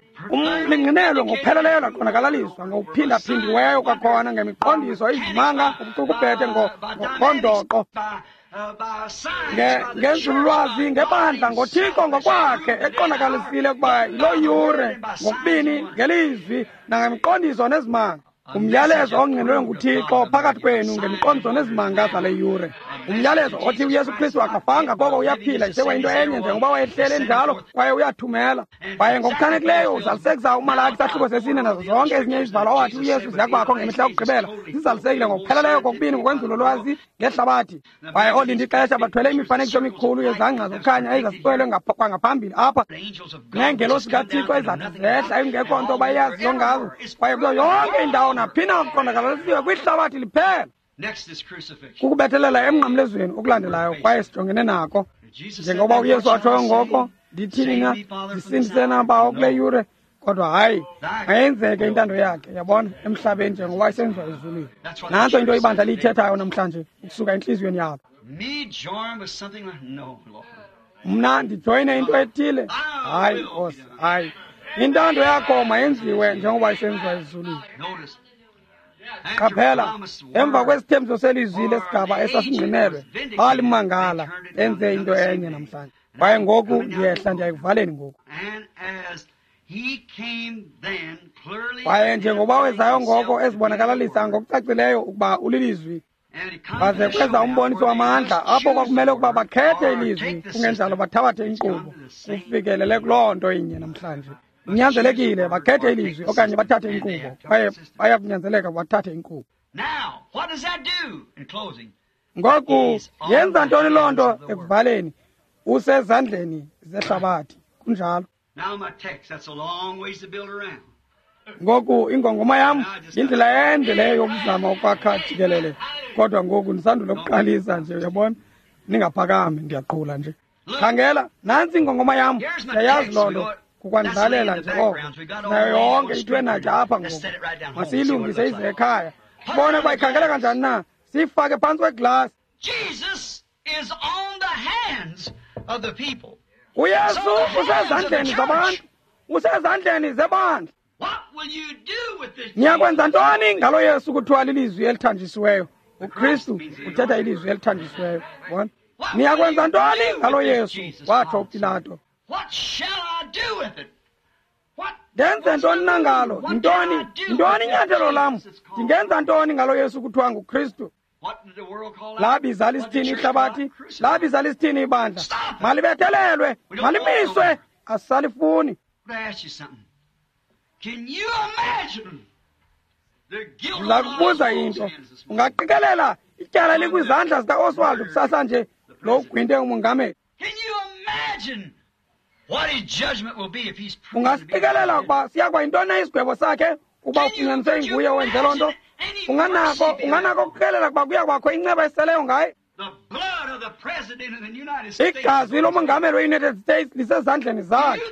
Lingqinelwe ngokupheleleyo laqonakalaliswa ngokuphindaphindiweyo kwakhona ngemiqondiso, izimanga, ubucukubhede ngondoqo ngenzululwazi, ngebandla, ngoThixo ngokwakhe eqondakalisile ukuba yiloo yure ngokubini ngelizwi nangemiqondiso nezimanga. Umyalezo ongqinelwe nguThixo phakathi kwenu ngemiqondiso nezimanga zale yure. Umyalezo othi uYesu Kristu akafanga koko uyaphila, isekwayinto enye njengoba wayehlele enjalo, kwaye uyathumela. Kwaye ngokuchanekileyo uzalisekisa uMalaki isahluko sesine nazo zonke ezinye izibhalo owathi uYesu ziyakubakho ngemihla yokugqibela, zizalisekile ngokupheleleyo kokubini ngokwenzululwazi ngehlabathi. Kwaye oolinda ixesha bathwele imifanekiso emikhulu yezangqa zokukhanya ezasixelwe kwangaphambili apha, neengelosi kaThixo ezathi zehla engekho nto bayaziyo ngazo, kwaye kuyo yonke indawo naphina kuqondakalisiwe kwihlabathi liphela. Kukubethelela emnqamlezweni okulandelayo, kwaye sijongene nako njengoba uYesu watshoyo ngoko, ndithini na, ndisindise na bawo kule yure? Kodwa hayi, mayenzeke intando yakhe, yabona, emhlabeni njengoba isenziwa ezulwini. Nantso into ibandla liyithethayo namhlanje ukusuka entliziyweni yalo. Mna ndijoyine into ethile? Hayi Nkosi, hayi. Intando yakho mayenziwe njengoba isenziwa ezulwini. Qaphela, emva kwesithembiso selizwi lesigaba esasingqinelwe, balimangala enze into enye namhlanje. Kwaye ngoku ndiyehla ndiyayikuvaleni ngoku. Kwaye njengoba wezayo ngoko ezibonakalalisa ngokucacileyo ukuba ulilizwi, baze kweza umboniso wamandla apho kwakumele ukuba bakhethe ilizwi, kungenjalo bathabathe inkqubo. Kufikelele kuloo nto inye namhlanje. Kunyanzelekile bakhethe ilizwi okanye bathathe inkqubo, kwaye baya kunyanzeleka bathathe inkqubo. Ngoku yenza ntoni loo nto ekuvaleni? Usezandleni zehlabathi. Kunjalo. Ngoku ingongoma yam yindlela ende leyo yokuzama ukwakha jikelele, kodwa ngoku ndisandule ukuqalisa nje, uyabona. Ningaphakami, ndiyaqhula nje. Khangela, nantsi ingongoma yam, ndiyayazi loo nto kukwandlalela nje oko. Nayo yonke ithwe natya apha ngoku. Masiyilungise ize ekhaya. Sibone ukuba ikhangela kanjani na. Siyifake phantsi kweglasi. UYesu usezandleni zabantu, usezandleni zebandla. Niyakwenza ntoni ngalo Yesu kuthiwa lilizwi elithanjisiweyo? uKristu uthetha ilizwi elithanjisiweyo. Bona, niyakwenza ntoni ngalo Yesu? Watsho uPilato. Ndenze ntoni na ngalo? Yintoni? Yintoni inyathelo lam? Ndingenza ntoni ngalo Yesu kuthiwa nguKristu? Labiza lisithini ihlabathi? Labiza lisithini ibandla? Malibethelelwe, malimiswe, asalifuni. Ndiza kubuza into. Ungaqikelela ityala likwizandla zikaOswald kusasa nje lo ugwinte umongameli. Ungasiqikelela ukuba siya kuba yintoni na isigwebo sakhe ukuba ufunyaniswe inguye owenze loo nto? Unganako ukuqikelela ukuba kuya kubakho inceba eseleyo ngaye? Igazi lomongameli we-United States lisezandleni zakhe.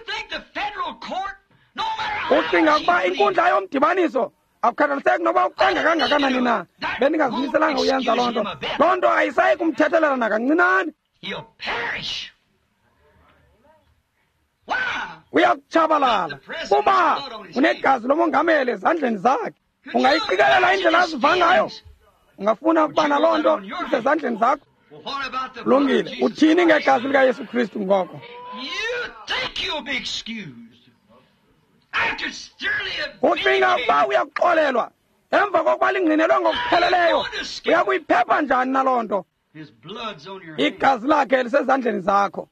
Ucinga ukuba inkundla yomdibaniso akukhathaliseki noba ucenga kangakanani na, bendingazimiselanga uyenza loo nto. Loo nto ayisayi kumthethelela nakancinane. Uyakutshabalala kuba unegazi lomongameli ezandleni zakhe. Ungayiqikelela indlela aziva ngayo? Ungafuna ukuba naloo nto isezandleni zakho? Lungile. Uthini ngegazi likaYesu Kristu ngoko? Ucinga ukuba uyakuxolelwa emva kokuba lingqinelwe ngokupheleleyo? Uyakuyiphepha njani naloo nto? Igazi lakhe lisezandleni zakho.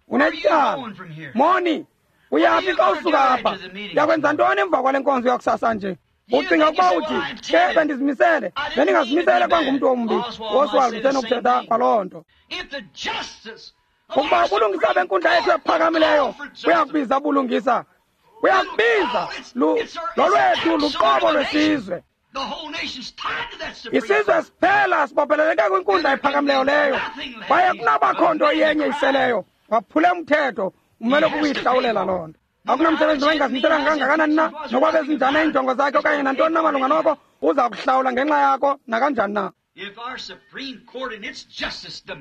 Unetyala moni. Uyaphi xa usuka apha? Uyakwenza ntoni emva kwale nkonzo yakusasa nje? Ucinga ukuba uthi ke bendizimisele, bendingazimisele kwangumntu ombi. Oswald usenokuthetha kwaloo nto. Ukuba ubulungisa benkundla yethu ephakamileyo buyakubiza ubulungisa, buyakubiza lolwethu luqobo lwesizwe. Isizwe siphela sibopheleleke kwinkundla ephakamileyo leyo, kwaye kunabakho nto iyenye iseleyo. Waphule umthetho, umele kukuyihlawulela loo nto. Akunamsebenzi noba ingazimiselanga kangakanani na, nokuba bezinjani iinjongo zakhe okanye nantoni na malunga noko, uza kuhlawula ngenxa yakho nakanjani na.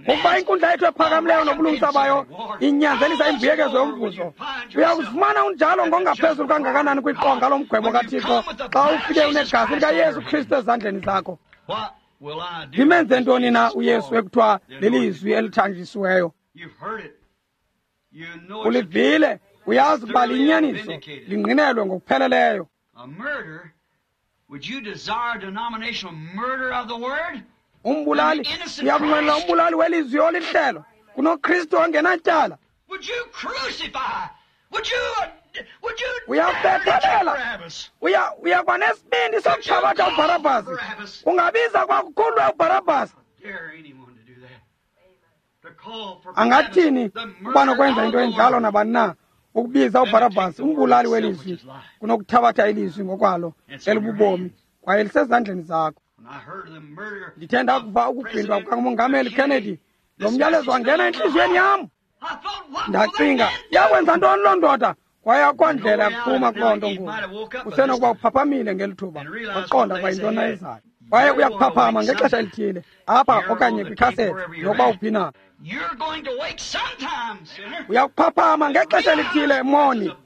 Ukuba inkundla yethu ephakamileyo nobulungisa bayo inyanzelisa imbuyekezo yomvuzo, uyakuzifumana unjalo ngongaphezulu kangakanani kwiqonga lomgwebo kaThixo xa ufike unegazi likaYesu Kristu ezandleni zakho. Ndimenze ntoni na uYesu ekuthiwa lilizwi elithanjisiweyo? Ulivile, uyazi ukuba liyinyaniso, lingqinelwe ngokupheleleyo. Umbulali, uyakunqwenela umbulali welizwi olihlelo kunoKristu ongenatyala. Uyakubethelela, uyakuba nesibindi sokuthabatha uBharabhasi. Ungabiza kwakukhululwe uBharabhasi. Angathini ukuba nokwenza into enjalo nabani na, ukubiza uBharabhasi umbulali welizwi kunokuthabatha ilizwi ngokwalo elibubomi, kwaye lisezandleni zakho. Ndithe ndakuva ukugwintwa kukamongameli Kennedy, lo myalezo wangena entliziyweni yam. Ndacinga, yakwenza ntoni loo ndoda? Kwaye akho ndlela yakuphuma kuloo nto ngoku. Usenokuba uphaphamile ngeli thuba, waqonda ukuba yintoni ayenzayo. Kwaye uyakuphaphama ngexesha elithile, apha okanye kwikhasethi, nokuba uphi na. Uyakuphaphama ngexesha elithile, moni,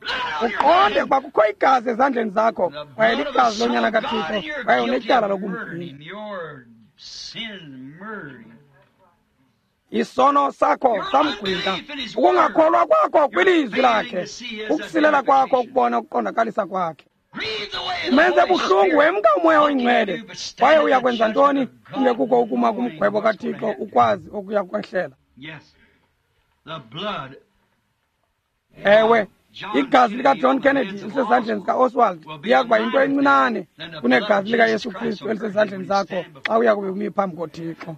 uqonde ukuba kukho igazi ezandleni zakho, kwaye ligazi lonyana kaThixo, kwaye unetyala lokumgwinta. Isono sakho samgwinta, ukungakholwa kwakho kwilizwi lakhe, ukusilela kwakho ukubona ukuqondakalisa kwakhe. Umenze buhlungu wemka uMoya oyiNgcwele, kwaye uyakwenza ntoni kungekuko ukuma kumgwebo kaThixo ukwazi okuya kwehlela? Ewe, igazi likaJohn Kennedy lisezandleni zikaOswald liya kuba yinto encinane kunegazi likaYesu Kristu elisezandleni zakho xa uya kube umi phambi koThixo.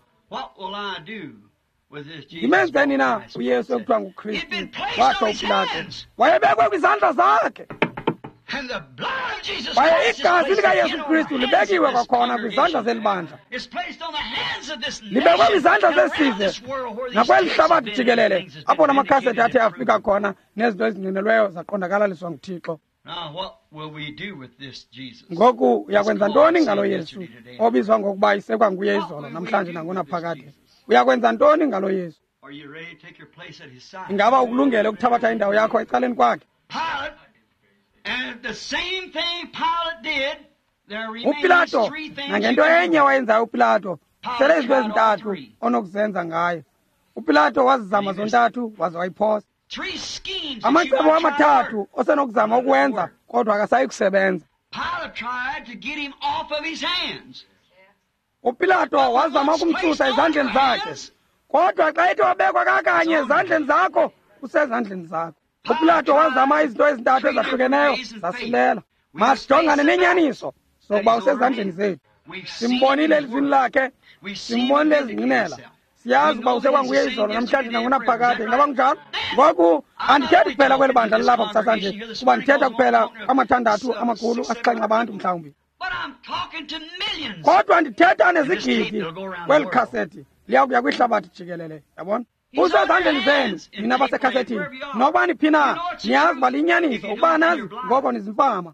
Ndimenzeni na uYesu ekuthiwa nguKristu? Watsho uPilato. Wayebekwe kwizandla zakhe. Kwaye igazi likaYesu Kristu libekiwe kwakhona kwizandla zeli bandla, libekwe kwizandla zesizwe nakweli hlabathi jikelele, apho la makhaseti athe afika khona nezinto ezingqinelweyo zaqondakalaliswa nguThixo. Ngoku uyakwenza ntoni ngalo Yesu obizwa ngokuba isekwa nguye izolo, namhlanje nangonaphakade? Uyakwenza ntoni ngalo Yesu? Ingaba ukulungele ukuthabatha indawo yakho ecaleni kwakhe? uPilato, nangento enye wayenzayo uPilato, sele izinto ezintathu onokuzenza ngayo. uPilato wazizama zontathu waze wayiphosa. Amacebo amathathu osenokuzama ukuwenza, kodwa akasayi kusebenza. uPilato wazama ukumsusa ezandleni zakhe, kodwa xa ethi wabekwa kakanye ezandleni zakho, usezandleni zakho. uPilato wazama izinto ezintathu ezahlukeneyo, zasilela. Masijongane nenyaniso sokuba usezandleni zethu. Simbonile elizwini lakhe, simbonile ezingqinela, siyazi ukuba usekwanguye izolo, namhlanje nangonaphakade. Ingaba kunjalo? Ngoku andithethi kuphela kweli bandla lilapha kusasa nje, kuba ndithetha kuphela amathandathu amakhulu asixhenxe abantu mhlawumbi, kodwa ndithetha nezigidi kweli khasethi liya kuya kwihlabathi jikelele. Yabona? Usezandleni zenu nina basekhasetini, nokuba niphi na, niyazi uba liyinyaniso. Ukuba nazi, ngoko nizimfama.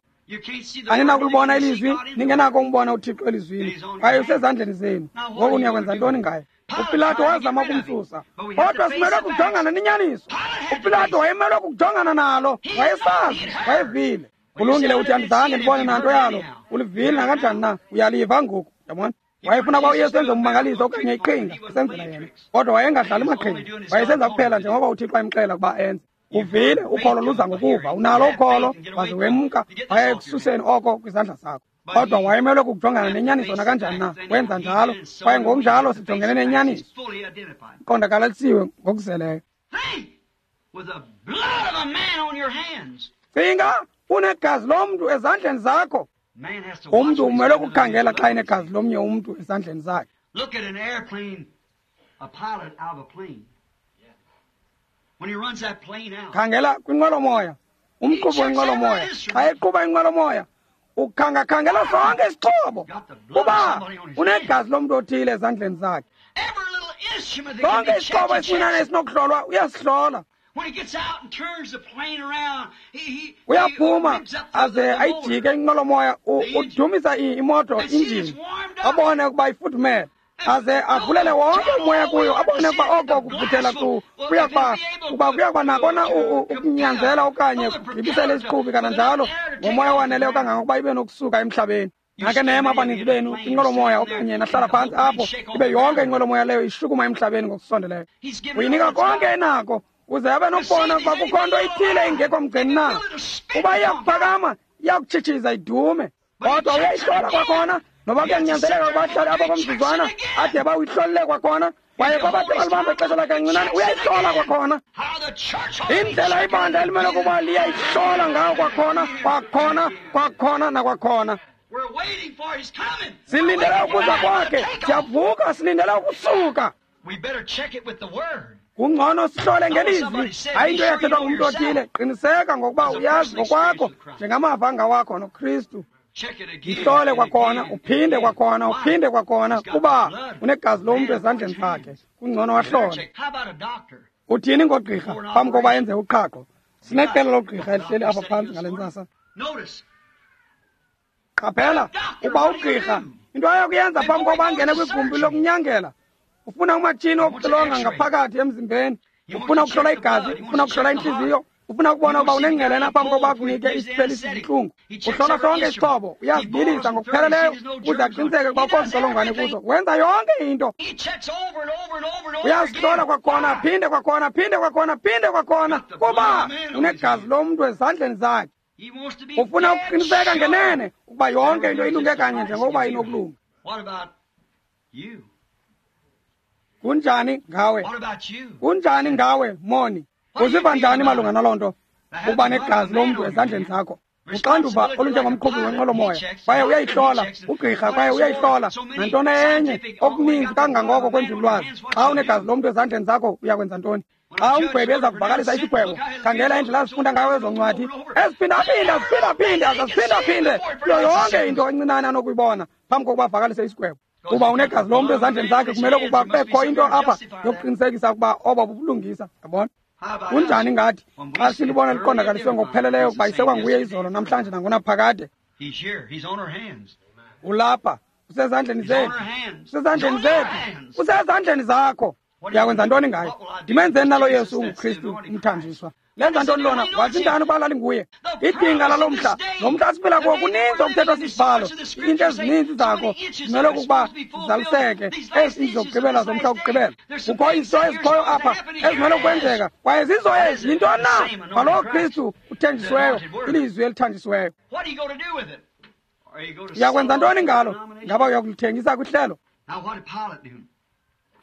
Aninakulibona ilizwi, ningenako umbona uThixo elizwini, kwaye usezandleni zenu. Ngoku niyakwenza ntoni ngaye? UPilato wazama ukumsusa, kodwa simelwe kujongana nenyaniso. UPilato wayemelwe kukujongana nalo, wayesazi, wayevile. Kulungile, uthi andizange ndibone nanto yalo. Ulivile nakanjani na? Uyaliva ngoku, yabona? Wayefuna uba uYesu enze ummangaliso okanye iqhinga esenzela yena, kodwa wayengadlali maqhinga, wayesenza kuphela njengoba uThixo wayemxela ukuba enze. Uvile, ukholo luza ngokuva. Unalo ukholo, waze wemka waya ekususeni oko kwizandla zakho. Kodwa wayemelwe kukujongana nenyaniso nakanjani na, wenza njalo. Kwaye ngokunjalo sijongene nenyaniso, iqondakalisiwe ngokuzeleyo. Cinga, unegazi lomntu ezandleni zakho. Umntu umelwe kukhangela xa enegazi lomnye umntu ezandleni zakhe. Khangela kwinqwelomoya, umqhubi wenqwelomoya xa eqhuba inqwelomoya ukhangakhangela sonke isixhobo, kuba unegazi lomntu othile ezandleni zakhe. Sonke isixhobo esincinane esinokuhlolwa uyasihlola. Uyaphuma aze ayijike inqwelomoya, udumisa imoto injini, abone ukuba ifudumele, aze avulele wonke umoya kuyo, abone ukuba oko kuvuthela kuya kuba nakona ukunyanzela okanye kugibisele isiqhubi kananjalo ngomoya owaneleyo kangangokuba ibe nokusuka emhlabeni. Nake nema abaninzi benu kwinqwelomoya okanye nahlala phantsi apho, ibe yonke inqwelomoya leyo ishukuma emhlabeni ngokusondeleyo. Uyinika konke enako uze abe nokubona ukuba kukho nto ithile ingekho mgceni na. Uba iyakuphakama, iyakutshitshiza idume, kodwa uyayihlola kwakhona. Noba kuyanyanzeleka ukuba ahlale apho komzuzwana ade bawuyihlolele kwakhona, kwaye kwabathe balibamba ixesha lakhe kancinane, uyayihlola kwakhona. Indlela ibandla elimele ukuba liyayihlola ngayo kwakhona, kwakhona, kwakhona nakwakhona. Silindele ukuza kwakhe, siyavuka, silindele ukusuka. Kungcono sihlole ngelizwi, hayi into eyathethwa ngumntu othile. Qiniseka ngokuba uyazi ngokwakho njengamava angawakho noKristu. Yihlole kwakhona, uphinde kwakhona, uphinde kwakhona, kuba unegazi lomntu ezandleni zakhe. Kungcono wahlole. Uthini ngogqirha phambi kokuba enze uqhaqho? Sineqela logqirha elihleli apha phantsi ngale ntsasa. Qaphela, uba ugqirha into ayokuyenza phambi kokuba angene kwigumbi lokunyangela, ufuna umatshini wokuxilonga ngaphakathi emzimbeni, ufuna ukuhlola igazi, ufuna ukuhlola intliziyo, ufuna ukubona uba unengqelena phambi kokuba akunike isiphelisi zintlungu. Uhlola sonke isixhobo, uyazibilisa ngokupheleleyo ukuze aqiniseke ukuba ukho zintsholongwane kuzo. Wenza yonke into, uyazihlola kwakhona, aphinde kwakhona, aphinde kwakhona, aphinde kwakhona, kuba unegazi lomntu ezandleni zakhe. Ufuna ukuqiniseka ngenene ukuba yonke into ilunge kanye njengokuba inokulunga. Kunjani ngawe? Kunjani ngawe, moni? Uziva njani malunga naloo nto? Uba negazi lomntu ezandleni zakho. Uxanduva olunjengomqhubi wenqwelomoya, kwaye uyayihlola ugqirha, kwaye uyayihlola nantoni enye okuninzi kangangoko kwenzululwazi. Xa unegazi lomntu ezandleni zakho, uyakwenza ntoni? Xa umgwebi eza kuvakalisa isigwebo, khangela indlela azifunda ngayo ezo ncwadi, eziphindaphinda, ziphindaphinde, azaziphinde kuyo yonke into encinane anokuyibona phambi kokuba avakalise isigwebo. Kuba unegazi lomntu ezandleni zakhe, kumele ukuba kubekho into apha yokuqinisekisa ukuba obo bubulungisa. Yabona? Kunjani ngathi xa silibona liqondakaliswe ngokupheleleyo ukuba isekwanguye izolo, namhlanje nangonaphakade? Ulapha, usezandleni zethu, usezandleni zethu, usezandleni zakho. Uyakwenza ntoni ngayo? Ndimenzeni nalo Yesu unguKristu umthanjiswa? Lenza ntoni lona? Wazi njani uba lalinguye? Idinga lalo mhla, lo mhla siphila kuwo, kuninzi okuthethwa sisibhalo. Iinto ezininzi zako zimele ukuba zizaliseke, ezi zokugqibela zomhla wokugqibela. Kukho izinto ezikhoyo apha ezimele ukwenzeka, kwaye zizo ezi. Yintoni na? Ngalowo Kristu uthenjisiweyo, ilizwi elithanjisiweyo. Uyakwenza ntoni ngalo? Ngaba uyakulithengisa kwihlelo?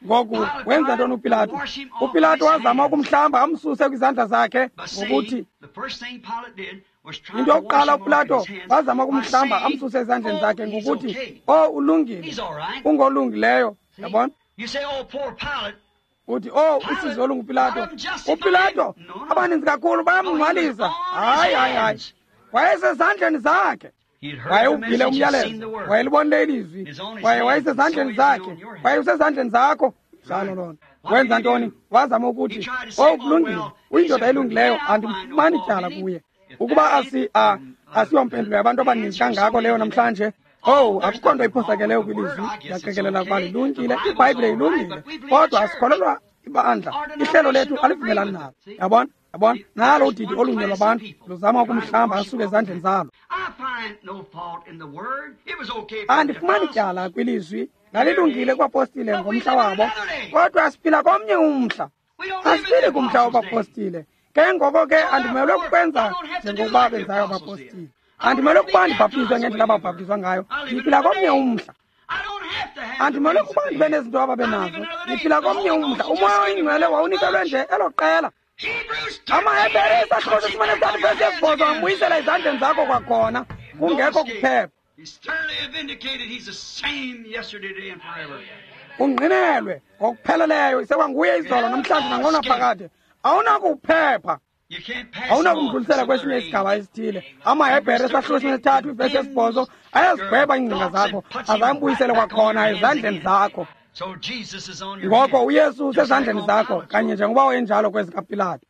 Ngoku wenza ntoni uPilato? UPilato wazama ukumhlamba amsuse kwizandla zakhe ngokuthi, into yokuqala uPilato wazama ukumhlamba amsuse ezandleni zakhe ngokuthi, oh, ulungile, ungolungileyo. Yabona? Uthi, oh, usizi olunguPilato. UPilato abaninzi kakhulu bayamngcwalisa. Hayi, hayi, hayi, wayesezandleni zakhe. Wayewuvile umyalezo, wayelibonile ilizwi, kwaye wayesezandleni zakhe, kwaye usezandleni zakho. Njalo loo nto. Wenza ntoni? Wazama ukuthi, "Oh, kulungile, uyindoda elungileyo, andimfumani tyala kuye." Ukuba asiyompendulo yabantu abaninzi kangako leyo namhlanje. Oh, akukho nto iphosakeleyo kwilizwi. Ndiyaqikelela ukuba lilungile, iBhayibhile ilungile, kodwa asikholelwa ibandla, ihlelo lethu alivumelani nalo. Yabona? Yabona? Nalo udidi olunye lwabantu luzama ukumhlamba asuke ezandleni zalo. Andifumani tyala kwilizwi, lalilungile kubapostile ngomhla wabo, kodwa siphila komnye umhla. Asiphili kumhla wabapostile. Ke ngoko ke andimelwe kukwenza njengokuba benzayo abapostile. Andimelwe kuba ndibhaptizwe ngendlela ababhaptizwa ngayo. Ndiphila komnye umhla. Andimelwe kuba ndibe nezinto ababenazo. Ndiphila komnye umhla. UMoya oyiNgcwele wawunikelwe nje elo qela. AmaHebhere isahluko sesibini vesi yesibhozo ambuyisela ezandleni zakho kwakhona, kungekho kuphepha. Ungqinelwe ngokupheleleyo, isekwanguye izolo namhlanje nangonaphakade. Awunakuphepha, awunakumdlulisela kwesinye isigaba esithile. AmaHebhere isahluko sesithathu ivesi yesibhozo ayazigweba iingcinga zakho, azambuyisele kwakhona ezandleni zakho. Ngoko uYesu usezandleni zakho kanye njengoba wayenjalo kwezikaPilato.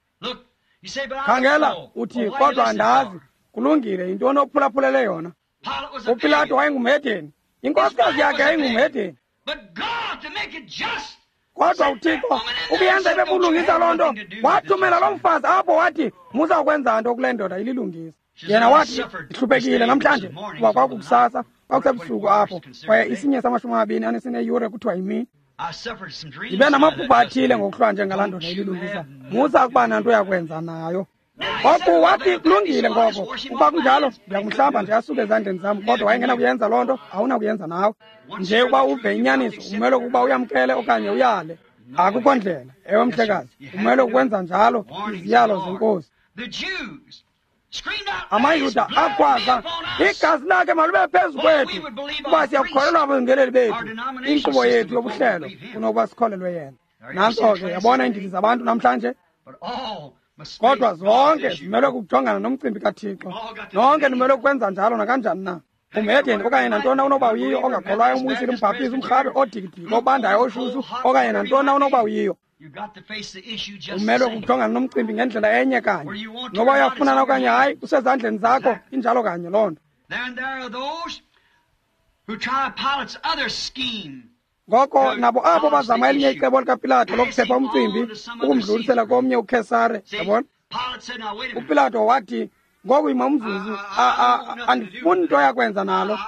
Khangela, uthi, kodwa andazi. Kulungile, yintoni ophulaphulele yona? UPilato wayengumhedeni, inkosikazi yakhe yayingumhedeni. Kodwa uThixo ukuyenza ibe bulungisa loo nto, wathumela loo mfazi apho wathi, musa ukwenza nto kule ndoda ililungisa. Yena wathi, ndihluphekile namhlanje, kuba kwakukusasa, kwakusebusuku apho, kwaye isinye samashumi amabini anesineyure kuthiwa yimini. Ndibe namaphupha athile ngokuhlwa njengalaa ndoda ililungisa, musa ukuba nanto yakwenza nayo. Ngoku wathi, kulungile ngoko, ukuba kunjalo ndiyakumhlamba nje asuke ezandleni zam. Kodwa wayengenakuyenza loo nto, awunakuyenza nawe. Nje ukuba uve inyaniso, umele ukuba uyamkele okanye uyale. Akukho ndlela. Ewe, mhlekazi, umele ukwenza njalo, iziyalo zeNkosi. AmaYuda akhwaza, igazi lakhe malube phezu kwethu, kuba siyakukholelwa ababingeleli bethu, inkqubo yethu yobuhlelo, kunokuba sikholelwe yena. Nantso ke, yabona iindidi zabantu namhlanje. Kodwa zonke zimelwe kukujongana nomcimbi kaThixo. Nonke nimelwe kukwenza njalo nakanjani na. Umhedeni okanye nantoni unoba uyiyo, ongakholwayo, umwisile, umbhaptizi, umrhabe, odikidiki, obandayo, oshushu, okanye nantoni unoba uyiyo. Umelwe kukujongana nomcimbi ngendlela enye kanye. Noba uyafunana okanye hayi, kusezandleni zakho, injalo kanye loo nto. Ngoko nabo abo bazama elinye icebo likaPilato lokuphepha umcimbi, ukumdlulisela komnye uKhesare, yabona? UPilato wathi, ngoku yima umzuzu, andifuni nto yakwenza nalo.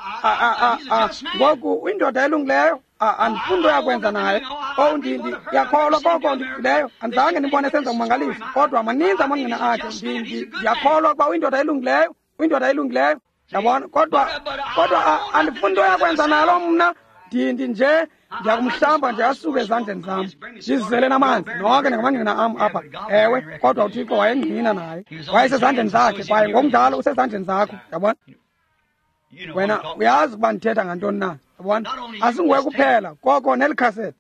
Ngoku indoda elungileyo, andifuni nto yakwenza naye. Oh, ndiyakholwa koko ndikuvileyo, andizange ndibone senza umangaliso, kodwa maninzi amangqina akhe. Ndiyakholwa ukuba uyindoda elungileyo, uyindoda elungileyo, yabona? Kodwa andifuni nto yakwenza nalo mna. Nje ndiyakumhlamba nje asuke ezandleni zam, ndizizele namanzi. Nonke ningamangqina am apha. Ewe, kodwa uThixo wayengqina naye, wayesezandleni zakhe, kwaye ngokunjalo usezandleni zakho. Yabona? Wena uyazi ukuba ndithetha ngantoni na. Yabona? Asinguwe kuphela, koko neli khaseti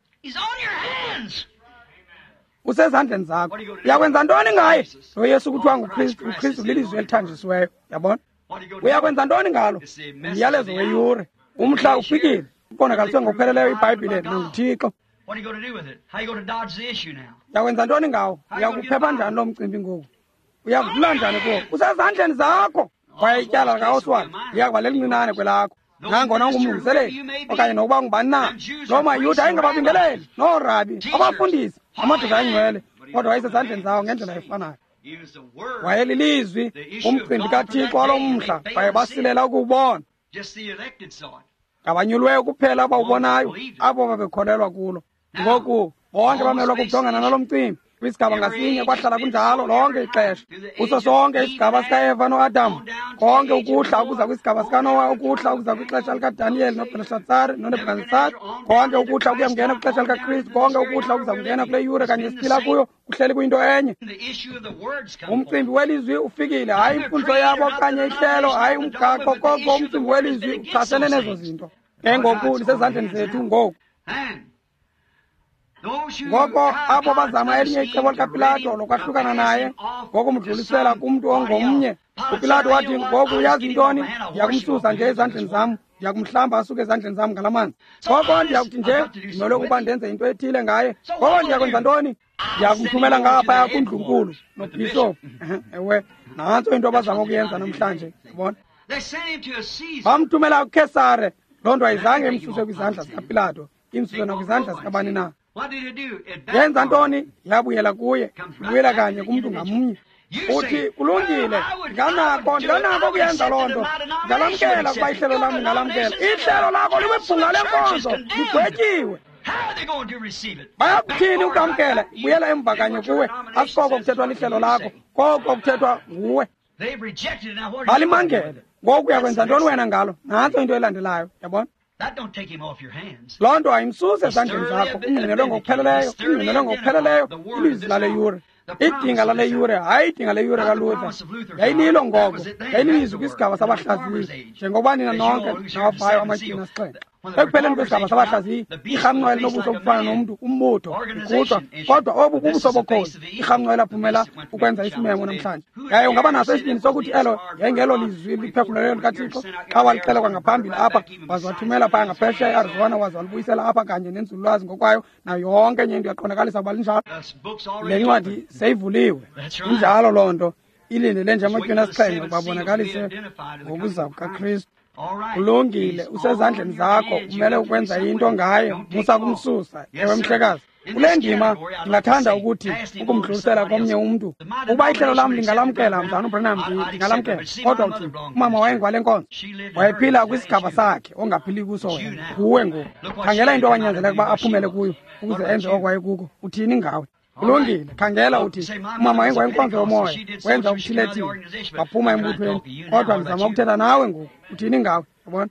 usezandleni zakho. Uyakwenza ntoni ngaye? Lo Yesu kuthiwa nguKristu, uKristu lilizwi elithanjisiweyo. Yabona? Uyakwenza ntoni ngalo? Umyalezo weyure, umhla ufikile. Ubonakaliswe ngokupheleleyo iBhayibhile nanguThixo. Uyakwenza ntoni ngawo? Uyakuphepha njani lo mcimbi ngoku? Uyakudlula njani kuwo? Usezandleni zakho. Kwaye ityala likaOswald liyakuba lelincinane kwelakho, nangona ungumlungiseleli okanye nokuba ngubani na. Loo maYuda ayengababingeleli noorabi, abafundisi, amadoda ayingcwele, kodwa wayesezandleni zawo ngendlela efanayo. Wayelilizwi, umcimbi kaThixo walo mhla, kwaye basilela ukuwubona. Ngabanyulweyo kuphela abawubonayo, abo babekholelwa kulo. Ngoku bonke bamelwa kukujongana nalo mcimbi. Kwisigaba ngasinye kwahlala kunjalo lonke ixesha. Kuso sonke isigaba sikaEva noAdam, konke ukuhla ukuza kwisigaba sikaNowa, ukuhla ukuza kwixesha likaDaniyeli noBheleshatsari noNebhukadnetsari, konke ukuhla ukuya kungena kwixesha likaKristu, konke ukuhla ukuza kungena kule yure kanye siphila kuyo, kuhleli kuyinto enye. Umcimbi welizwi ufikile, hayi imfundiso yabo okanye ihlelo, hayi umgaqo, koko umcimbi welizwi uchasene nezo zinto. Ke ngoku lisezandleni zethu ngoku. Ngoko abo bazama elinye icebo likaPilato lokwahlukana naye ngokumdlulisela kumntu ongomnye. UPilato wathi, ngoku uyazi intoni? Ndiyakumsusa nje ezandleni zam, ndiyakumhlamba asuke ezandleni zam ngala manzi. Ngoko ndiyakuthi nje ndimele ukuba ndenze into ethile ngaye. Ngoko ndiyakwenza ntoni? Ndiyakumthumela ngaphaya kundlunkulu nobhishophu. Ewe, nantso into abazama ukuyenza namhlanje, yabona. Bamthumela kuKhesare. Loo nto ayizange imsuse kwizandla zikaPilato, imsuse nakwizandla zikabani na. Yenza ntoni? Yabuyela kuye, ibuyela kanye kumntu ngamnye. Uthi, kulungile, ndinganako ukuyenza loo nto. Ndingalamkela ukuba ihlelo lam ndingalamkela. Ihlelo lakho likwibhunga lenkonzo, ligwetyiwe. Bayakuthini ukwamkela? Buyela emva kanye kuwe. Asikoko kuthethwa lihlelo lakho, koko kuthethwa nguwe. Balimangele. Ngoku uyakwenza ntoni wena ngalo? Nantso into elandelayo, yabona. Loo nto ayimsusi ezandleni zakho. Ungqinelwe ngokupheleleyo, ungqinelwe ngokupheleleyo ilizwi lale yure. Idinga lale yure, hayi idinga le yure kaLuther. Yayililo ngoko, yayililizwi kwisigaba sabahlaziyi, njengokuba nina nonke nawavayo amatywina asixhenxe. Ekupheleni kwesigaba sabahlaziyi, irhamncwa elinobuso obufana nomntu, umbutho, igquthwa, kodwa obu bubuso bokhozi. Irhamncwa elaphumela ukwenza isimemo namhlanje. Yaye ungaba naso isibindi sokuthi elo yayingelo lizwi liphefumlelweyo likaThixo xa walixela kwangaphambili apha, waze wathumela phaya ngaphesheya eArizona, waze walibuyisela apha kanye nenzululwazi ngokwayo nayo yonke enye into yaqondakalisa ukuba linjalo. Le ncwadi seyivuliwe. Injalo loo nto, ilindele nje amatywina asixhenxe ukuba abonakalise ngokuza kukaKristu. Kulungile, usezandleni zakho, umele ukwenza into ngaye, musa kumsusa. Ewe mhlekazi. Kule ndima ndingathanda ukuthi ukumdlulisela komnye umntu. Ukuba ihlelo lam lingalamkela, mzana uBranham, ndingalamkela. Kodwa uthi, umama wayengwale nkonzo, wayephila kwisigaba sakhe ongaphili kuso wena. Nguwe ngoku. Khangela into awanyanzeleka ukuba aphumele kuyo ukuze enze oko wayekuko. Uthini ngawe? Kulungile, khangela uthi, umama wayengwayenkonzo yomoya, wenza okuthile-thile, waphuma embuthweni. Kodwa ndizama ukuthetha nawe ngoku. Uthini ngawe? Yabona?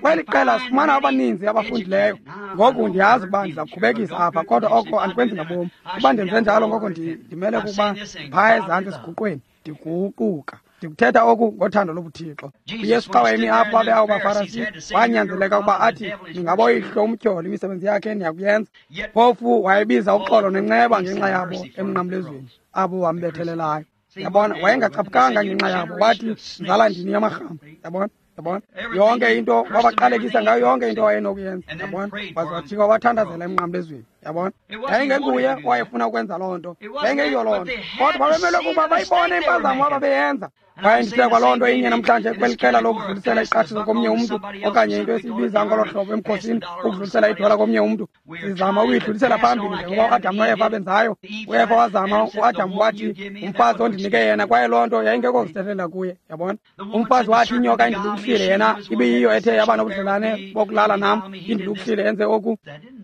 Kweli qela sifumana abaninzi abafundileyo. Ngoku ndiyazi ukuba ndiza kukhubekisa apha, kodwa oko andikwenzi ngabomi. Ukuba ndenze njalo, ngoko ndimele kukuba phaya ezantsi esiguqweni, ndiguquka. Ndikuthetha oku ngothando lobuThixo. UYesu xa wayemi apho abe abo baFarisi, wanyanzeleka ukuba athi, ningaboyihlo umtyholi, imisebenzi yakhe niyakuyenza. Phofu wayebiza uxolo nenceba ngenxa yabo emnqamlezweni, abo wambethelelayo. Yabona, wayengacaphukanga ngenxa yabo. Wathi, nzala ndini yamarhamba. Yabona? Yabona? Yonke into wabaqalekisa ngayo, yonke into wayenokuyenza. Yabona? Waze wajika wabathandazela emnqamlezweni. Yabona? Yayingenguye owayefuna ukwenza loo nto. Yayingeyiyo loo nto. Kodwa babemelwe kuba bayibone impazamo ababeyenza. Kwaye ndithe kwaloo nto inye namhlanje kweli qela lokudlulisela iqashiso komnye umntu, okanye into esiyibiza ngolo hlobo emkhosini, ukudlulisela idola komnye umntu. Sizama ukuyidlulisela phambili njengoba uAdam noEva benzayo. UEva wazama, uAdam wathi, umfazi ondinike yena, kwaye loo nto yayingekho kuzithethelela kuye. Yabona? Umfazi wathi, inyoka indilukuhlile yena, ibiyiyo ethe yaba nobudlelane bokulala nam, indilukuhlile enze oku.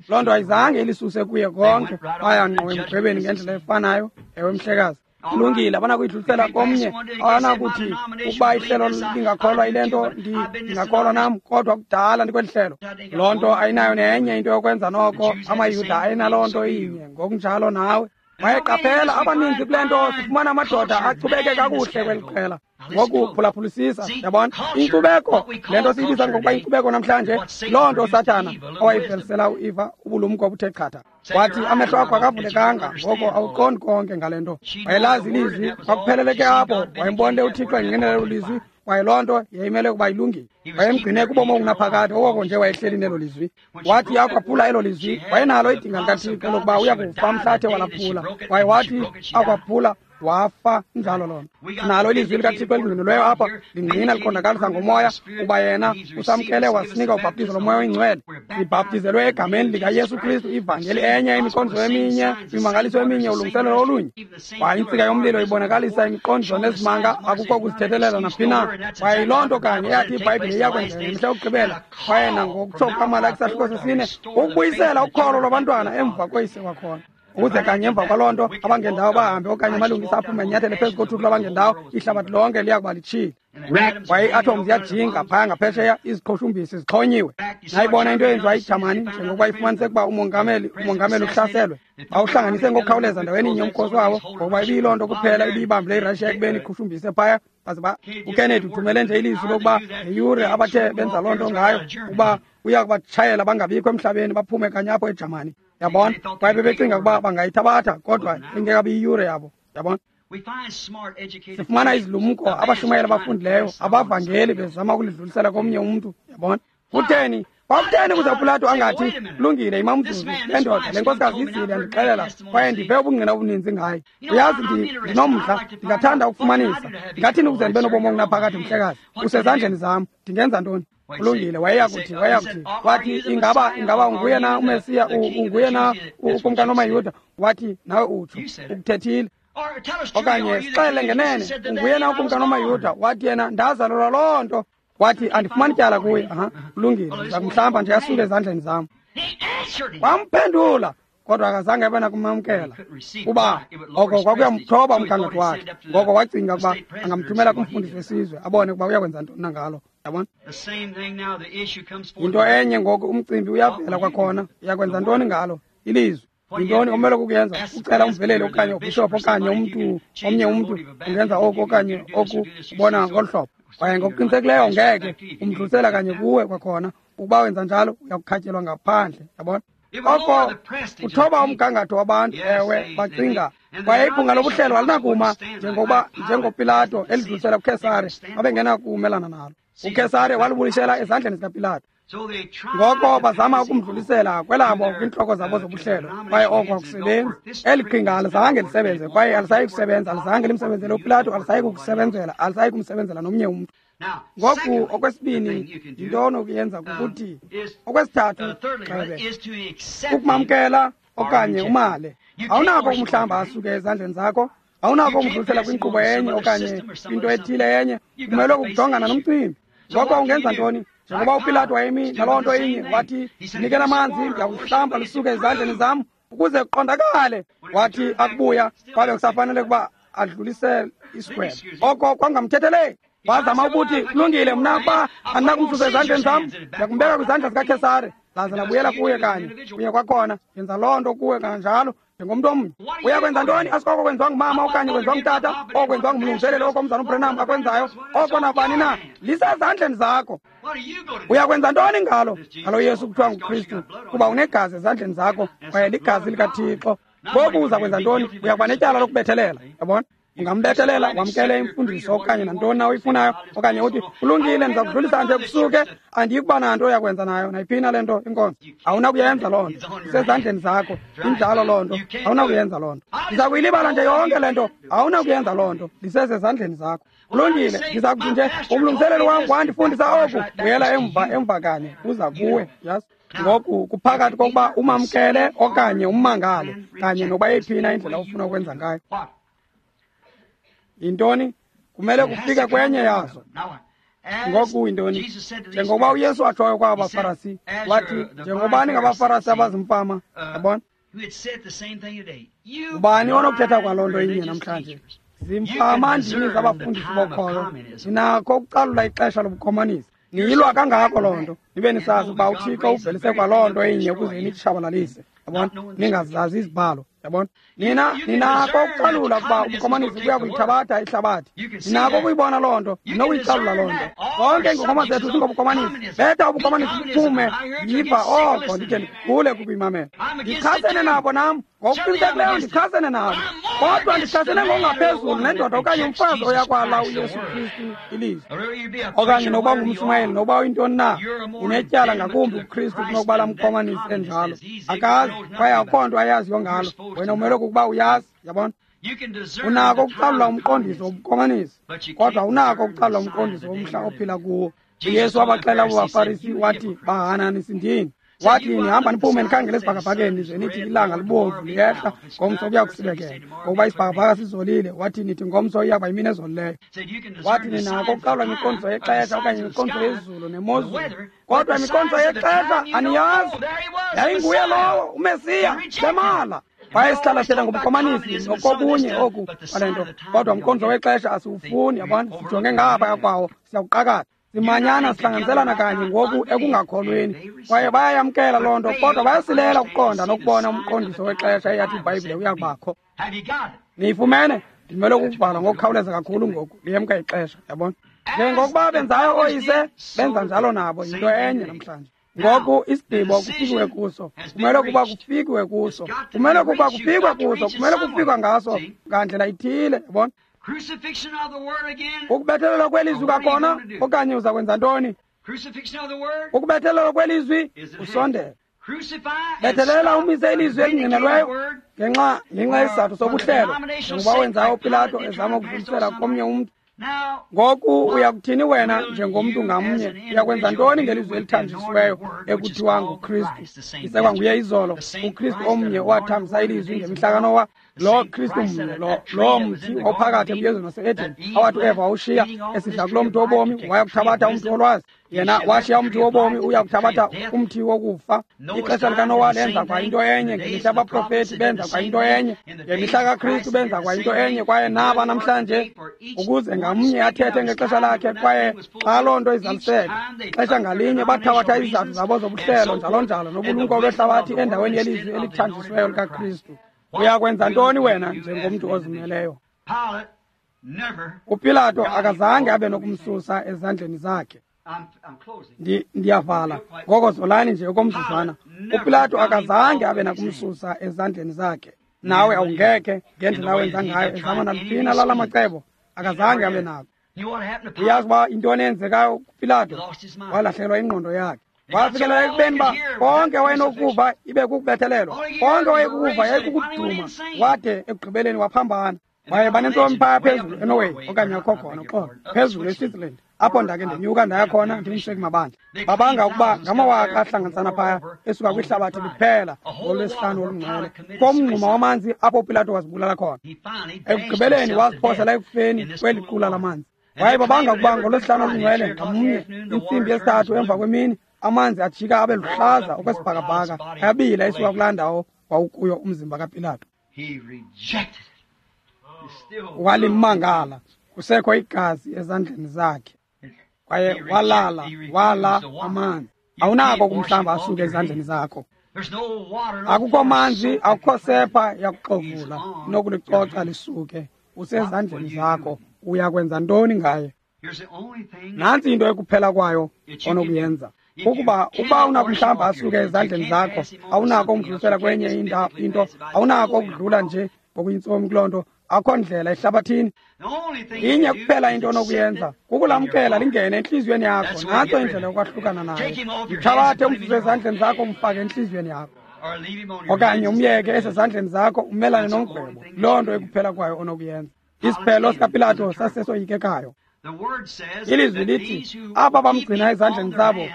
Loo nto ayizange ilisuse kuye konke. Baya ngqo emgwebeni ngendlela efanayo. Ewe mhlekazi. Kulungile, abanakuyidlulisela komnye. Abanakuthi ukuba ihlelo lingakholwa yile nto, ndingakholwa nam, kodwa kudala ndikweli hlelo. Loo nto ayinayo nenye into yokwenza noko. AmaYuda ayinaloo nto inye, ngokunjalo nawe. Wayeqaphela abaninzi kule nto, sifumana amadoda achubeke kakuhle kweli qela. Ngoku phulaphulisisa, yabona? Inkcubeko, le nto siyibiza ngokuba inkcubeko namhlanje, loo nto Sathana owayivelisela uEva ubulumko obuthe chatha. Wathi amehlo akho akavulekanga, ngoko awuqondi konke ngale nto. Wayelazi ilizwi, kwakupheleleke apho. Wayembonile uThixo engqinela elo lizwi, kwaye loo nto yayimele ukuba ilungile. Wayemgcine kubomi obungunaphakade, okoko nje wayehleli nelo lizwi. Wathi akwaphula elo lizwi, wayenalo idinga likaThixo lokuba uya kufa mhla athe walaphula. Kwaye wathi akwaphula, wafa. Injalo loo nto. Nalo ilizwi likaThixo elingqinelweyo apha, lingqina liqondakalisa ngomoya uba yena usamkele wasinika ubhaptizo lomoya oyingcwele. Sibhaptizelwe egameni likaYesu Kristu, ivangeli enye, imiqondiso eminye, imimangaliso eminye, ulungiselelo olunye. Kwaye intsika yomlilo ibonakalisa imiqondiso nezimanga, akukho kuzithethelela naphi na. Kwaye yiloo nto kanye eyathi iBhayibhile iyakwenzeka ngemihla yokugqibela. Kwaye nangokutsho kukaMalaki isahluko sesine, ukubuyisela ukholo lwabantwana emva koyise kwakhona. Ukuze kanye emva kwaloo nto abangendawo bahambe, okanye amalungisa aphume enyathele phezu kothuthu lwabangendawo, ihlabathi lonke liya kuba litshile. Kwaye ii-atoms ziyajinga phaya ngaphesheya, iziqhushumbisi zixhonyiwe. Nayibona into eyenziwa yiJamani, njengokuba ifumaniseke ukuba umongameli uhlaselwe. Bawuhlanganise ngokukhawuleza ndaweni inye umkhosi wabo, ngokuba ibiyiloo nto kuphela ibiyibambile iRussia ekubeni iqhushumbise phaya. Baze ba uKennedy uthumele nje ilizwi lokuba ngeyure abathe benza loo nto ngayo, ukuba uya kubatshayela bangabikho emhlabeni, baphume kanye apho eJamani. Yabona, kwaye bebecinga ukuba bangayithabatha, kodwa ingekabi iyure yabo. Yabona, sifumana izilumko, abashumayeli abafundileyo, abavangeli bezama ukulidlulisela komnye umntu. Yabona, kutheni? Kwakutheni kuze uPilato angathi, kulungile, imamzuzu, le ndoda, le nkosikazi izile yandixelela, kwaye ndive ubungqina obuninzi ngaye. Uyazi, ndinomdla, ndingathanda ukufumanisa. Ndingathini ukuze ndibe nobomi obungunaphakade, mhlekazi? Usezandleni zam, ndingenza ntoni? Kulungile, wayeyakuthi, wathi, ingaba unguye na uMesiya, unguye na ukumkani wamaYuda? Wathi, nawe utsho, ukuthethile. Okanye sixele ngenene, unguye na ukumkani wamaYuda? Wathi yena, ndazalelwa loo nto. Wathi, andifumani tyala kuye. Aha, kulungile, ndiza kumhlamba nje asuke ezandleni zam. Wamphendula, kodwa akazange abe nakumamkela, kuba oko kwakuyamthoba umgangatho wakhe. Ngoko wacinga ukuba angamthumela kumfundisi wesizwe, abone ukuba uyakwenza ntoni na ngalo. Yabona, yinto enye ngoku, umcimbi uyavela kwakhona. Uyakwenza ntoni ngalo? Ilizwi. Yintoni omele kukuyenza? Ucela umveleli okanye ubhishophu okanye umntu, omnye umntu ungenza oku okanye oku, ubona ngolu hlobo. Kwaye ngokuqinisekileyo ngeke umdlulisela kanye kuwe kwakhona. Ukuba wenza njalo, uyakukhatyelwa ngaphandle. Yabona, oko kuthoba umgangatho wabantu. Ewe, bacinga. Kwaye ibhunga lobuhlelo alinakuma njengoba njengoPilato elidlulisela kuKhesare, babengenakumelana nalo. uKhesare walibuyisela ezandleni zikaPilato. Ngoko bazama ukumdlulisela kwelabo kwiintloko zabo zobuhlelo, kwaye oko akusebenzi. Eli qhinga alizange lisebenze, kwaye alisayi kusebenza. Alizange limsebenzele uPilato, alisayi kukusebenzela, alisayi kumsebenzela nomnye umntu. Ngoku okwesibini, yinto onokuyenza kukuthi, okwesithathu, gxebe, ukumamkela okanye umale. Awunako ukumhlamba asuke ezandleni zakho, awunako ukumdlulisela kwinkqubo enye okanye kwinto ethile enye. Kumele ukujongana nomcimbi. Ngoko ungenza ntoni? Njengoba uPilato wayemi naloo nto inye, wathi, ndinikele amanzi, ndiyakuhlamba lisuke ezandleni zam ukuze kuqondakale. Wathi akubuya, kwabe kusafanele ukuba adlulisele isigwebo. Oko kwangamthetheleli. Wazama ukuthi, kulungile, mna ukuba andinakumsusa ezandleni zam, ndiyakumbeka kwizandla zikaKhesare. Laze labuyela kuye kanye kunye kwakhona. Yenza loo nto kuwe kanjalo njengomntu omnye. Uyakwenza ntoni? Asikoko kwenziwa ngumama okanye kwenziwa ngutata, oko kwenziwa ngumlungiseleli, oko umzana uBrenham akwenzayo, oko nabani na, lisezandleni zakho. Uyakwenza ntoni ngalo? Ngalo Yesu kuthiwa nguKristu, kuba unegazi ezandleni zakho, kwaye ligazi likaThixo. Ngoku uza kwenza ntoni? Uyakuba netyala lokubethelela. Yabona, ungambethelela, wamkele imfundiso okanye nantoni na uyifunayo, okanye uthi, kulungile, ndiza kudlulisa nje kusuke, andiyikuba nanto yakwenza nayo nayiphina le nto inkonzo. Awunakuyenza loo nto, isezandleni zakho. Injalo loo nto, awunakuyenza loo nto. Ndiza kuyilibala nje yonke le nto, awunakuyenza loo nto, lisezezandleni zakho. Kulungile, ndiza kuthi nje umlungiseleli wam wandifundisa oku, buyela emva kanye, uza kuwe. Yes. Ngoku kuphakathi kokuba umamkele okanye ummangale, kanye nokuba yeyiphina indlela ofuna ukwenza ngayo. Yintoni? Kumele kufike kwenye yazo. Ngoku yintoni? Njengokuba uYesu atshoyo kwaba baFarasi, wathi, njengoba ningabaFarasi abazimfama. Yabona, ubani onokuthetha kwaloo nto inye namhlanje? Zimfama ndini zabafundisi bokholo, ninakho ukucalula ixesha lobukomanisi. Niyilwa kangako loo nto, nibe nisazi ukuba uThixo uvelise kwaloo nto inye ukuze nitshabalalise. Yabona, ningazazi izibhalo. Yabona, nina ninako ukucalula ukuba ubukomanisi buya kuyithabatha ihlabathi. Ninako ukuyibona loo nto, ninokuyicalula loo nto. Zonke iingongoma zethu zingobukomanisi. Betha ubukomanisi buphume, yiva oko, ndide ndigule kukuyimamela. Ndichasene nabo nam, ngokuqinisekileyo ndichasene nabo, kodwa ndichasene ngokungaphezulu nendoda okanye umfazi oyakwala uYesu Kristu ilizwi. Okanye nokuba ngumshumayeli, nokuba uyintoni na, unetyala ngakumbi kuKristu kunokuba laa mkomanisi enjalo. Akazi, kwaye akukho nto ayaziyo ngalo. Wena umele kukuba uyazi. Yabona, unako ukucalula umqondiso wobukomanisi, kodwa unako ukucalula umqondiso womhla ophila kuwo. uYesu wabaxela abo baFarisi, wathi, bahananisindini. Wathi, nihamba niphume nikhangele esibhakabhakeni, nize nithi ilanga libomvu liyehla, ngomso kuya kusibekela, ngokuba isibhakabhaka sizolile. Wathi, nithi ngomso iyakuba yimini ezolileyo. Wathi, ninako ukuqalwa imiqondiso yexesha okanye imiqondiso yezulu nemozulu, kodwa imiqondiso yexesha aniyazi. Yayinguye lowo uMesiya, bemala. Kwaye sihlala sithetha ngobukomanisi nokokunye oku kwale nto, kodwa umqondiso wexesha asiwufuni. Yabona, sijonge ngaphaya kwawo, siyakuqakatha. Simanyana, sihlanganiselana kanye ngoku ekungakholweni, kwaye bayayamkela loo nto, kodwa bayasilela ukuqonda nokubona umqondiso wexesha eyathi iBhayibhile uyakubakho. Niyifumene? Ndimele ukubhala ngokukhawuleza kakhulu ngoku, liyemka ixesha. Yabona, njengokuba benzayo ooyise, benza njalo nabo. Yinto enye namhlanje. Ngoku isigqibo kufikiwe kuso, kumele kuba kufikiwe kuso, kumele kuba kufikwe kuso, kumele kufikwa ngaso ngandlela ithile, yabona. Ukubethelelwa kwelizwi kwakhona, okanye uza kwenza ntoni? Ukubethelelwa kwelizwi, usondela. Bethelela umise ilizwi elingqinelweyo ngenxa yesizathu sobuhlelo, njengoba wenzayo uPilato ezama ukudlulisela komnye umntu. Ngoku uyakuthini wena njengomntu ngamnye? Uyakwenza ntoni ngelizwi elithanjisiweyo ekuthiwa nguKristu? Isekwa nguye izolo, uKristu omnye owathambisa ilizwi ngemihla kaNowa, lo Kristu mnye, lo mthi ophakathi emyezweni wase-Eden awathi uEva wawushiya esidla kulo mthi wobomi, waya kuthabatha umthi wolwazi. Yena washiya umthi wobomi, uya kuthabatha umthi wokufa. Ixesha likaNowa lenza kwa into enye, ngemihla yabaprofeti benza kwa into enye, ngemihla kaKristu benza kwa into enye, kwaye naba namhlanje, ukuze ngamnye athethe ngexesha lakhe. Kwaye xa loo nto izaliseka, xesha ngalinye bathabatha izizathu zabo zobuhlelo njalo njalo nobulumko lwehlabathi endaweni yelizwi elithanjisiweyo likaKristu. Uyakwenza ntoni wena njengomntu ozimeleyo? UPilato akazange abe nokumsusa ezandleni zakhe. Ndiyavala ngoko, zolani nje okomzuzwana. UPilato akazange abe nakumsusa ezandleni zakhe. Nawe awungekhe ngendlela wenza ngayo, ezama naliphi lala macebo, akazange abe nako. Uyazi uba intoni eyenzekayo kuPilato? Walahlekelwa ingqondo yakhe. Wafikelela ekubeni uba konke wayenokuva ibe kukubethelelwa, konke wayekukuva yayikukuduma, wade ekugqibeleni waphambana. Kwaye banentsomi phaya phezulu eNorway, okanye akho khona, uxolo, phezulu eSwitzerland, apho ndake ndenyuka ndaya khona ndingumseki mabandla. Babanga ukuba ngamawaka ahlanganisana phaya esuka kwihlabathi liphela ngolwesihlanu olungcwele, komngxuma wamanzi apho uPilato wazibulala khona. Ekugqibeleni waziphosela ekufeni kweli qula lamanzi. Kwaye babanga ukuba ngolwesihlanu olungcwele ngamnye, intsimbi yesithathu emva kwemini, amanzi ajika abe luhlaza okwesibhakabhaka, ayabila esuka kulaa ndawo wawukuyo umzimba kaPilato. Walimangala, kusekho igazi ezandleni zakhe, kwaye walala, wala amanzi. Awunako ukumhlamba asuke ezandleni zakho. Akukho manzi, akukho sepha yakuxovula inokulicoca lisuke. Usezandleni zakho. Uyakwenza ntoni ngaye? Nantsi into ekuphela kwayo onokuyenza, kukuba uba unakumhlamba asuke ezandleni zakho, awunako umdlulisela kwenye into, awunako ukudlula nje ngokuyintsomi kuloo nto. Akho ndlela ehlabathini. Inye kuphela into onokuyenza, kukulamkela lingene entliziyweni yakho. Nantso indlela yokwahlukana naye. Mthabathe umsuse ezandleni zakho, umfake entliziyweni yakho, okanye umyeke esezandleni zakho umelane nomgwebo. Loo nto ekuphela kwayo onokuyenza. Isiphelo sikaPilato sasesoyikekayo. Ilizwi lithi aba bamgcina ezandleni zabo,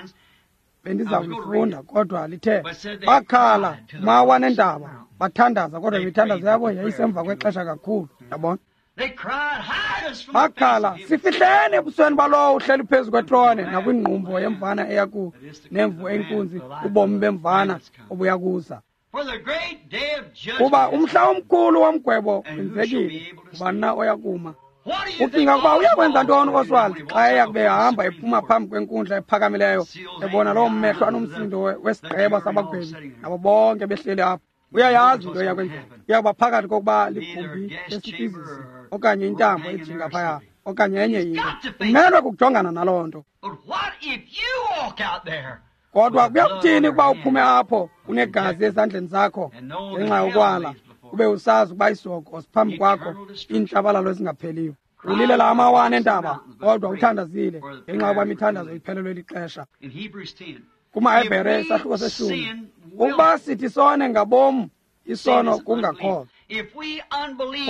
bendiza kulifunda, kodwa lithe bakhala mawa nentaba, bathandaza, kodwa imithandazo yabo yayisemva kwexesha kakhulu. Yabona, bakhala, sifihleni ebusweni balowo uhleli phezu kwetrone nakwingqumbo yemvana eyaku nemvu eyinkunzi, ubomi bemvana obuya kuza. Kuba umhla omkhulu womgwebo wenzekile, ngubani na oyakuma? Ucinga ukuba uyakwenza ntoni uOswald xa eya kube ehamba ephuma phambi kwenkundla ephakamileyo, ebona loo mehlo anomsindo wesigqeba sabagwebi nabo bonke behleli apho? Uyayazi into eyakwenzeka. Uyakuba phakathi kokuba ligumbi lesifizisi okanye intambo ejinga phaya okanye enye into. Umelwe kukujongana naloo nto. Kodwa kuyakuthini ukuba uphume apho unegazi ezandleni zakho ngenxa yokwala, ube usazi ukuba isihogo siphambi kwakho, iintshabalalo ezingapheliyo? Ulilela amawana entaba, kodwa uthandazile ngenxa yokuba imithandazo iphelelwe lixesha. KumaHebhere isahluko seshumi, ukuba sithi sone ngabom, isono kungakholwa.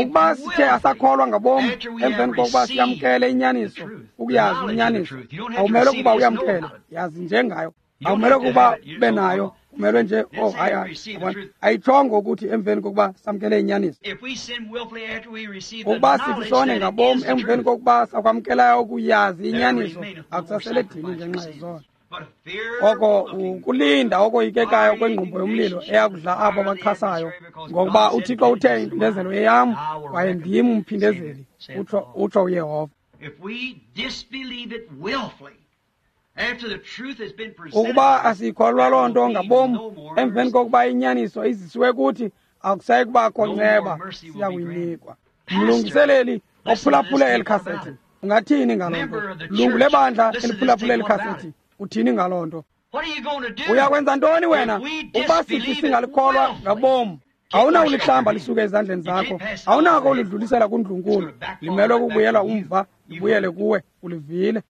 Ukuba sithe asakholwa ngabom emveni kokuba siyamkele inyaniso, ukuyazi inyaniso, awumelwe ukuba uyamkele, yazi njengayo. Awumelwe ukuba ube nayo, umelwe nje, oh hayi hayi, ayitshongo ukuthi emveni kokuba samkele inyaniso. Ukuba sithi sone ngabom emveni kokuba sakwamkelayo ukuyazi inyaniso, akusasele dini ngenxa yezono. Oko ukulinda okoyikekayo kwengqumbo yomlilo eyakudla abo bachasayo, ngokuba uThixo uthe impindezelo yeyam, kwaye ndim umphindezeli, utsho uYehova. Ukuba asiyikholwa loo nto ngabom emveni kokuba inyaniso izisiwe kuthi, akusayi kubakho nceba siyakuyinikwa. Mlungiseleli ophulaphule eli khasethi, ungathini ngaloo nto? Lungu lebandla eliphulaphule eli khasethi, uthini ngaloo nto? Uyakwenza ntoni wena ukuba sithi singalikholwa ngabom? Awunawulihlamba lisuke ezandleni zakho, awunako ulidlulisela kundlunkulu, limelwe kukubuyela umva, libuyele kuwe, ulivile.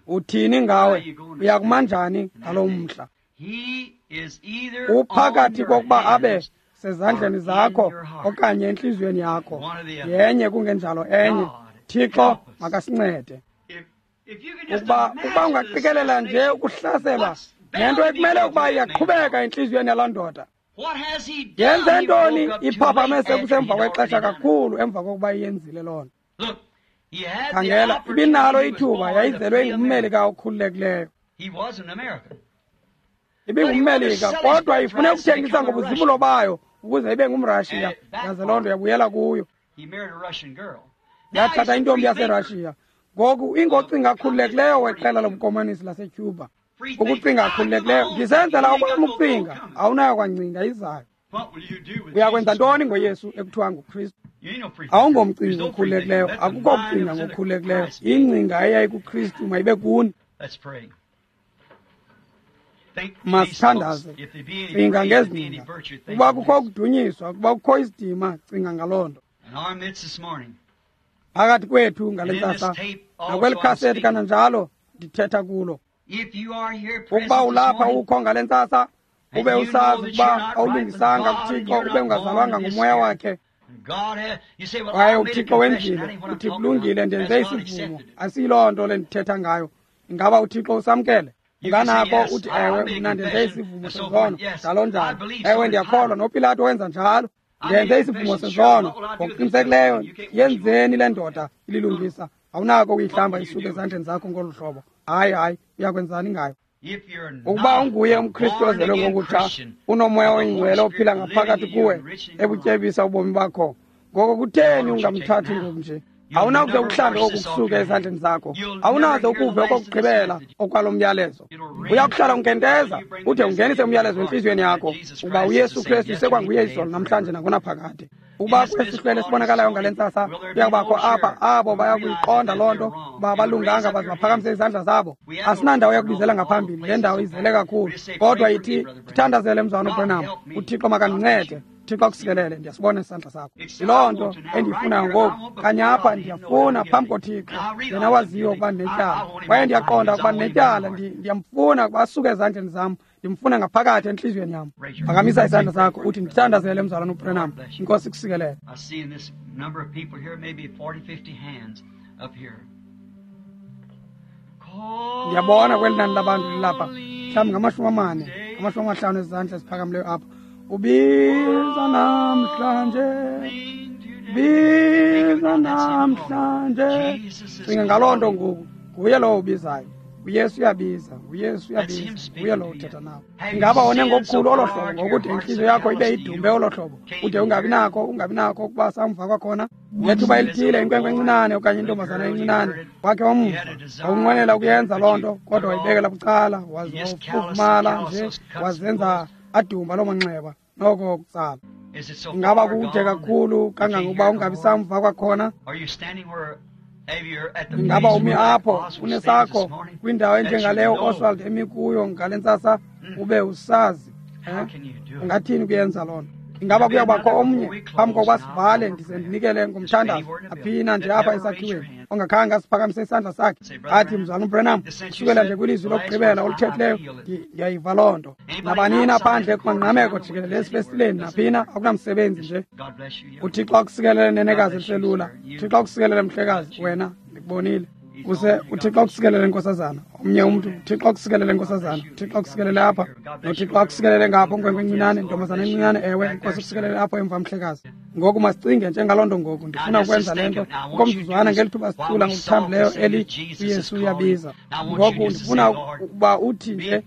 Uthini ngawe? Uyakumanjani ngalo mhla? Uphakathi kokuba abe sezandleni zakho okanye entliziyweni yakho, yenye kungenjalo enye. Thixo makasincede. Ukuba ungaqikelela nje ukuhlaselwa nento ekumele ukuba iyaqhubeka entliziyweni yalaa ndoda. Yenze ntoni? Iphaphame sekusemva kwexesha kakhulu emva kokuba iyenzile loo nto. Khangela, ibinalo ithuba, yayizelwe ingummelika okhululekileyo. Ibingummelika, kodwa ifune ukuthengisa ngobuzibulo bayo ukuze ibe ngumRashiya, yaze loo nto yabuyela kuyo. Yathatha intombi yaseRashiya. Ngoku ingocinga akhululekileyo weqela lobukomanisi laseCuba. Ukucinga akhululekileyo, ndisenzela okwam ukucinga, awunayo kwangcinga izayo. Uyakwenza ntoni ngoYesu ekuthiwa nguKristu? Awungomcinga okhululekileyo, akukho kucinga ngokhululekileyo. Ingcinga eyayikuKristu mayibe kuni. Masithandaze. Cinga ngezingcinga. Ukuba kukho ukudunyiswa, ukuba kukho isidima, cinga ngaloo nto. Phakathi kwethu ngale ntsasa, nakweli khaseti kananjalo ndithetha kulo. Ukuba ulapha ukho ngale ntsasa, ube usazi ukuba awulungisanga kuThixo, ube ungazalwanga nguMoya wakhe, kwaye uThixo wenzile, uthi kulungile, ndenze isivumo, asiyiloo nto le ndithetha ngayo. Ingaba uThixo usamkele? Unganako uthi ewe, mna ndenze isivumo sezono, njalo njalo. Ewe, ndiyakholwa, noPilato wenza njalo. Ndenze isivumo sezono. Ngokuqinisekileyo, yenzeni le ndoda ililungisa? Awunako ukuyihlamba isuke ezandleni zakho ngolu hlobo. Hayi, hayi, uyakwenzani ngayo? Ukuba unguye umKristu ozelwe ngokutsha, unoMoya oyiNgcwele ophila ngaphakathi kuwe, ebutyebisa ubomi bakho, ngoko kutheni ungamthathi ngoku nje? Awunakuze ukuhlambe oku kusuke ezandleni zakho, awunaze ukuve okokugqibela okwalo myalezo. Uyakuhlala unkenteza ude ungenise umyalezo entliziyweni yakho ukuba uYesu Kristu isekwanguye izolo, namhlanje, nangonaphakade. Ukuba kwesi sihlwele sibonakalayo ngale ntsasa kuyakubakho apha abo bayakuyiqonda loo nto uba balunganga baze baphakamise izandla zabo. Asinandawo yakubizela ngaphambili, le ndawo izele kakhulu. Kodwa yithi, ndithandazele mzwana uBranham, uThixo makandincede. Thixo akusikelele, ndiyasibona isandla sakho. Yiloo nto endiyifunayo ngoku. Kanye apha ndiyafuna phambi koThixo, yena waziyo ukuba ndinetyala. Kwaye ndiyaqonda ukuba ndinetyala, ndiyamfuna ukuba asuke ezandleni zam, ndimfuna ngaphakathi entliziyweni yam. Phakamisa isandla sakho uthi, ndithandazele mzalwana uBranham, iNkosi ikusikelele. I see in this number of people here, maybe 40, 50 hands up here. Ndiyabona kweli nani labantu lilapha, mhlawumbi ngama-40, 50 ezandla eziphakamileyo apha. Ubiza namhlanje, biza namhlanje. Cinga ngaloo nto ngoku. Nguye lowo ubizayo. uYesu uyabiza, uYesu uyabiza, nguye lowo uthetha nawe. Ingaba wone ngokukhulu olo hlobo ngokude intliziyo yakho ibe idumbe olo hlobo, ude ungabi nako ukuba samva kwakhona? Ngethuba elithile inkwenkwe encinane okanye intombazana encinane wakhe wamva, wawunqwenela ukuyenza loo nto, kodwa wayibekela bucala, waze wafufumala nje, wazenza adumba loo manxeba noko kutsala. Is it so Ingaba far kude gone kakhulu that you can't kangangokuba hear no ungabi more? samva kwakhona? Are you standing where have you at the Ingaba place umi where that apho Oswald stands unesakho this morning, kwindawo that you enjengaleyo know? Oswald emi kuyo ngale ntsasa, ube usazi? How Eh? can you do it? Ungathini ukuyenza loo nto? Ingaba kuyawubakho omnye phambi kokuba sivale, ndize ndinikele ngomthandazo aphina nje apha esakhiweni ongakhange asiphakamise isandla sakhe athi, mzalwana uBranham, kusukela nje kwilizwi lokugqibela oluthethileyo, ndiyayiva loo nto. Nabanina phandle kumangqameko jikelele esifestileni naphina, akunamsebenzi nje. God bless you, young uThixo akusikelele, nenekazi eliselula. uThixo akusikelele, mhlekazi, wena ndikubonile. Use uThixo akusikelele, nkosazana. Omnye umntu, uThixo akusikelele, nkosazana. uThixo akusikelele apha, noThixo akusikelele ngapho, nkwenkwe encinane, ntombazana encinane. Ewe, Nkosi akusikelele apho emva, mhlekazi. Ngoku masicinge njengaloo nto ngoku. Ndifuna ukwenza le nto okomzuzwana ngeli thuba sicula ngokuthambileyo eli uYesu uyabiza. Ngoku ndifuna ukuba uthi nje,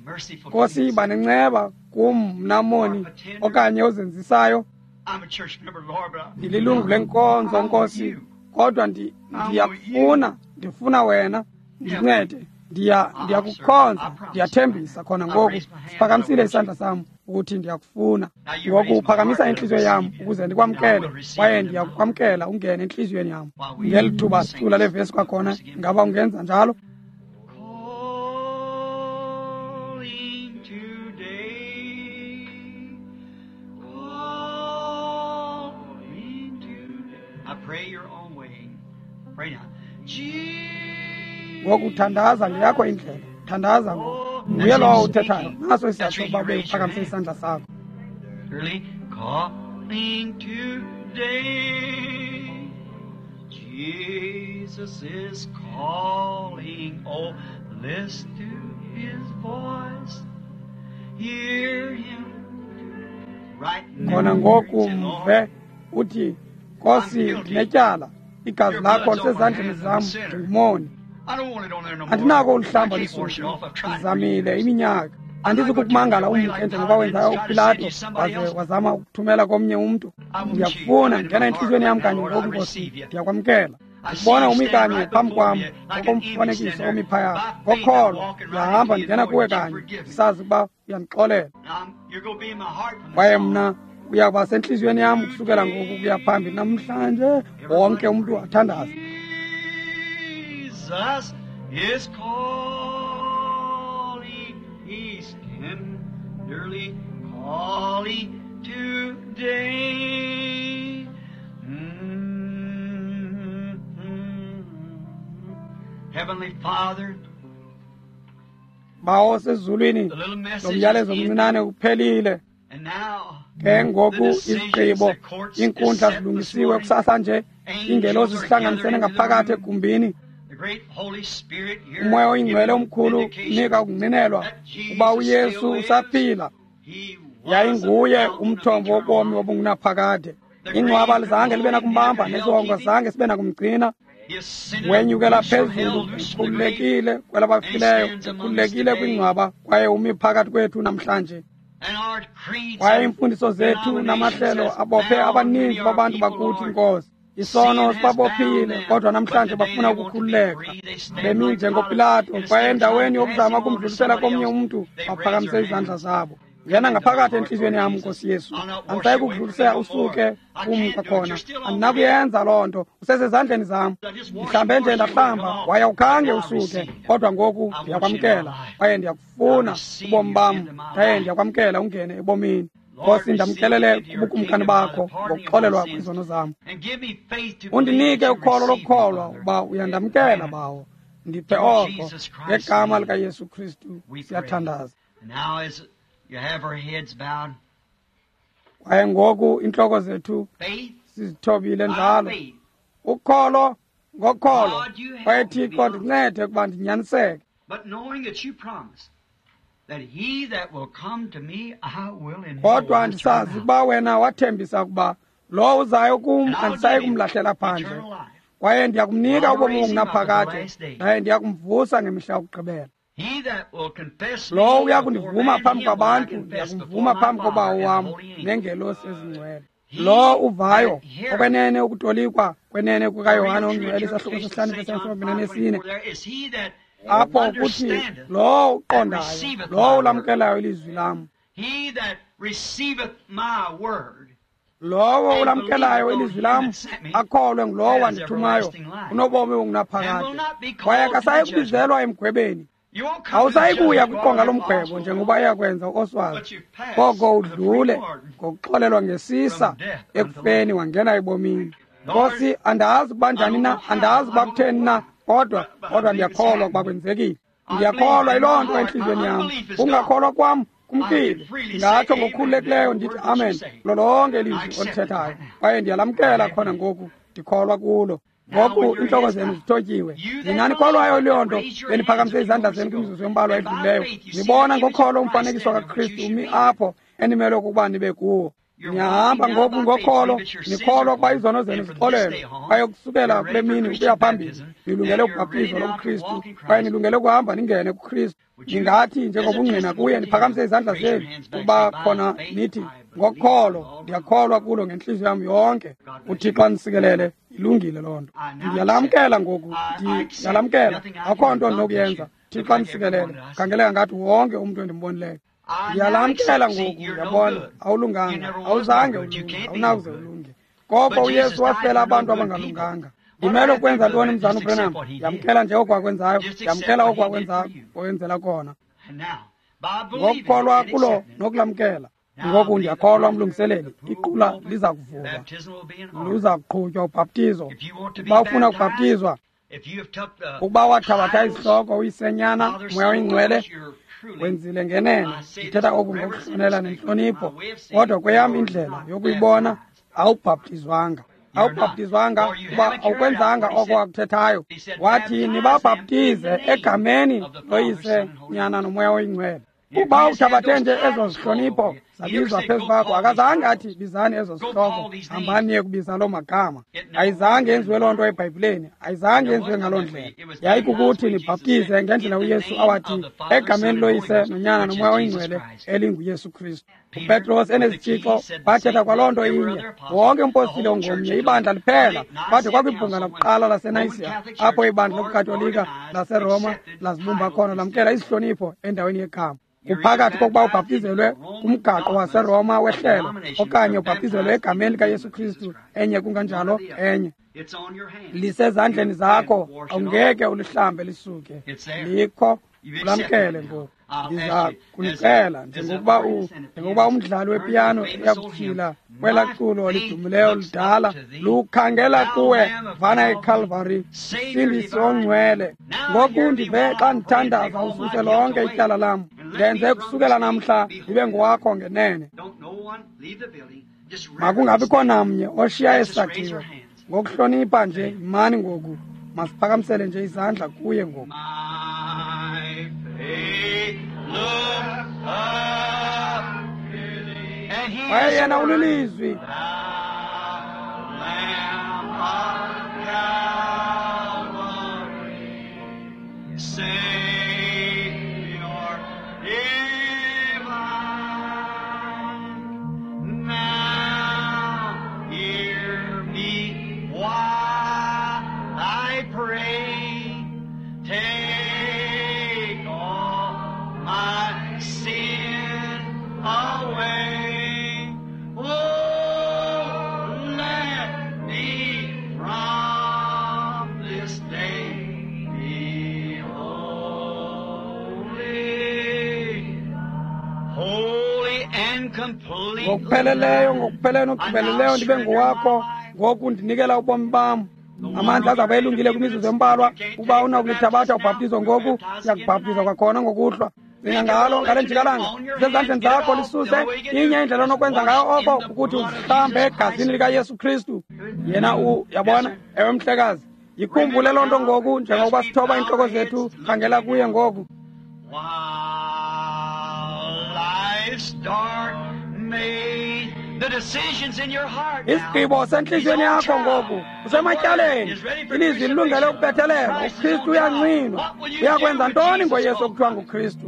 Nkosi, yiba nenceba kum mna moni okanye ozenzisayo. I'm a church member, Lord, but Ndililungu lenkonzo, Nkosi, kodwa ndiyakufuna, ndifuna wena, ndincede. Ndiyakukhonza, ndiyathembisa khona ngoku. Siphakamisile isandla sam ukuthi ndiyakufuna. Ngoku uphakamisa intliziyo yam ukuze ndikwamkele, kwaye ndiyakukwamkela ungene entliziyweni yam. Ngeli thuba sicula le vesi kwakhona, ingaba ungenza njalo? Calling Ngoku thandaza ngeyakho indlela. Thandaza ngoku. Nguye lowo uthethayo. Naso isizathu sokuba ube uphakamise isandla sakho. Calling today, Jesus is calling. Oh, listen to his voice. Hear him right now. Khona ngoku mve uthi, Nkosi, ndinetyala. Igazi lakho lisezandleni zam, ndingumoni. Andinako uluhlamba lisuke. Ndizamile iminyaka. Andizukukumangala umke njengoba wenzayo uPilato waze wazama ukuthumela komnye umntu. Ndiyakufuna, ngena entliziyweni yam kanye ngoku, Nkosi. Ndiyakwamkela. Ndikubona umi kanye phambi kwam ngokomfanekiso omi phaya. Ngokholo ndiyahamba ndingena kuwe kanye, ndisazi ukuba uyandixolela. Kwaye mna uyakuba sentliziyweni yam ukusukela ngoku ukuya phambili. Namhlanje wonke umntu athandaze. Jesus is calling, he's tenderly calling today. Heavenly Father, Bawo osezulwini, the little lo message myalezo is mncinane uphelile. and now Ke ngoku the decisions, izigqibo, the courts is iinkundla set this zilungisiwe morning. kusasa nje. Iingelosi zihlanganisene ngaphakathi egumbini. The great Holy Spirit here Umoya oyingcwele giving omkhulu vindication unika ukungqinelwa that Jesus uba uYesu still lives. usaphila. He was Yayinguye the fountain of umthombo eternal wobomi life. obungunaphakade. Ingcwaba lizange libe nakumbamba, nesihongo zange sibe nakumgcina. He ascended Wenyukela loose from hell, phezulu loose from the grave, ekhululekile kwelabafileyo, ekhululekile kwingcwaba, kwaye umi phakathi kwethu namhlanje. and our creeds Kwaye and iimfundiso zethu denominations namahlelo has abophe bound abaninzi many our babantu people, bakuthi, Lord. Nkosi. Isono Sin has bound sibabophile, them, kodwa but namhlanje today bafuna they want to be ukukhululeka. free. They stand Bemi like njengoPilato, Pilate, and kwaye instead of endaweni trying to pass yokuzama him on to ukumdlulisela somebody komnye else, umntu, they raise baphakamise their izandla hands. zabo. Ngena ngaphakathi entliziyweni yam, Nkosi Yesu. Andisayi kukudlulisela usuke kum kwakhona. Andinakuyenza loo nto. Usesezandleni zam. Ndihlambe nje ndahlamba, waye awukhange usuke. Kodwa ngoku ndiyakwamkela, kwaye ndiyakufuna ubomi bam, kwaye ndiyakwamkela ungene ebomini. Nkosi, ndamkelele kubukumkani bakho ngokuxolelwa kwizono zam. And give me faith to believe Undinike that you ukholo receive me, lokukholwa Father. ukuba uyandamkela, Bawo. Ndiphe oko ngegama likaYesu Kristu We pray. siyathandaza. And now as you have our heads bowed, Kwaye ngoku iintloko zethu faith sizithobile by njalo. faith. Ukholo ngokholo. God, you help Kwaye me be Thixo honest. ndincede ukuba ndinyaniseke. But knowing that you promised that he that will come to me, I will in no Kodwa wise turn ndisazi out. ukuba wena wathembisa ukuba lowo uzayo kum And I'll andisayi give him kumlahlela phandle. eternal life. Kwaye ndiya kumnika I'll ubomi raise him up at the obungunaphakade, last day. ndaye ndiya kumvusa ngemihla yokugqibela. He that will confess me Lowo uya before kundivuma man, phambi him will I kwabantu, confess before ndiyakumvuma my phambi Father kobawo and the wam holy angels. neengelosi ezingcwele. He Lo uvayo that heareth okwenene ukutolikwa kwenene the kukaYohane real true ongcwele isahluko interpretation sesihlanu of St. John verse 24 5:24 there is he that apho kuthi understandeth lowo and uqondayo, receiveth lowo my word. ulamkelayo ilizwi lam, He that receiveth my word lowo and ulamkelayo believeth on ilizwi him lam that sent me akholwe ngulowo has wandithumayo everlasting life unobomi and will obungunaphakade, not be kwaye called to the akasayi judgment. kubizelwa emgwebeni. You won't come to the Awusayi kuya judgment kwiqonga while lomgwebo Oswald njengoba will, iyakwenza uOswald, but you've passed koko with a free udlule pardon ngokuxolelwa ngesisa from death unto life. ekufeni wangena ebomini. Lord, Nkosi, andazi ukuba I njani don't na, know how, andazi I uba don't know kutheni na, why, kodwa but I kodwa believe it's ndiyakholwa ukuba happening. kwenzekile. I believe Ndiyakholwa in my yiloo nto heart. My entliziyweni yam. unbelief is gone. Ungakholwa kwam I kumkile. can freely say Ndingatsho amen to ngokukhululekileyo every ndithi word that you amen say. kulo lonke I ilizwi accept it olithethayo, right now. kwaye ndiyalamkela I khona believe. ngoku, ndikholwa kulo. Now, Ngoku with your iintloko heads zenu bowed, zithotyiwe. you that Nina nikholwayo believe, yiloo nto, raise your hands beniphakamise a few izandla moments zenu ago. kwimizuzu embalwa And by edlulileyo. faith you see the Nibona image of ngokholo Christ umfanekiso standing, which you kaKristu should umi be in. apho enimelwe ukuba nibe kuwo. You're Niyahamba walking now ngoku by faith, ngokholo, believe that your sins nikholwa are ukuba pardoned, izono zenu and from this zixolelwe. day on, Kwaye kusukela you're kule ready for mini Christian ukuya phambili, baptism, nilungele and you're ready ubhaptizo now to lobuKristu, walk in kwaye Christ. nilungele ukuhamba ningene kuKristu. Would you, Ningathi as a njengobungqina testimony kuye, to niphakamise him, izandla raise your zenu hands back, say, ukuba by khona faith nithi I believe with ngokholo all my heart. ndiyakholwa kulo ngentliziyo yam yonke. God bless you. UThixo andisikelele. Ilungile loo nto. I now accept. Ndiyalamkela ngoku, I accept. ndiyalamkela. Nothing I Akho can nto do but ndinokuyenza. you. Look Thixo like everyone andisikelele. that I see. Khangeleka ngathi wonke umntu endimbonileyo. I now Ndiyalamkela accept. See, ngoku, you're no ndiyabona good. You awulunganga, never was no awuzange good. You ulunge, can't be no awunawuze good. ulunge. Koko But Jesus uYesu died wafela for no abantu good people. abangalunganga. What do I Ndimele have to do, ukwenza Brother ntoni, Branham? mzana Just accept uBranham? what he did. Yamkela nje okwakwenzayo, Just accept yamkela what he did for okwakwenzayo, you. okwenzela kona. And now, by believing it Ngokukholwa and kulo accepting it, nokulamkela. now I Ngoku believe the ndiyakholwa, mlungiseleli, pool will iqula open, liza kuvulwa, baptism will be in order. luza kuqhutywa ubhaptizo. If you want to be Ukuba ufuna baptized, ukubhaptizwa, Ukuba wathabatha izihloko uyisenyana Moya oyiNgcwele, wenzile ngenene. Ndithetha oku ngokuhlonela nentlonipho, kodwa kweyam indlela yokuyibona awubhaptizwanga. Awubhaptizwanga kuba awukwenzanga oko wakuthethayo. Wathi nibabhaptize egameni loYise, Nyana noMoya oyiNgcwele. Ukuba uthabathe nje ezo zihlonipho zabizwa phezu kwakho, akazange athi bizani ezo zihloko, hambani niye kubiza loo magama. Ayizange yenziwe loo nto eBhayibhileni, ayizange yenziwe ngaloo ndlela. Yayikukuthi nibhaptize ngendlela uYesu awathi egameni loYise noNyana noMoya oyiNgcwele elinguYesu Kristu. uPetros enezitshixo wathetha kwaloo nto inye. Wonke umpostile ongomnye, ibandla liphela, kwade kwakwibhunga lakuqala laseNayisiya apho ibandla lobuKatolika laseRoma lazibumba khona lamkela isihlonipho endaweni yegama. Kuphakathi kokuba ubhaptizelwe kumgaqo waseRoma wehlelo okanye ubhaptizelwe egameni likaYesu Kristu, enye kunganjalo enye. Lisezandleni zakho, awungeke ulihlambe lisuke. Likho, ulamkele ngoku. Ndiza kunicela njengokuba umdlali wepiyano uyakutyhila kwelaa culo lidumileyo lidala lukhangela kuwe vana eCalvary, Msindisi ongcwele. Ngoku ndive xa ndithandaza ususe lonke ityala lam, ndenze kusukela namhla ndibe ngowakho ngenene. Makungabikho namnye oshiya esakhiwo. Ngokuhlonipha nje yimani ngoku, masiphakamisele nje izandla kuye ngoku. Kwaye yena ulilizwi. Ngokupheleleyo, ngokupheleleyo nokugqibeleleyo ndibe ngowakho. Ngoku ndinikela ubomi bam. Amandla azawube elungile kwimizuzu embalwa. Ukuba unakulithabatha ubhaptizo ngoku, siyakubhaptiza kwakhona ngokuhlwa. Cinga ngalo ngale njikalanga, sezandleni zakho lisuse. Inye indlela onokwenza ngayo oko ukuthi uzihlambe egazini likaYesu Kristu. Yena uyabona, ewe mhlekazi. Yikhumbule loo nto ngoku njengokuba sithoba iintloko zethu, khangela kuye ngoku. Isigqibo sentliziyweni yakho ngoku usematyaleni. Ilizwi lilungele ukubethelelwa. uKristu uyancinwa. Uyakwenza ntoni ngoYesu okuthiwa nguKristu?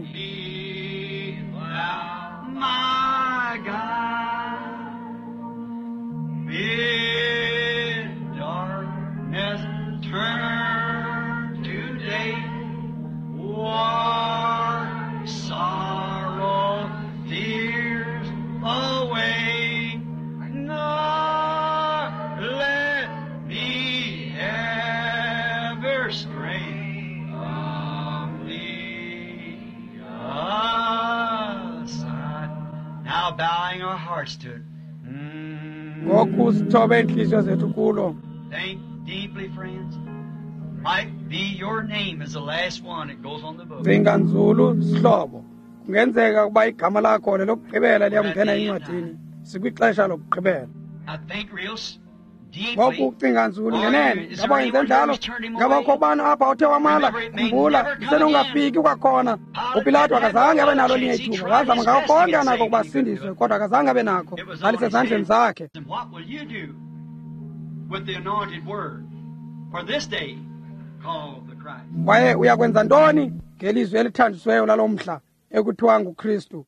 Ngoku sithobe iintliziyo zethu kulo. Cinga nzulu sihlobo. Kungenzeka ukuba igama lakho lelokugqibela liyakungena encwadini. Sikwixesha lokugqibela. Ngoku ucinga nzulu ngenene. Ngaba yenze njalo? Ngaba ukho bani apha othe wamala? Khumbula, isenongafiki kwakhona. uPilato akazange abe nalo elinye ithuba. Wazama ngako konke anako ukuba asindiswe, kodwa akazange abe nako. Lalisezandleni zakhe. Kwaye uyakwenza ntoni ngelizwi elithanjisiweyo lalo mhla ekuthiwa nguKristu?